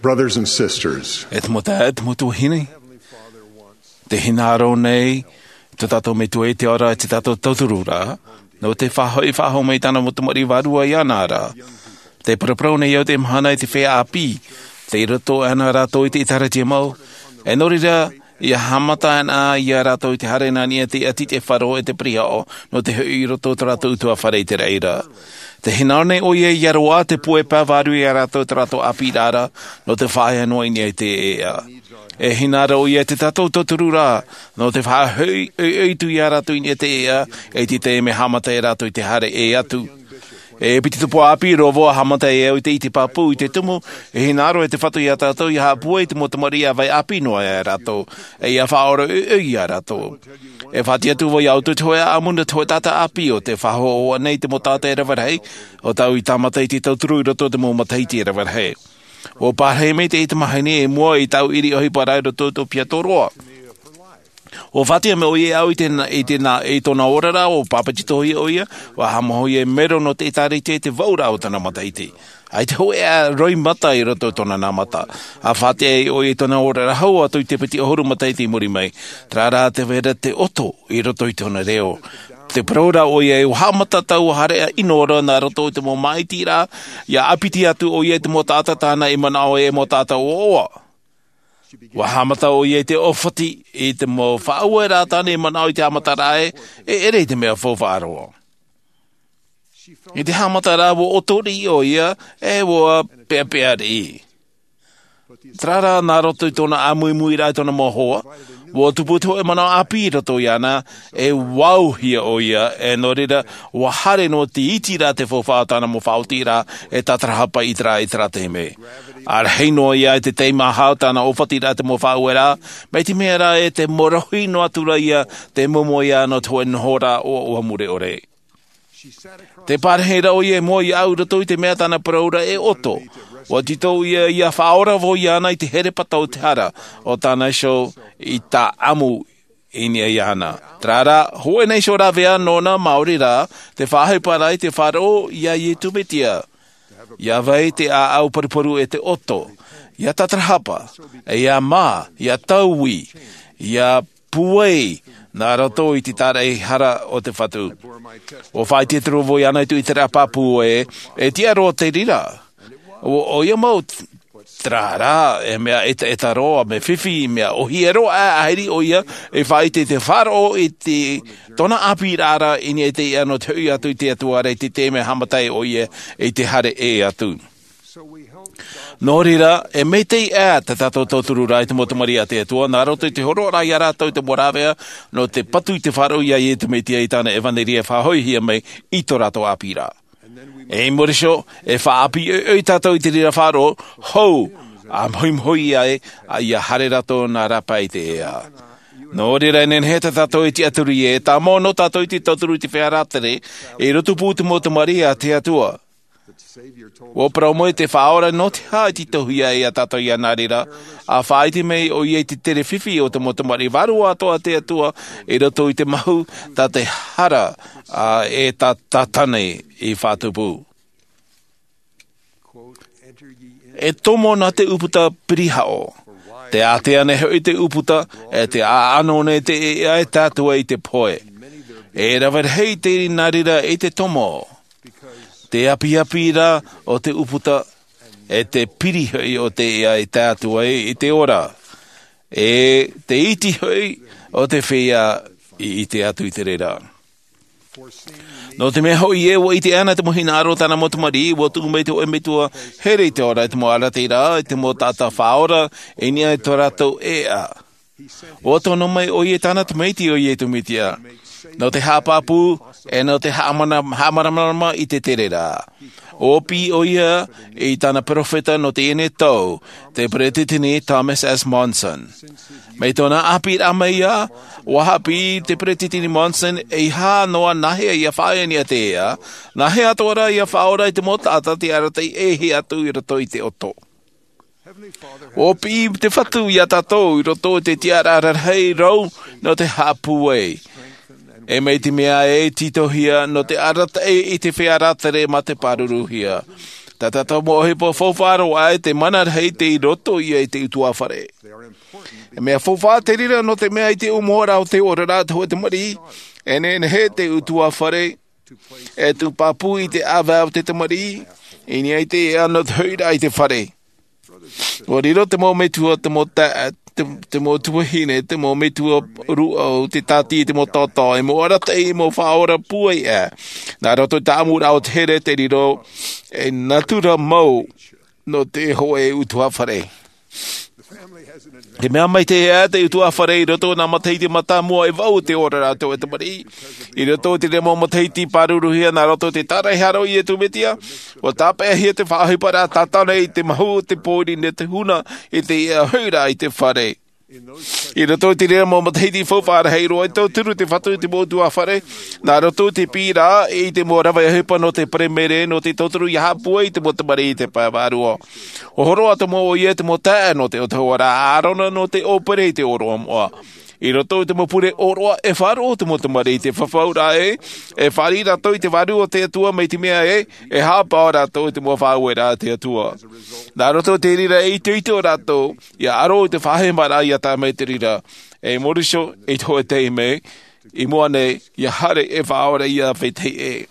Brothers and sisters, e te mau taeaʻe, e te mau tuahine, te hinaʻaro nei tō tātou Metua i te ao ra, tō tātou tauturu ra, nō te faʻahoʻi faʻahou mai i tāna mau tamariʻi vārua iāna ra. Tē paraparau nei au i teie mahana i te feiā ʻāpī, tei roto ana rātou i te ʻĒtārētia mau, e nō reira, ʻia haʻamata ana iā rātou i te haere nā niʻa i te ʻati, te faʻaroʻo e te pirihaʻo, nō te hoʻi i roto i tō rātou ʻutuāfare i te raʻi ra. Tē hinaʻaro nei ʻoia ʻia roaʻa te puai pae vārua iā rātou i tō rātou ʻāpīraʻa ra, nō te faʻaea noa i niʻa i te ʻēʻa. E hinaʻaro ʻoia i tō tātou tauturu ra, nō te faʻahoʻi, ʻoiʻoi atu iā rātou i niʻa i te ʻēʻa, e te taime e haʻamata ai rātou i te haere ʻē atu. E piti tupu ʻāpī roa vau ʻa haʻamata ai au i te, i te pāpū, i te tumu, e hinaʻaro e te Fatu iā tātou ʻia haʻapūai i te mau tamariʻi ʻa vai ʻāpī noa iā rātou, e ʻia faʻaora ʻoiʻoi iā rātou. E faʻaʻite atu vau iā ʻoutou te hōʻē ʻāʻamu nō te hōʻē taʻata ʻāpī ʻo tē faʻahoʻi nei i te mau taʻata e rave rahi, ʻo tāʻu i tāmata i te tauturu i roto i te mau matahiti e rave rahi. ʻUa parahi mai te tamahine i mua i tāʻu ʻiri ʻohipa ra i roto i tō Aotearoa. ʻUa faʻaʻite mai ʻoia iāʻu i te, i te, i tōna oraraʻa, ʻua pāpetitohia ʻoia, ʻua haʻamāuruuru ʻoia i te mero nō te ʻĒtārētia i te vaʻuraʻa o tāna matahiti. ʻAita hōʻē ʻā roimata i roto i tōna nā mata. ʻA faʻaʻite ai ʻoia i tōna oraraʻa hau atu i te piti ʻahuru matahiti i muri mai. Terā rā te vai ra te ʻoto i roto i tōna reo. Tē parau ra ʻoia, ʻua haʻamata tāua haere ʻino ra nā roto i te mau māʻitiraʻa, ʻia ʻāpiti atu ʻoia i te mau taʻata tāna i manaʻo e mau taʻata ʻoaʻoa. ʻUa haʻamata ʻoia i te ʻōfati i te mau faʻaueraʻa tāna i manaʻo i te haʻamataraʻa e, e ʻere i te mea faufaʻa roa. I te haʻamataraʻa ʻua ʻoto riʻi ʻoia, e ʻua peʻapeʻa riʻi. Terā rā, nā roto i tōna ʻāmuimuiraʻa i tōna mau hoa, ʻua tupu te hōʻē manaʻo ʻāpī i roto iāna, e ʻua auhia ʻoia, e nō reira, ʻua haere noa te iti ra te faufaʻa o tāna mau faʻaotiraʻa, e tātarahapa i terā, i terā taime. ʻA rahi noa ia i te teimaha o tāna ʻōfatiraʻa te mau faʻaueraʻa, mai te mea ra e tē morohi noa atu ra ia, tē momoe ia nō te hōʻē nohoraʻa ʻoaʻoa mure ʻore. Tē pārahi ra ʻoia i mua iāʻu i roto i te mea tāna parau ra e ʻoto. ʻUa tītau ia, ʻia faʻaora vau iāna i te herepata o te hara, ʻo tāna iho i tāʻamu i niʻa iāna. Terā rā, hōʻē nei iho rāveʻa nōna maori rā, te faʻaʻohipa ra i te faʻaroʻo iā Iesu Mesia. ʻIa vai te ʻāʻau paruparu e te ʻoto, ʻia tātarahapa, ʻia mā, ʻia taui, ʻia pūai, nā roto i te tāraʻehara o te Fatu. ʻUa faʻaʻite atu ra vau iāna i tōʻu ʻiteraʻa pāpū ē, e tiʻa roa te reira. ʻO, ʻoia mau, terā rā, e mea ʻetaʻeta roa, mea fifi, mea ʻōhie roa, ʻa, ʻahiri ʻoia, e faʻaʻite i te faʻaroʻo i te, tōna ʻāpīraʻa ra, i niʻa i te ʻēʻa nō te hoʻi atu i te Atua ra, i te taime e haʻamata ai ʻoia, i te haere ʻē atu. Nō reira, e maitaʻi ā tā tātou tauturu ra i te mau tamariʻi a te Atua, nā roto i te hōroʻaraʻa iā rātou i te mau rāveʻa, nō te patu i te faʻaroʻo iā Iesu Mesia i tāna ʻevanelia e faʻahoʻihia mai i tō rātou ʻāpīraʻa. E i muri iho, e faʻaʻāpī ʻoiʻoi tātou i te reira faʻaroʻo, hou, ʻa mahuimahui ai, ʻa ʻia haere rātou nā rāpae i te ʻēʻa. Nō reira, e nehenehe tā tātou e tiʻaturi ē, tāmau noa tātou i te tauturu i te feiā rātere, i roto pū i te mau tamariʻi a te Atua. ʻUa parau mai te Faʻaora nō te aha i tītauhia e tātou iāna reira, ʻa faʻaʻite mai ʻoia i te tere fifi o te mau tamariʻi vārua atoʻa a te Atua, i roto i te mahu, tā te hara, ā, e tā Tātane i faʻatupu. E tomo nā te ʻūputa pirihaʻo. Tē ātea nei hoʻi te ʻūputa, e tē ʻaʻano nei te ʻēʻa e tātou i te pohe. E rave rahi te nā reira i te tomo. Te apiapi ra o te ʻūputa, e te piri hoʻi o te ʻēʻa e tātou i te ora. E te iti hoʻi o te feiā i ʻite atu i te reira. Nō te mea hoʻi ē, ua ʻite ʻana te mau hinaʻaro o tāna mau tamariʻi, ua tuʻu mai te hōʻē metua here i te ora i te mau arataʻiraʻa, i te mau taʻata faʻaora, i niʻa i tō rātou ʻēʻa. Ua tono mai ʻoia i tāna tamaiti ʻo Iesu Mesia, nō te haʻapāpū, e nō te haʻamana-, haʻamāramarama i te tereraʻa. Ua piʻi ʻoia i tāna perofeta nō teie nei tau, te Peresideni Thomas S. Monson. Mai tōna ʻāpīraʻa mai ā, ua haʻapiʻi te Peresideni Monson, eiaha noa nāhea ia faʻaea i niʻa i te ʻēʻa, nāhea atoʻa rā ia faʻaora i te mau taʻata tei arataʻi e hiʻo atu i roto i te ʻoto. Ua piʻi te Fatu ia tātou i roto i te tiʻaraʻa rarahi rau nō te haʻapūai. E mai te mea e tītauhia nō te arataʻi i te feiā rātere mā te pāruruhia. Tā tātou mau ʻohipa faufaʻa roa ē, te mana rahi tei roto ïa i te ʻutuāfare. E mea faufaʻa te reira nō te mea i te ʻōmuaraʻa o te oraraʻa te hōʻē tamariʻi, e nehenehe te ʻutuāfare e tūpāpū i te ʻāvae o te tamariʻi, i niʻa i te ʻēʻa nō te hoʻiraʻa i te fare. Ua riro te mau metua, te mau ta-, te, te mau tuahine, te mau metua rūʻau, te tāti, te mau taotao, e mau arataʻi, e mau faʻaora pūai ʻē. Nā roto i te ʻamuraʻa o te here, te riro ei natura mau nō te hōʻē ʻutuāfare. Te mea maitaʻi ē, te ʻutuāfare i roto i nā matahiti mātāmua e vaʻu te oraraʻa o te hōʻē tamariʻi. I roto i te mau matahiti pāruruhia nā roto i te tāraʻehara o Iesu Mesia, ua tāpeʻahia te faʻaʻohiparaʻa tātara i te mahu o te pōiri nō te huna i te ʻēʻa hoʻiraʻa i te fare. I roto i te reira mau matahiti faufaʻa rahi roa, i tauturu te Fatu i te mau ʻutuāfare, nā roto i te piʻiraʻa i te mau rave ʻohipa nō te Peremere, nō te tauturu ʻia haʻapūai i te mau tamariʻi i te pae vārua. ʻO hōroʻa atoʻa ʻoia i te mau taeaʻe nō te ʻōtahua ra a ʻĀrona nō te ʻōpere i te ʻōroʻa moʻa. I roto i te mau pure ʻōroʻa e faʻaroʻo te mau tamariʻi i te fafauraʻa ē, e fāriʻi rātou i te Vārua o te Atua mai te mea ē, e haʻapaʻo rātou i te mau faʻaueraʻa a te Atua. Nā roto i te reira e itoito rātou, ʻia aro i te faʻahemaraʻa ʻia tae mai te reira. E mōriso, i te hōʻē taime, i mua nei, ʻia haere e faʻaora ʻia vetahi ʻē.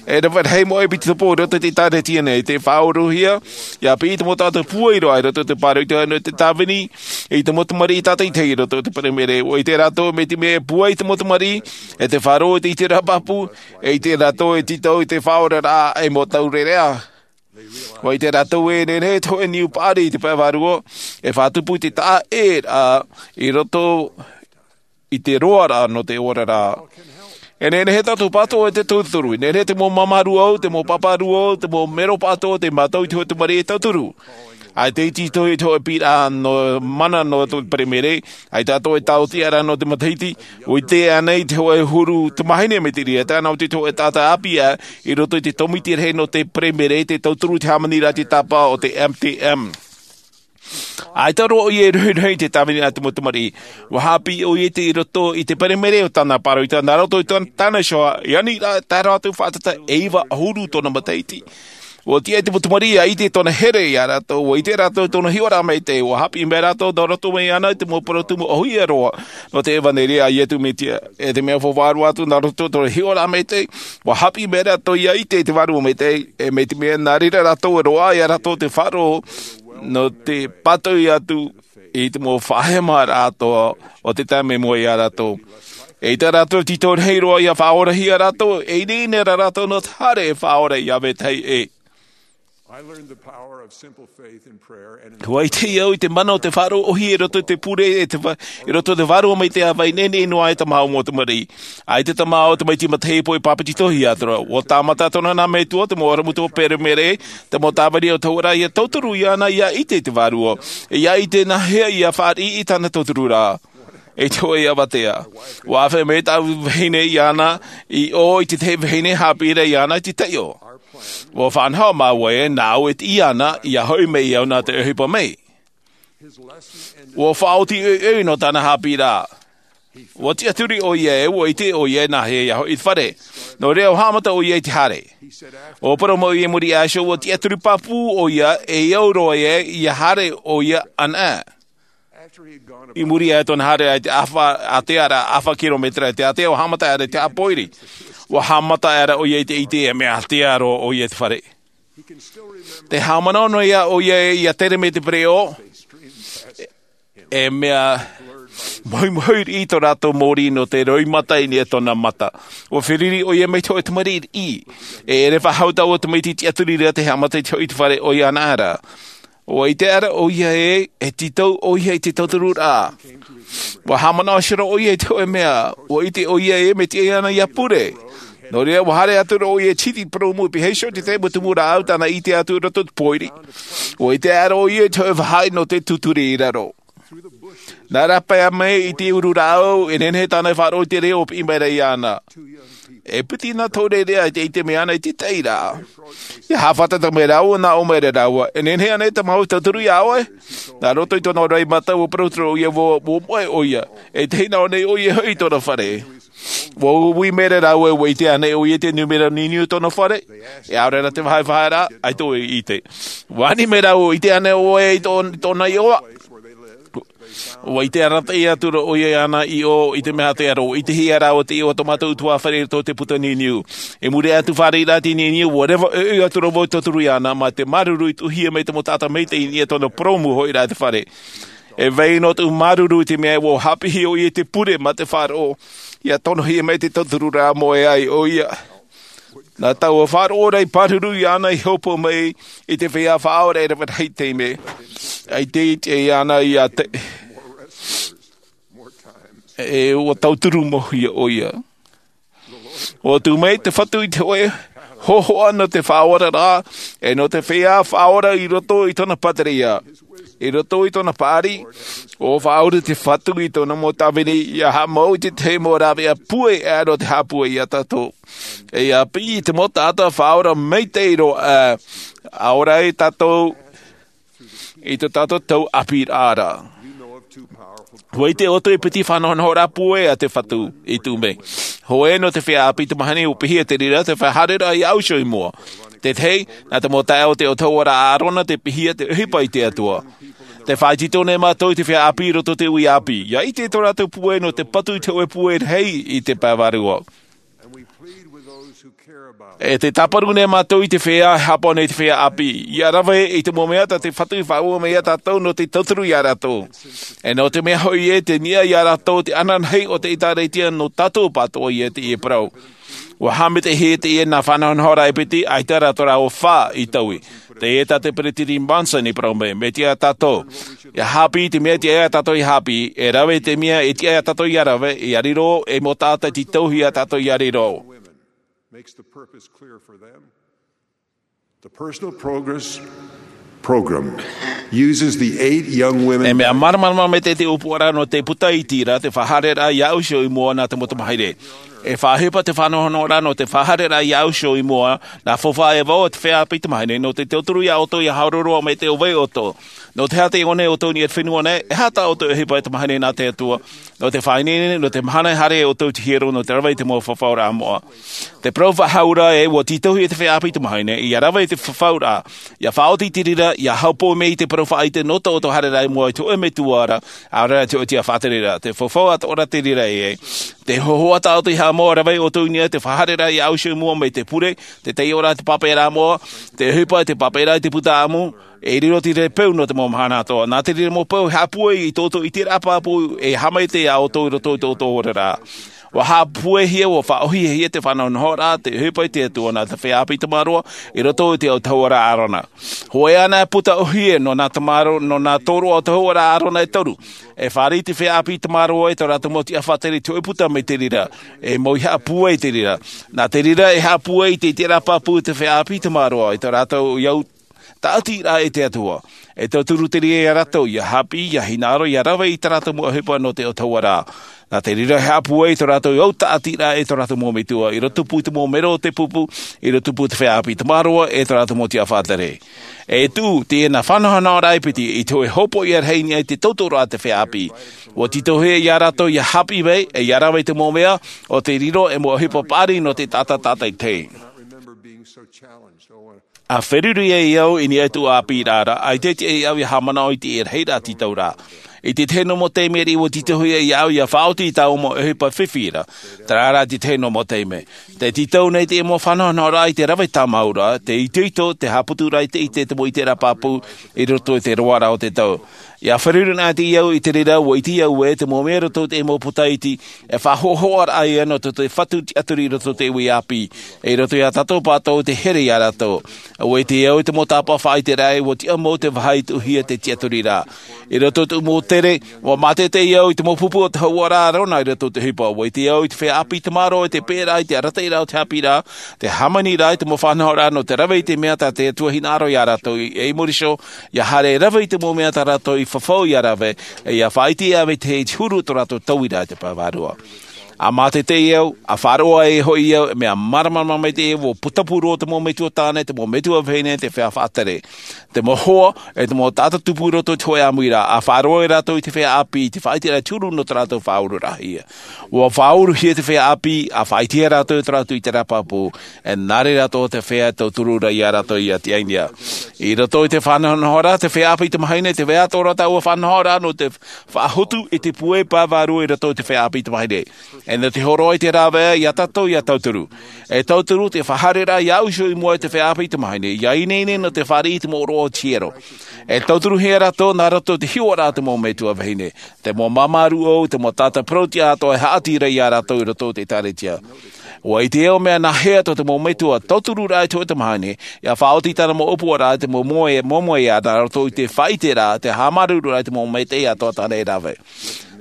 E rave rahi mau ʻēpitopo i roto i te ʻĒtārētia nei, tē faʻauruhia, ʻia piʻi te mau taʻata pūai roa i roto i te pāroita nō te tāvini, i te mau tamariʻi tātaʻitahi i roto i te Peremere, ʻua ʻite rātou mai te mea e pūai te mau tamariʻi, e te faʻaroʻo i te ʻiteraʻa pāpū, e ʻite rātou e tītau i te faʻaoraraʻa e mau taureʻareʻa. ʻUa ʻite rātou e nehenehe te hōʻē niu paʻari i te pae vārua, e faʻatupu i te taʻa ʻē ra i roto i te roaraʻa nō te oraraʻa. E nehenehe tātou pātoʻo e te tauturu, e nehenehe te mau māmā rūʻau, te mau pāpā rūʻau, te mau mero pātoʻo, tei mātau i te hōʻē tamariʻi e tauturu. ʻAita i tītau i te hōʻē piʻiraʻa nō mana nō te Peremere, ʻaita atoʻa e taotiaraʻa nō te matahiti, ʻua ʻite ānei te hōʻē huru tamāhine mai te reira, tae noa atu i te hōʻē taʻata ʻāpī ʻē, i roto i te tōmite rahi nō te Peremere, tē tauturu i te hāmaniraʻa i te tāpaʻo o te M T M. ʻAita roa ʻoia e rohirohi i te tāviniraʻa a te mau tamariʻi. ʻUa haʻapiʻi ʻoia i te, i roto i te Peremere o tāna pāroita, nā roto i tō-, tāna iho, i aniraʻa, tae roa atu faʻatata e iva ʻahuru tōna matahiti. ʻUa tiʻa i te mau tamariʻi ʻia ʻite i tōna here ia rātou, ʻua ʻite rātou i tōna hiʻoraʻa maitaʻi, ʻua haʻapiʻi mai rātou nā roto mai iāna i te mau parau tumu ʻōhie roa nō te ʻevanelia a Iesu Mesia. E te mea faufaʻa roa atu nā roto i tōna hiʻoraʻa maitaʻi, ʻua haʻapiʻi mai rātou ʻia ʻite i te Vārua Maitaʻi, e mai te mea nā reira rātou e roaʻa ia rātou te faʻaroʻo nō te pātoi atu i te mau faʻahemaraʻa atoʻa o te taime i mua ia rātou. E ʻaita rātou e tītau rahi roa ʻia faʻaorahia rātou, e ineine ra rātou nō te haere e faʻaora ʻia vetahi ʻē. I learned the power of simple faith in prayer and in ʻUa ʻite au i te mana o te faʻaroʻo ʻōhie i roto i te pure, e te va-, i roto i te Vārua Maitaʻi ʻa vai, nehenehe noa e tāmau mau tamariʻi. ʻAita tāmau tamaiti matahipo i pāpetitohia atoʻa ra. ʻUa tāmata atoʻa na nā metua, te mau ʻorometua Peremere, te mau tāvini ʻōtahua ra, ʻia tauturu iāna ʻia ʻite i te Vārua. ʻIa ʻite nāhea ʻia fāriʻi i tāna tautururaʻa. I te hōʻē avatea, ʻua ʻāfaʻi mai tāʻu vahine iāna i ʻō i te tahi vahine haʻapiʻi ra iāna i te taiʻo. ʻUa faʻanaho māua ē, nāʻu e tiʻi iāna, ʻia hoʻi mai au nā te ʻohipa mai. ʻUa faʻaoti ʻoiʻoi nō tāna haʻapiʻiraʻa. ʻUa tiʻaturi ʻoia ē, ʻua ʻite ʻoia ē nāhea ʻia hoʻi i te fare. Nō reira ʻua haʻamata ʻoia i te haere. ʻUa parau mai ʻoia i muri aʻe iho, ʻua tiʻaturi pāpū ʻoia e au roa ē ʻia haere ʻoia anaʻe. I muri aʻe i tōna haere i te ʻāfa, ātea ra, ʻāfa kirometera i te ātea, ʻua haʻamata aʻera i te haʻapōiri. ʻUa haʻamata aʻera ʻoia i te ʻite e mea ātea roa ʻoia i te fare. Tē haʻamanaʻo noa ïa ʻoia ē ʻia tere mai te pereʻoʻo, e mea Mohimohi riʻi tō rātou mōrī nō te roimata i niʻa i tōna mata. ʻUa feruri ʻoia mai te hōʻē tamariʻi riʻi. E ʻere faʻahou taua tamaiti tiʻaturi ra te haʻamata i te hoʻi i te fare ʻoia ana ra. ʻUa ʻite ʻara ʻoia ē, e tītau ʻoia i te tauturu ra. ʻUa haʻamanaʻo hia roa ʻoia i te hōʻē mea, ʻua ʻite ʻoia ē, mea tiʻa iāna ʻia pure. Nō reira, ʻua haere atu ra ʻoia i te hiti purōmu i pīhaʻi iho i te tahi mau tumu rāʻau tāna i ʻite atu i roto i te pōiri. ʻUa ʻite ʻara ʻoia i te hōʻē vāhaʻa nō te tūturi i raro. Nā rāpae mai i te uru rāʻau, e nehenehe tāna e faʻaroʻo i te reo ʻua piʻi mai ra iāna. E piti nā tō reira i te ʻite mai ana i te tahi ra. ʻIa haʻafātata mai rāua, nā ʻō mai ra rāua, e nehenehe ānei tā māua e tauturu iā ʻoe? Nā roto i tōna roimata, ʻua parau atu ra ʻoia, ʻua, ʻua moʻe ʻoia. E te hinaʻaro nei ʻoia hoʻi i tōna fare. ʻUa ui mai ra rāua, ʻua ʻite ānei ʻoia i te nūmera niuniu o tōna fare? E ʻaore rā te vāhaʻa e faʻaea ra, ʻaita ʻoe i ʻite. ʻUa ani mai rāua, ʻua ʻite ānei ʻoe i tō-, tōna iʻoa? ʻUa ʻite arataʻi atu ra ʻoia iāna iʻoa i te mea tē aro, ʻua ʻitehia rāua te iʻoa o tō mātou ʻutuāfare i roto i te puta niuniu. I muri aʻe atu fāriʻi ra te niuniu, ʻua reva ʻoiʻoi atu ra vau i te tauturu iāna, mā te māuruuru i tuʻuhia mai te mau taʻata maitaʻi i niʻa i tōna purōmu hoʻi ra i te fare. E vai noa tōʻu māuruuru i te mea ē ʻua haʻapiʻihia ʻoia i te pure mā te faʻaroʻo, ʻia tonohia mai te tauturu ra ʻua moʻe ai ʻoia. Nā taua faʻaroʻo ra i pāruru iāna i hopoiʻa mai i te feiā faʻaora e rave rahi taime. ʻAita e tiʻa iāna ʻia tae. E ʻua tauturu mau hia ʻoia. ʻUa tuʻu mai te Fatu i te hōʻē hōhoʻa nō te faʻaora ra, e nō te feiā faʻaora i roto i tōna pātireia. I roto i tōna paʻari, ʻua faʻaora te Fatu i tōna mau tāvini ʻia haʻamau i te tahi mau rāveʻa pūai ʻē nō te haʻapūai iā tātou. E ʻia piʻi i te mau taʻata faʻaora maitaʻi roa, ā, ʻaore ai tātou i tō tātou tau ʻāpī ra. ʻUa ʻite ʻoutou i te piti faʻanahonahoraʻa pūai a te Fatu i tuʻu mai. Hōʻē nō te feiā ʻāpī tamāhine, ʻua piʻihia te reira, te feiā haereraʻa iā ʻoe iho i mua. Te tahi, nā te mau taeaʻe o te autahuʻaraʻa a ʻĀrona tē piʻihia te ʻohipa i te Atua. Tē faʻaitoito nei mātou i te feiā ʻāpī i roto i te uʻi ʻāpī. ʻIa ʻite tō rātou pūai nō te patu i te hōʻē pūai rahi i te pae vārua. E tē tāparu nei mātou i te feiā e haʻapaʻo nei i te feiā ʻāpī. ʻIa rave i te mau mea tā te Fatu i faʻaue mai iā tātou nō te tauturu iā rātou. E nō te mea hoʻi ē, tē niʻa iā rātou te ananahi o te ʻĒtārētia nō tātou pātoʻa ïa teie parau. ʻUa haʻamaitaʻihia teie nā faʻanahonahoraʻa e piti, ʻaita rā tō rāua fā i taui. Teie tā te Peresideni Monson i parau mai, mea tiʻa tātou. ʻIa haʻapiʻi i te mea tiʻa iā tātou ʻia haʻapiʻi, e rave i te mea e tiʻa iā tātou ʻia rave, ʻia riro, e mau taʻata tītauhia tātou ʻia riro. Makes the purpose clear for them. The Personal Progress Program uses the eight young women. E mea māramarama mai te, te ʻōpuaraʻa nō te puta iti ra, te faʻahaereraʻa iā ʻoe iho i mua nā te mau tamāhine. E faʻaʻohipa te faʻanahonahoraʻa nō te faʻahaereraʻa iā ʻoe iho i mua, nā faufaʻa e vaʻu a te feiā ʻāpī tamāhine, nō te tauturu iā ʻoutou ʻia haere roa mai te ʻo vai ʻoutou. Nō te aha tē ʻite nei ʻoutou i niʻa i te fenua nei, e aha tā ʻoutou ʻohipa e tamāhine nā te Atua. Nō te faʻaineine, nō te mahana e haere ai ʻoutou i te hiero, nō te rave i te mau fafauraʻa moʻa. Te parau faʻahou ra ē, ʻua tītauhia te feiā ʻāpī tamāhine, ʻia rave i te fafauraʻa, ʻia faʻaoti i te reira, ʻia haʻapaʻo mai i te parau faʻaʻite nō tō ʻoutou haereraʻa i mua i te hōʻē metua ra, ʻaore rā te hōʻē tiʻafaʻatereraʻa. Te faufaʻa atoʻa ra te reira ē, te hōhoʻa tā ʻoutou i haʻamau ʻia rave ʻoutou i niʻa i te faʻahaereraʻa iā ʻoe iho i mua mai te pure, te taiʻoraʻa i te pāpaʻiraʻa moʻa, te ʻohipa i te pāpaʻiraʻa i te puta ʻāmui, e riro te reira e peu nō te mau mahana atoʻa. Nā te reira mau peu e haʻapūai i tō ʻoutou ʻiteraʻa pāpū e haʻamaitaʻi iā ʻoutou i roto i tō ʻoutou oraraʻa. ʻUa haʻapūaihia, ʻua faʻaʻohihia te faʻanahonahoraʻa, te ʻohipa i te Atua nā te feiā ʻāpī tamaroa, i roto i te autahuʻaraʻa a ʻĀrona. Hōʻē anaʻe puta ʻōhie nō nā tamaro-, nō nā tōroʻa autahuʻaraʻa a ʻĀrona e toru. E fāriʻi te feiā ʻāpī tamaroa i tō rātou mau tiʻafaʻatere i te hōʻē puta mai te reira. E mau i haʻapūai i te reira. Nā te reira e haʻapūai i te ʻiteraʻa pāpū te feiā ʻāpī tamaroa i tō rātou au tāʻatiraʻa e te Atua. E tauturu te reira iā rātou, ʻia haʻapiʻi, ʻia hinaʻaro, ʻia rave i tā rātou mau ʻohipa nō te autahuʻaraʻa. Nā te reira e haʻapūai i tō rātou au tāʻatiraʻa e tō rātou mau metua, i rotopū i te mau mero o te pupu, i rotopū te feiā ʻāpī tamaroa, e tō rātou mau tiʻafaʻatere. E tuʻu, teie nā faʻanahonahoraʻa e piti, i te hōʻē hopoiʻa rahi i niʻa i te tauturu a te feiā ʻāpī. ʻUa tītauhia iā rātou ʻia haʻapiʻi mai, e ʻia rave i te mau mea, ʻo tē riro, e mau ʻohipa paʻari nō te taʻata tātaʻitahi. ʻA feruri ai au i niʻa i tōʻu ʻāpīraʻa ra, ʻaita e tiʻa iā ʻu ʻia haʻamanaʻo i te rahiraʻa tītau ra. I te tahi noa mau taime riʻi ua tītauhia iā ʻu ia faʻaoti i tāʻu mau ʻohipa fifi ra. Terā rā te tahi noa mau taime. Te tītau nei te mau faʻanahonahoraʻa i te rave tāmau ra, te itoito, te haʻaputu ra i te ʻite, te mau ʻiteraʻa pāpū i roto i te roaraʻa o te tau. Ia feruri anaʻe au i te reira, ua ʻite au ē te mau mea i roto i te mau puta iti e faʻahoʻahoʻaraʻa ia nō te fatu tiʻaturi i roto i te ʻāpī, i roto iā tātou pātou te here iā rātou. Ua ʻite au i te mau tāpaʻo faʻaʻiteraʻa ua tiʻa mau te vāhi tuʻuhia te tiʻaturi ra. I roto i te mau tere, ua mātaʻitaʻi au i te mau pupu o te hauʻaraʻa rona i roto i te ʻohipa. Ua ʻite au i te feiā ʻāpī tamaroa i te pēʻeraʻa i te arataʻiraʻa o te haʻapiʻiraʻa, te hāmaniraʻa i te mau faʻanahoraʻa nō te rave i te mea tā te Atua hinaʻaro iā rātou i, i muri iho, ia haere rave i te mau mea tā rātou i fafau ia rave, e ia faʻaʻite ia vetahi i te huru tō rātou tauiraʻa i te pae vārua. A mātaʻitaʻi au, a faʻaroʻo ai hoʻi au, mea māramarama maitaʻi au, ua putapū roa te mau metua tāne, te mau metua vahine, te feiā faʻatere, te mau hoa, e te mau taʻata tupu i roto i te hōʻē ʻāmuiraʻa, a faʻaroʻo ai rātou i te feiā ʻāpī, i te faʻaʻiteraʻa i te huru nō tō rātou faʻaururaʻahia. Ua faʻauruhia te feiā ʻāpī, a faʻaʻitehia rātou i tō rātou ʻiteraʻa pāpū, e nā reira atoʻa te feiā e tauturu ra iā rātou ia tiʻa i niʻa. I roto i te faʻanahonahoraʻa, te feiā ʻāpī tamāhine, tē vai atoʻa ra taua faʻanahoraʻa nō te faʻahotu i te pūai pae vārua i roto i te feiā ʻāpī tamāhine. E nō te hōroʻa i te rāveʻa iā tātou ia tauturu. E tauturu te faʻahaereraʻa iā ʻu iho i mua i te feiā ʻāpī tamāhine, ia ineine nō te fāriʻi i te mau ʻōroʻa o te hiero. E tauturuhia rātou nā roto i te hiʻoraʻa a te mau metua vahine, te mau māmā rūʻau, te mau taʻata parau-tiʻa atoʻa e haʻati ra iā rātou i roto i te ʻĒkālesia. Ua ʻite au mea nāhea tō te mau metua tauturu ra i te hōʻē tamāhine, ia faʻaoti tāna mau ʻōpuaraʻa, te mau moe, moemoeā nā roto i te faʻaʻiteraʻa, te haʻamāuruururaʻa i te mau maitaʻi atoʻa tāna e rave.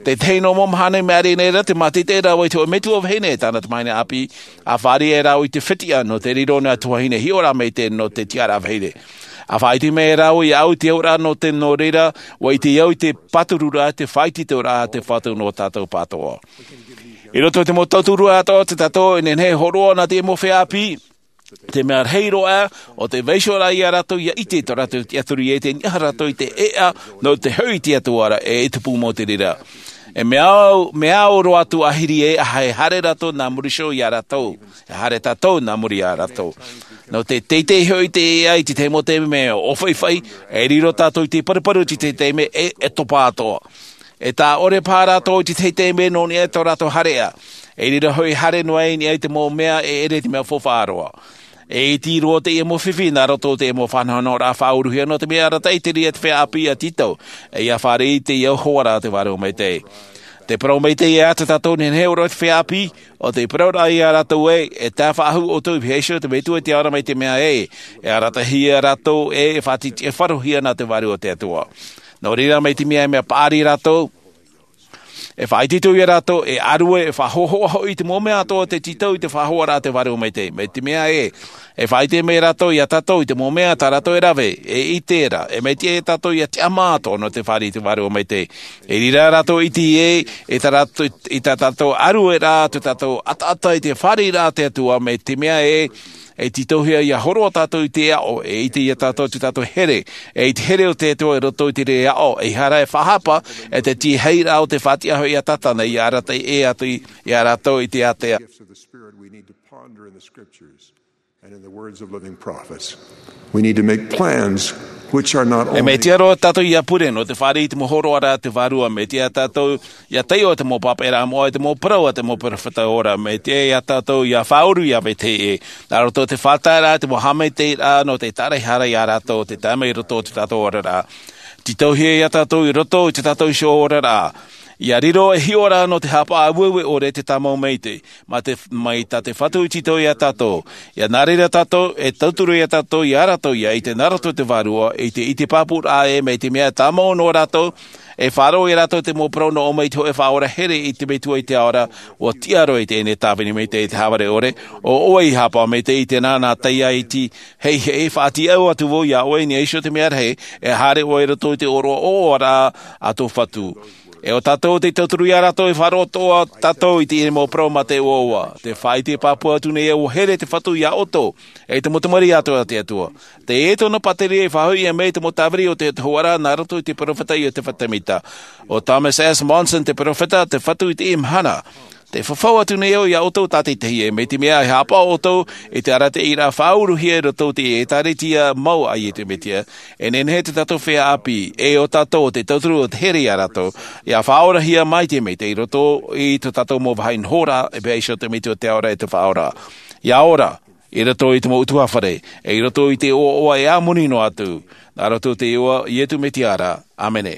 Te tahi noa mau mahana i maʻiri nei ra, te mātaʻitaʻiraʻa i te hōʻē metua vahine e tāna tamāhine ʻāpī, a fāriʻi rāua i te fetiʻa nō te riro nā tuahine hiʻoraʻa maitaʻi nō te tiʻaraʻa vahine. A faʻaʻite mai rāua iā ʻu i te auraʻa nō te, nō reira, ua ʻite au i te pātururaʻa, te faʻaitoitoraʻa, te fatu nō tātou pātoʻa. I roto i te mau tauturu atoʻa tā tātou e nehenehe e hōroʻa nā te mau feiā ʻāpī, te mea rahi roa, ʻo te vaiihoraʻa iā rātou ia ʻite tō rātou tiʻaturi e te niʻa rātou i te ʻēʻa, nō te hoʻi i te Atua ra, e, e tupu mau te reira. E mea au, mea au roa atu ʻāhiri e, ʻaita e haere rātou nā muri iho iā rātou, e haere tātou nā muri iā rātou. Nō te teitei hoʻi te ʻēʻa i te tahi mau taime mea ʻōfaʻifaʻi, e riro tātou i te paruparu i te tahi taime e, e topa atoʻa. E tā ʻore paha rātou i te tahi taime nō niʻa i tō rātou haereʻa. E riro hoʻi haere noa i niʻa i te mau mea e ʻere i te mea faufaʻa roa. E iti roa teie mau fifi nā roto i te mau faʻanahonahoraʻa faʻauruhia nō te mea arataʻi te reira te feiā ʻāpī ia tītau, e ia fāriʻi i te hoʻoraʻa a te Vārua Maitaʻi. Te parau maitaʻi ē, tā tātou e nehenehe e ora i te feiā ʻāpī, ʻo te parauraʻa iā rātou ē, e tae faʻahou ʻoutou i vaiiho te Metua i te ao ra mai te mea ē, e arataʻihia rātou ē, e faʻati-, e faʻaroʻohia nā te Vārua o te Atua. Nō reira mai te mea, mea paʻari rātou, e faʻaitoito ia rātou, e ʻārue, e faʻahoʻahoʻa hoʻi i te mau mea atoʻa tē tītau i te faʻahoʻaraʻa a te Vārua Maitaʻi. Mai te mea ē, e faʻaʻite mai rātou iā tātou i te mau mea tā rātou e rave, e ʻite ra, e maitaʻi ia tātou ia tiʻamā atoʻa nō te fāriʻi i te Vārua Maitaʻi. E reira rātou e ʻite ē, i tā rātou, i tā tātou ʻārueraʻa, tō tātou ʻataʻata i te fāriʻiraʻa a te Atua, mai te mea ē, e tītauhia ia hōroʻa tātou i te aʻo, e ʻite ia tātou tō tātou here, e i te here o te Atua i roto i te reira aʻo, ʻeiaha e faʻahapa, e te tīaʻiraʻa o te faʻatiʻa hoʻi a Tātana, ia arataʻi ē atu i, iā rātou i te ātea. Gifts of the Spirit we need to ponder in the scriptures and in the words of living prophets. We need to make plans which are not only. E mea tiʻa roa tātou ia pure nō te fāriʻi i te mau hōroʻaraʻa a te Vārua, mea tiʻa tātou ia taiʻo te mau pāpaʻiraʻa moʻa, te mau parau a te mau perofeta ora, mea tiʻa ia tātou ia faʻauru ia vetahi ʻē. Nā roto i te faʻataeraʻa, te mau haʻamaitaʻiraʻa nō te tāraʻehara iā rātou, te tae mai i roto i tō tātou oraraʻa. Tītauhia ia tātou i roto i tō tātou iho oraraʻa. Ia riro ei hiʻoraʻa nō te haʻapaʻo aueue ʻore te tāmau maitaʻi, mai te, mai tā te Fatu i tītau iā tātou. Ia nā reira tātou, e tauturu ia tātou, iā rātou ia ʻite nā roto i te Vārua, i te, i te pāpūraʻa ē, mai te mea tāmau nō rātou, e faʻaroʻo ia rātou te mau parau nō ʻō mai i te hōʻē Faʻaora here i te Metua i te ao ra, ʻua tiʻa roa i teie nei tāvini maitaʻi, te hāvare ʻore, ʻo ʻoe i haʻapaʻo maitaʻi i te nā, nā taiaiti, hei, hei, faʻatiʻau atu vau iā ʻoe i niʻa iho te mea rahi, e haere ʻoe i roto i te ʻōroʻa ʻoaʻoaraʻa a tō Fatu. E ʻo tātou te tauturu iā rātou, e faʻaroʻo atoʻa tātou i teie mau parau mā te ʻoaʻoa. Te faʻaʻite pāpū atu nei ē, ʻua here te Fatu iā ʻoutou, e te mau tamariʻi atoʻa a te Atua. Teie tōna pātireia i faʻahoʻihia mai te mau tāviri o te, te hōroʻaraʻa nā roto i te perofeta Iotefa Tēmita. ʻO Thomas S. Monson te perofeta, te Fatu i teie mahana. Te fafau atu nei au iā ʻoutou tātaʻitahi, e mai te mea e haʻapaʻo ʻoutou i te arataʻiraʻa faʻauruhia i roto i te ʻĒtārētia mau a Iesu Mesia, e nehenehe tō tātou feiā ʻāpī, e ʻo tātou te tauturu o te here iā rātou, ʻia faʻaorahia mai te maitaʻi i roto i tō tātou mau vāhi nohoraʻa, e pēhea iho te Metua o te Ao ra e te Faʻaora. ʻIa ora, i roto i te mau ʻutuāfare, e i roto i te ʻoaʻoa e ʻāmoni noa atu, nā roto i te iʻoa o Iesu Mesia ra. ʻĀmene.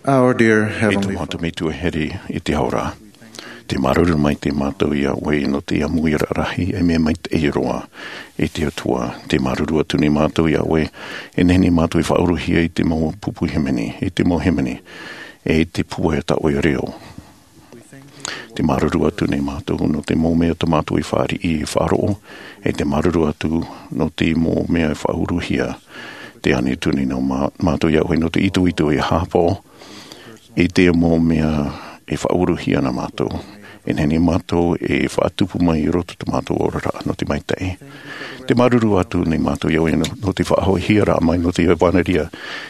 Our dear Heavenly Father, e te Metua here i te Ao ra, Te māuruuru maitaʻi mātou iā ʻoe nō te ʻāmuiraʻa rahi e mea maitaʻi roa. E te Atua, te māuruuru atu nei mātou iā ʻoe, e nehenehe mātou e faʻauruhia i te mau pupu hīmene, i te mau hīmene, e te pūai tā ʻoe reo. Te māuruuru atu nei mātou nō te mau mea tā mātou e fāriʻi e faʻaroʻo, e te māuruuru atu nō te mau mea e faʻauruhia. Te ani atu nei nō mā-, mātou iā ʻoe nō te itoito e haʻapaʻo i te mau mea e faʻauruhia nā mātou. E nehenehe mātou e faʻatupu mai i roto tō mātou oraraʻa nō te maitaʻi. Te māuruuru atu nei mātou iā ʻoe nō, nō te faʻahoʻihia rā mai nō te ʻevanelia,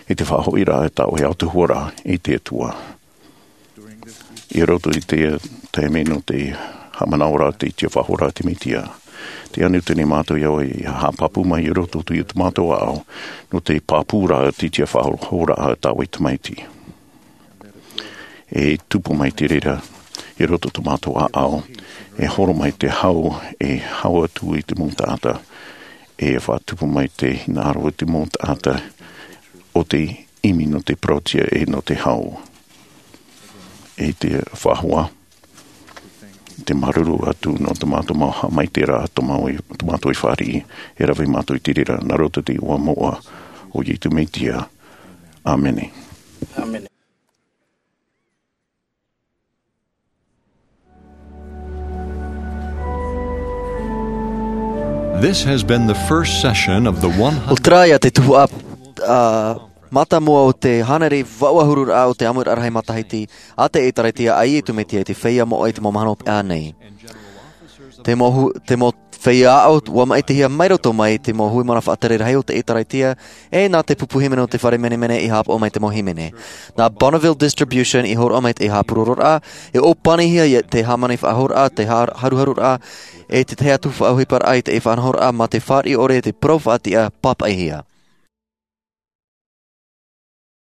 i te faʻahoʻiraʻa tā ʻoe Atua ra, e te Atua. I roto i te taime nō te haʻamanaʻo ra te tiʻafaʻahoʻiraʻa a te Mesia. Te ani atu nei mātou iā ʻoe e haʻapāpū mai i roto i tō mātou ʻāʻau, nō te pāpū ra te tiʻafaʻahoʻiraʻa tā ʻoe Tamaiti. E tupu mai te reira, i roto tō mātou ʻāʻau, e horo mai te hau, e hau atu i te mau taʻata, e faʻatupu mai te hinaʻaro i te mau taʻata, ʻo te ʻimi nō te parauʻtiʻa e nō te hau. E te Faʻaora, te māuruuru atu nō tō mātou mau haʻamaitaʻiraʻa, tō mau i, tō mātou i fāriʻi, e rave mātou i te reira, nā roto i te iʻoa moʻa o Iesu Mesia. ʻĀmene. ʻĀmene. This has been the first session of the one hundred. ʻO terā ia te tuhaʻa, ā, mātāmua o te hānere vaʻu ʻahururaʻa o te ʻāmuiraʻa rahi matahiti a te ʻĒtārētia a Iesu Mesia i te feiā moʻa i te mau mahana hopeʻa nei. Te mau hu-, te mau feiā aʻo ʻua maʻitihia mai roto mai te mau hui mana faʻatere rahi o te ʻĒtārētia, e nā te pupu hīmene o te fare menemene i haʻapaʻo mai te mau hīmene. Nā Bonneville Distribution i hōroʻa mai te haʻapurororaʻa, e ʻōpanihia ia te hāmani faʻahouraʻa, te ha-, haruharuraʻa, e te tahi atu faʻaʻohiparaʻa i te faʻanahoraʻa mā te fāriʻi ʻore i te parau faʻatiʻa pāpaʻihia.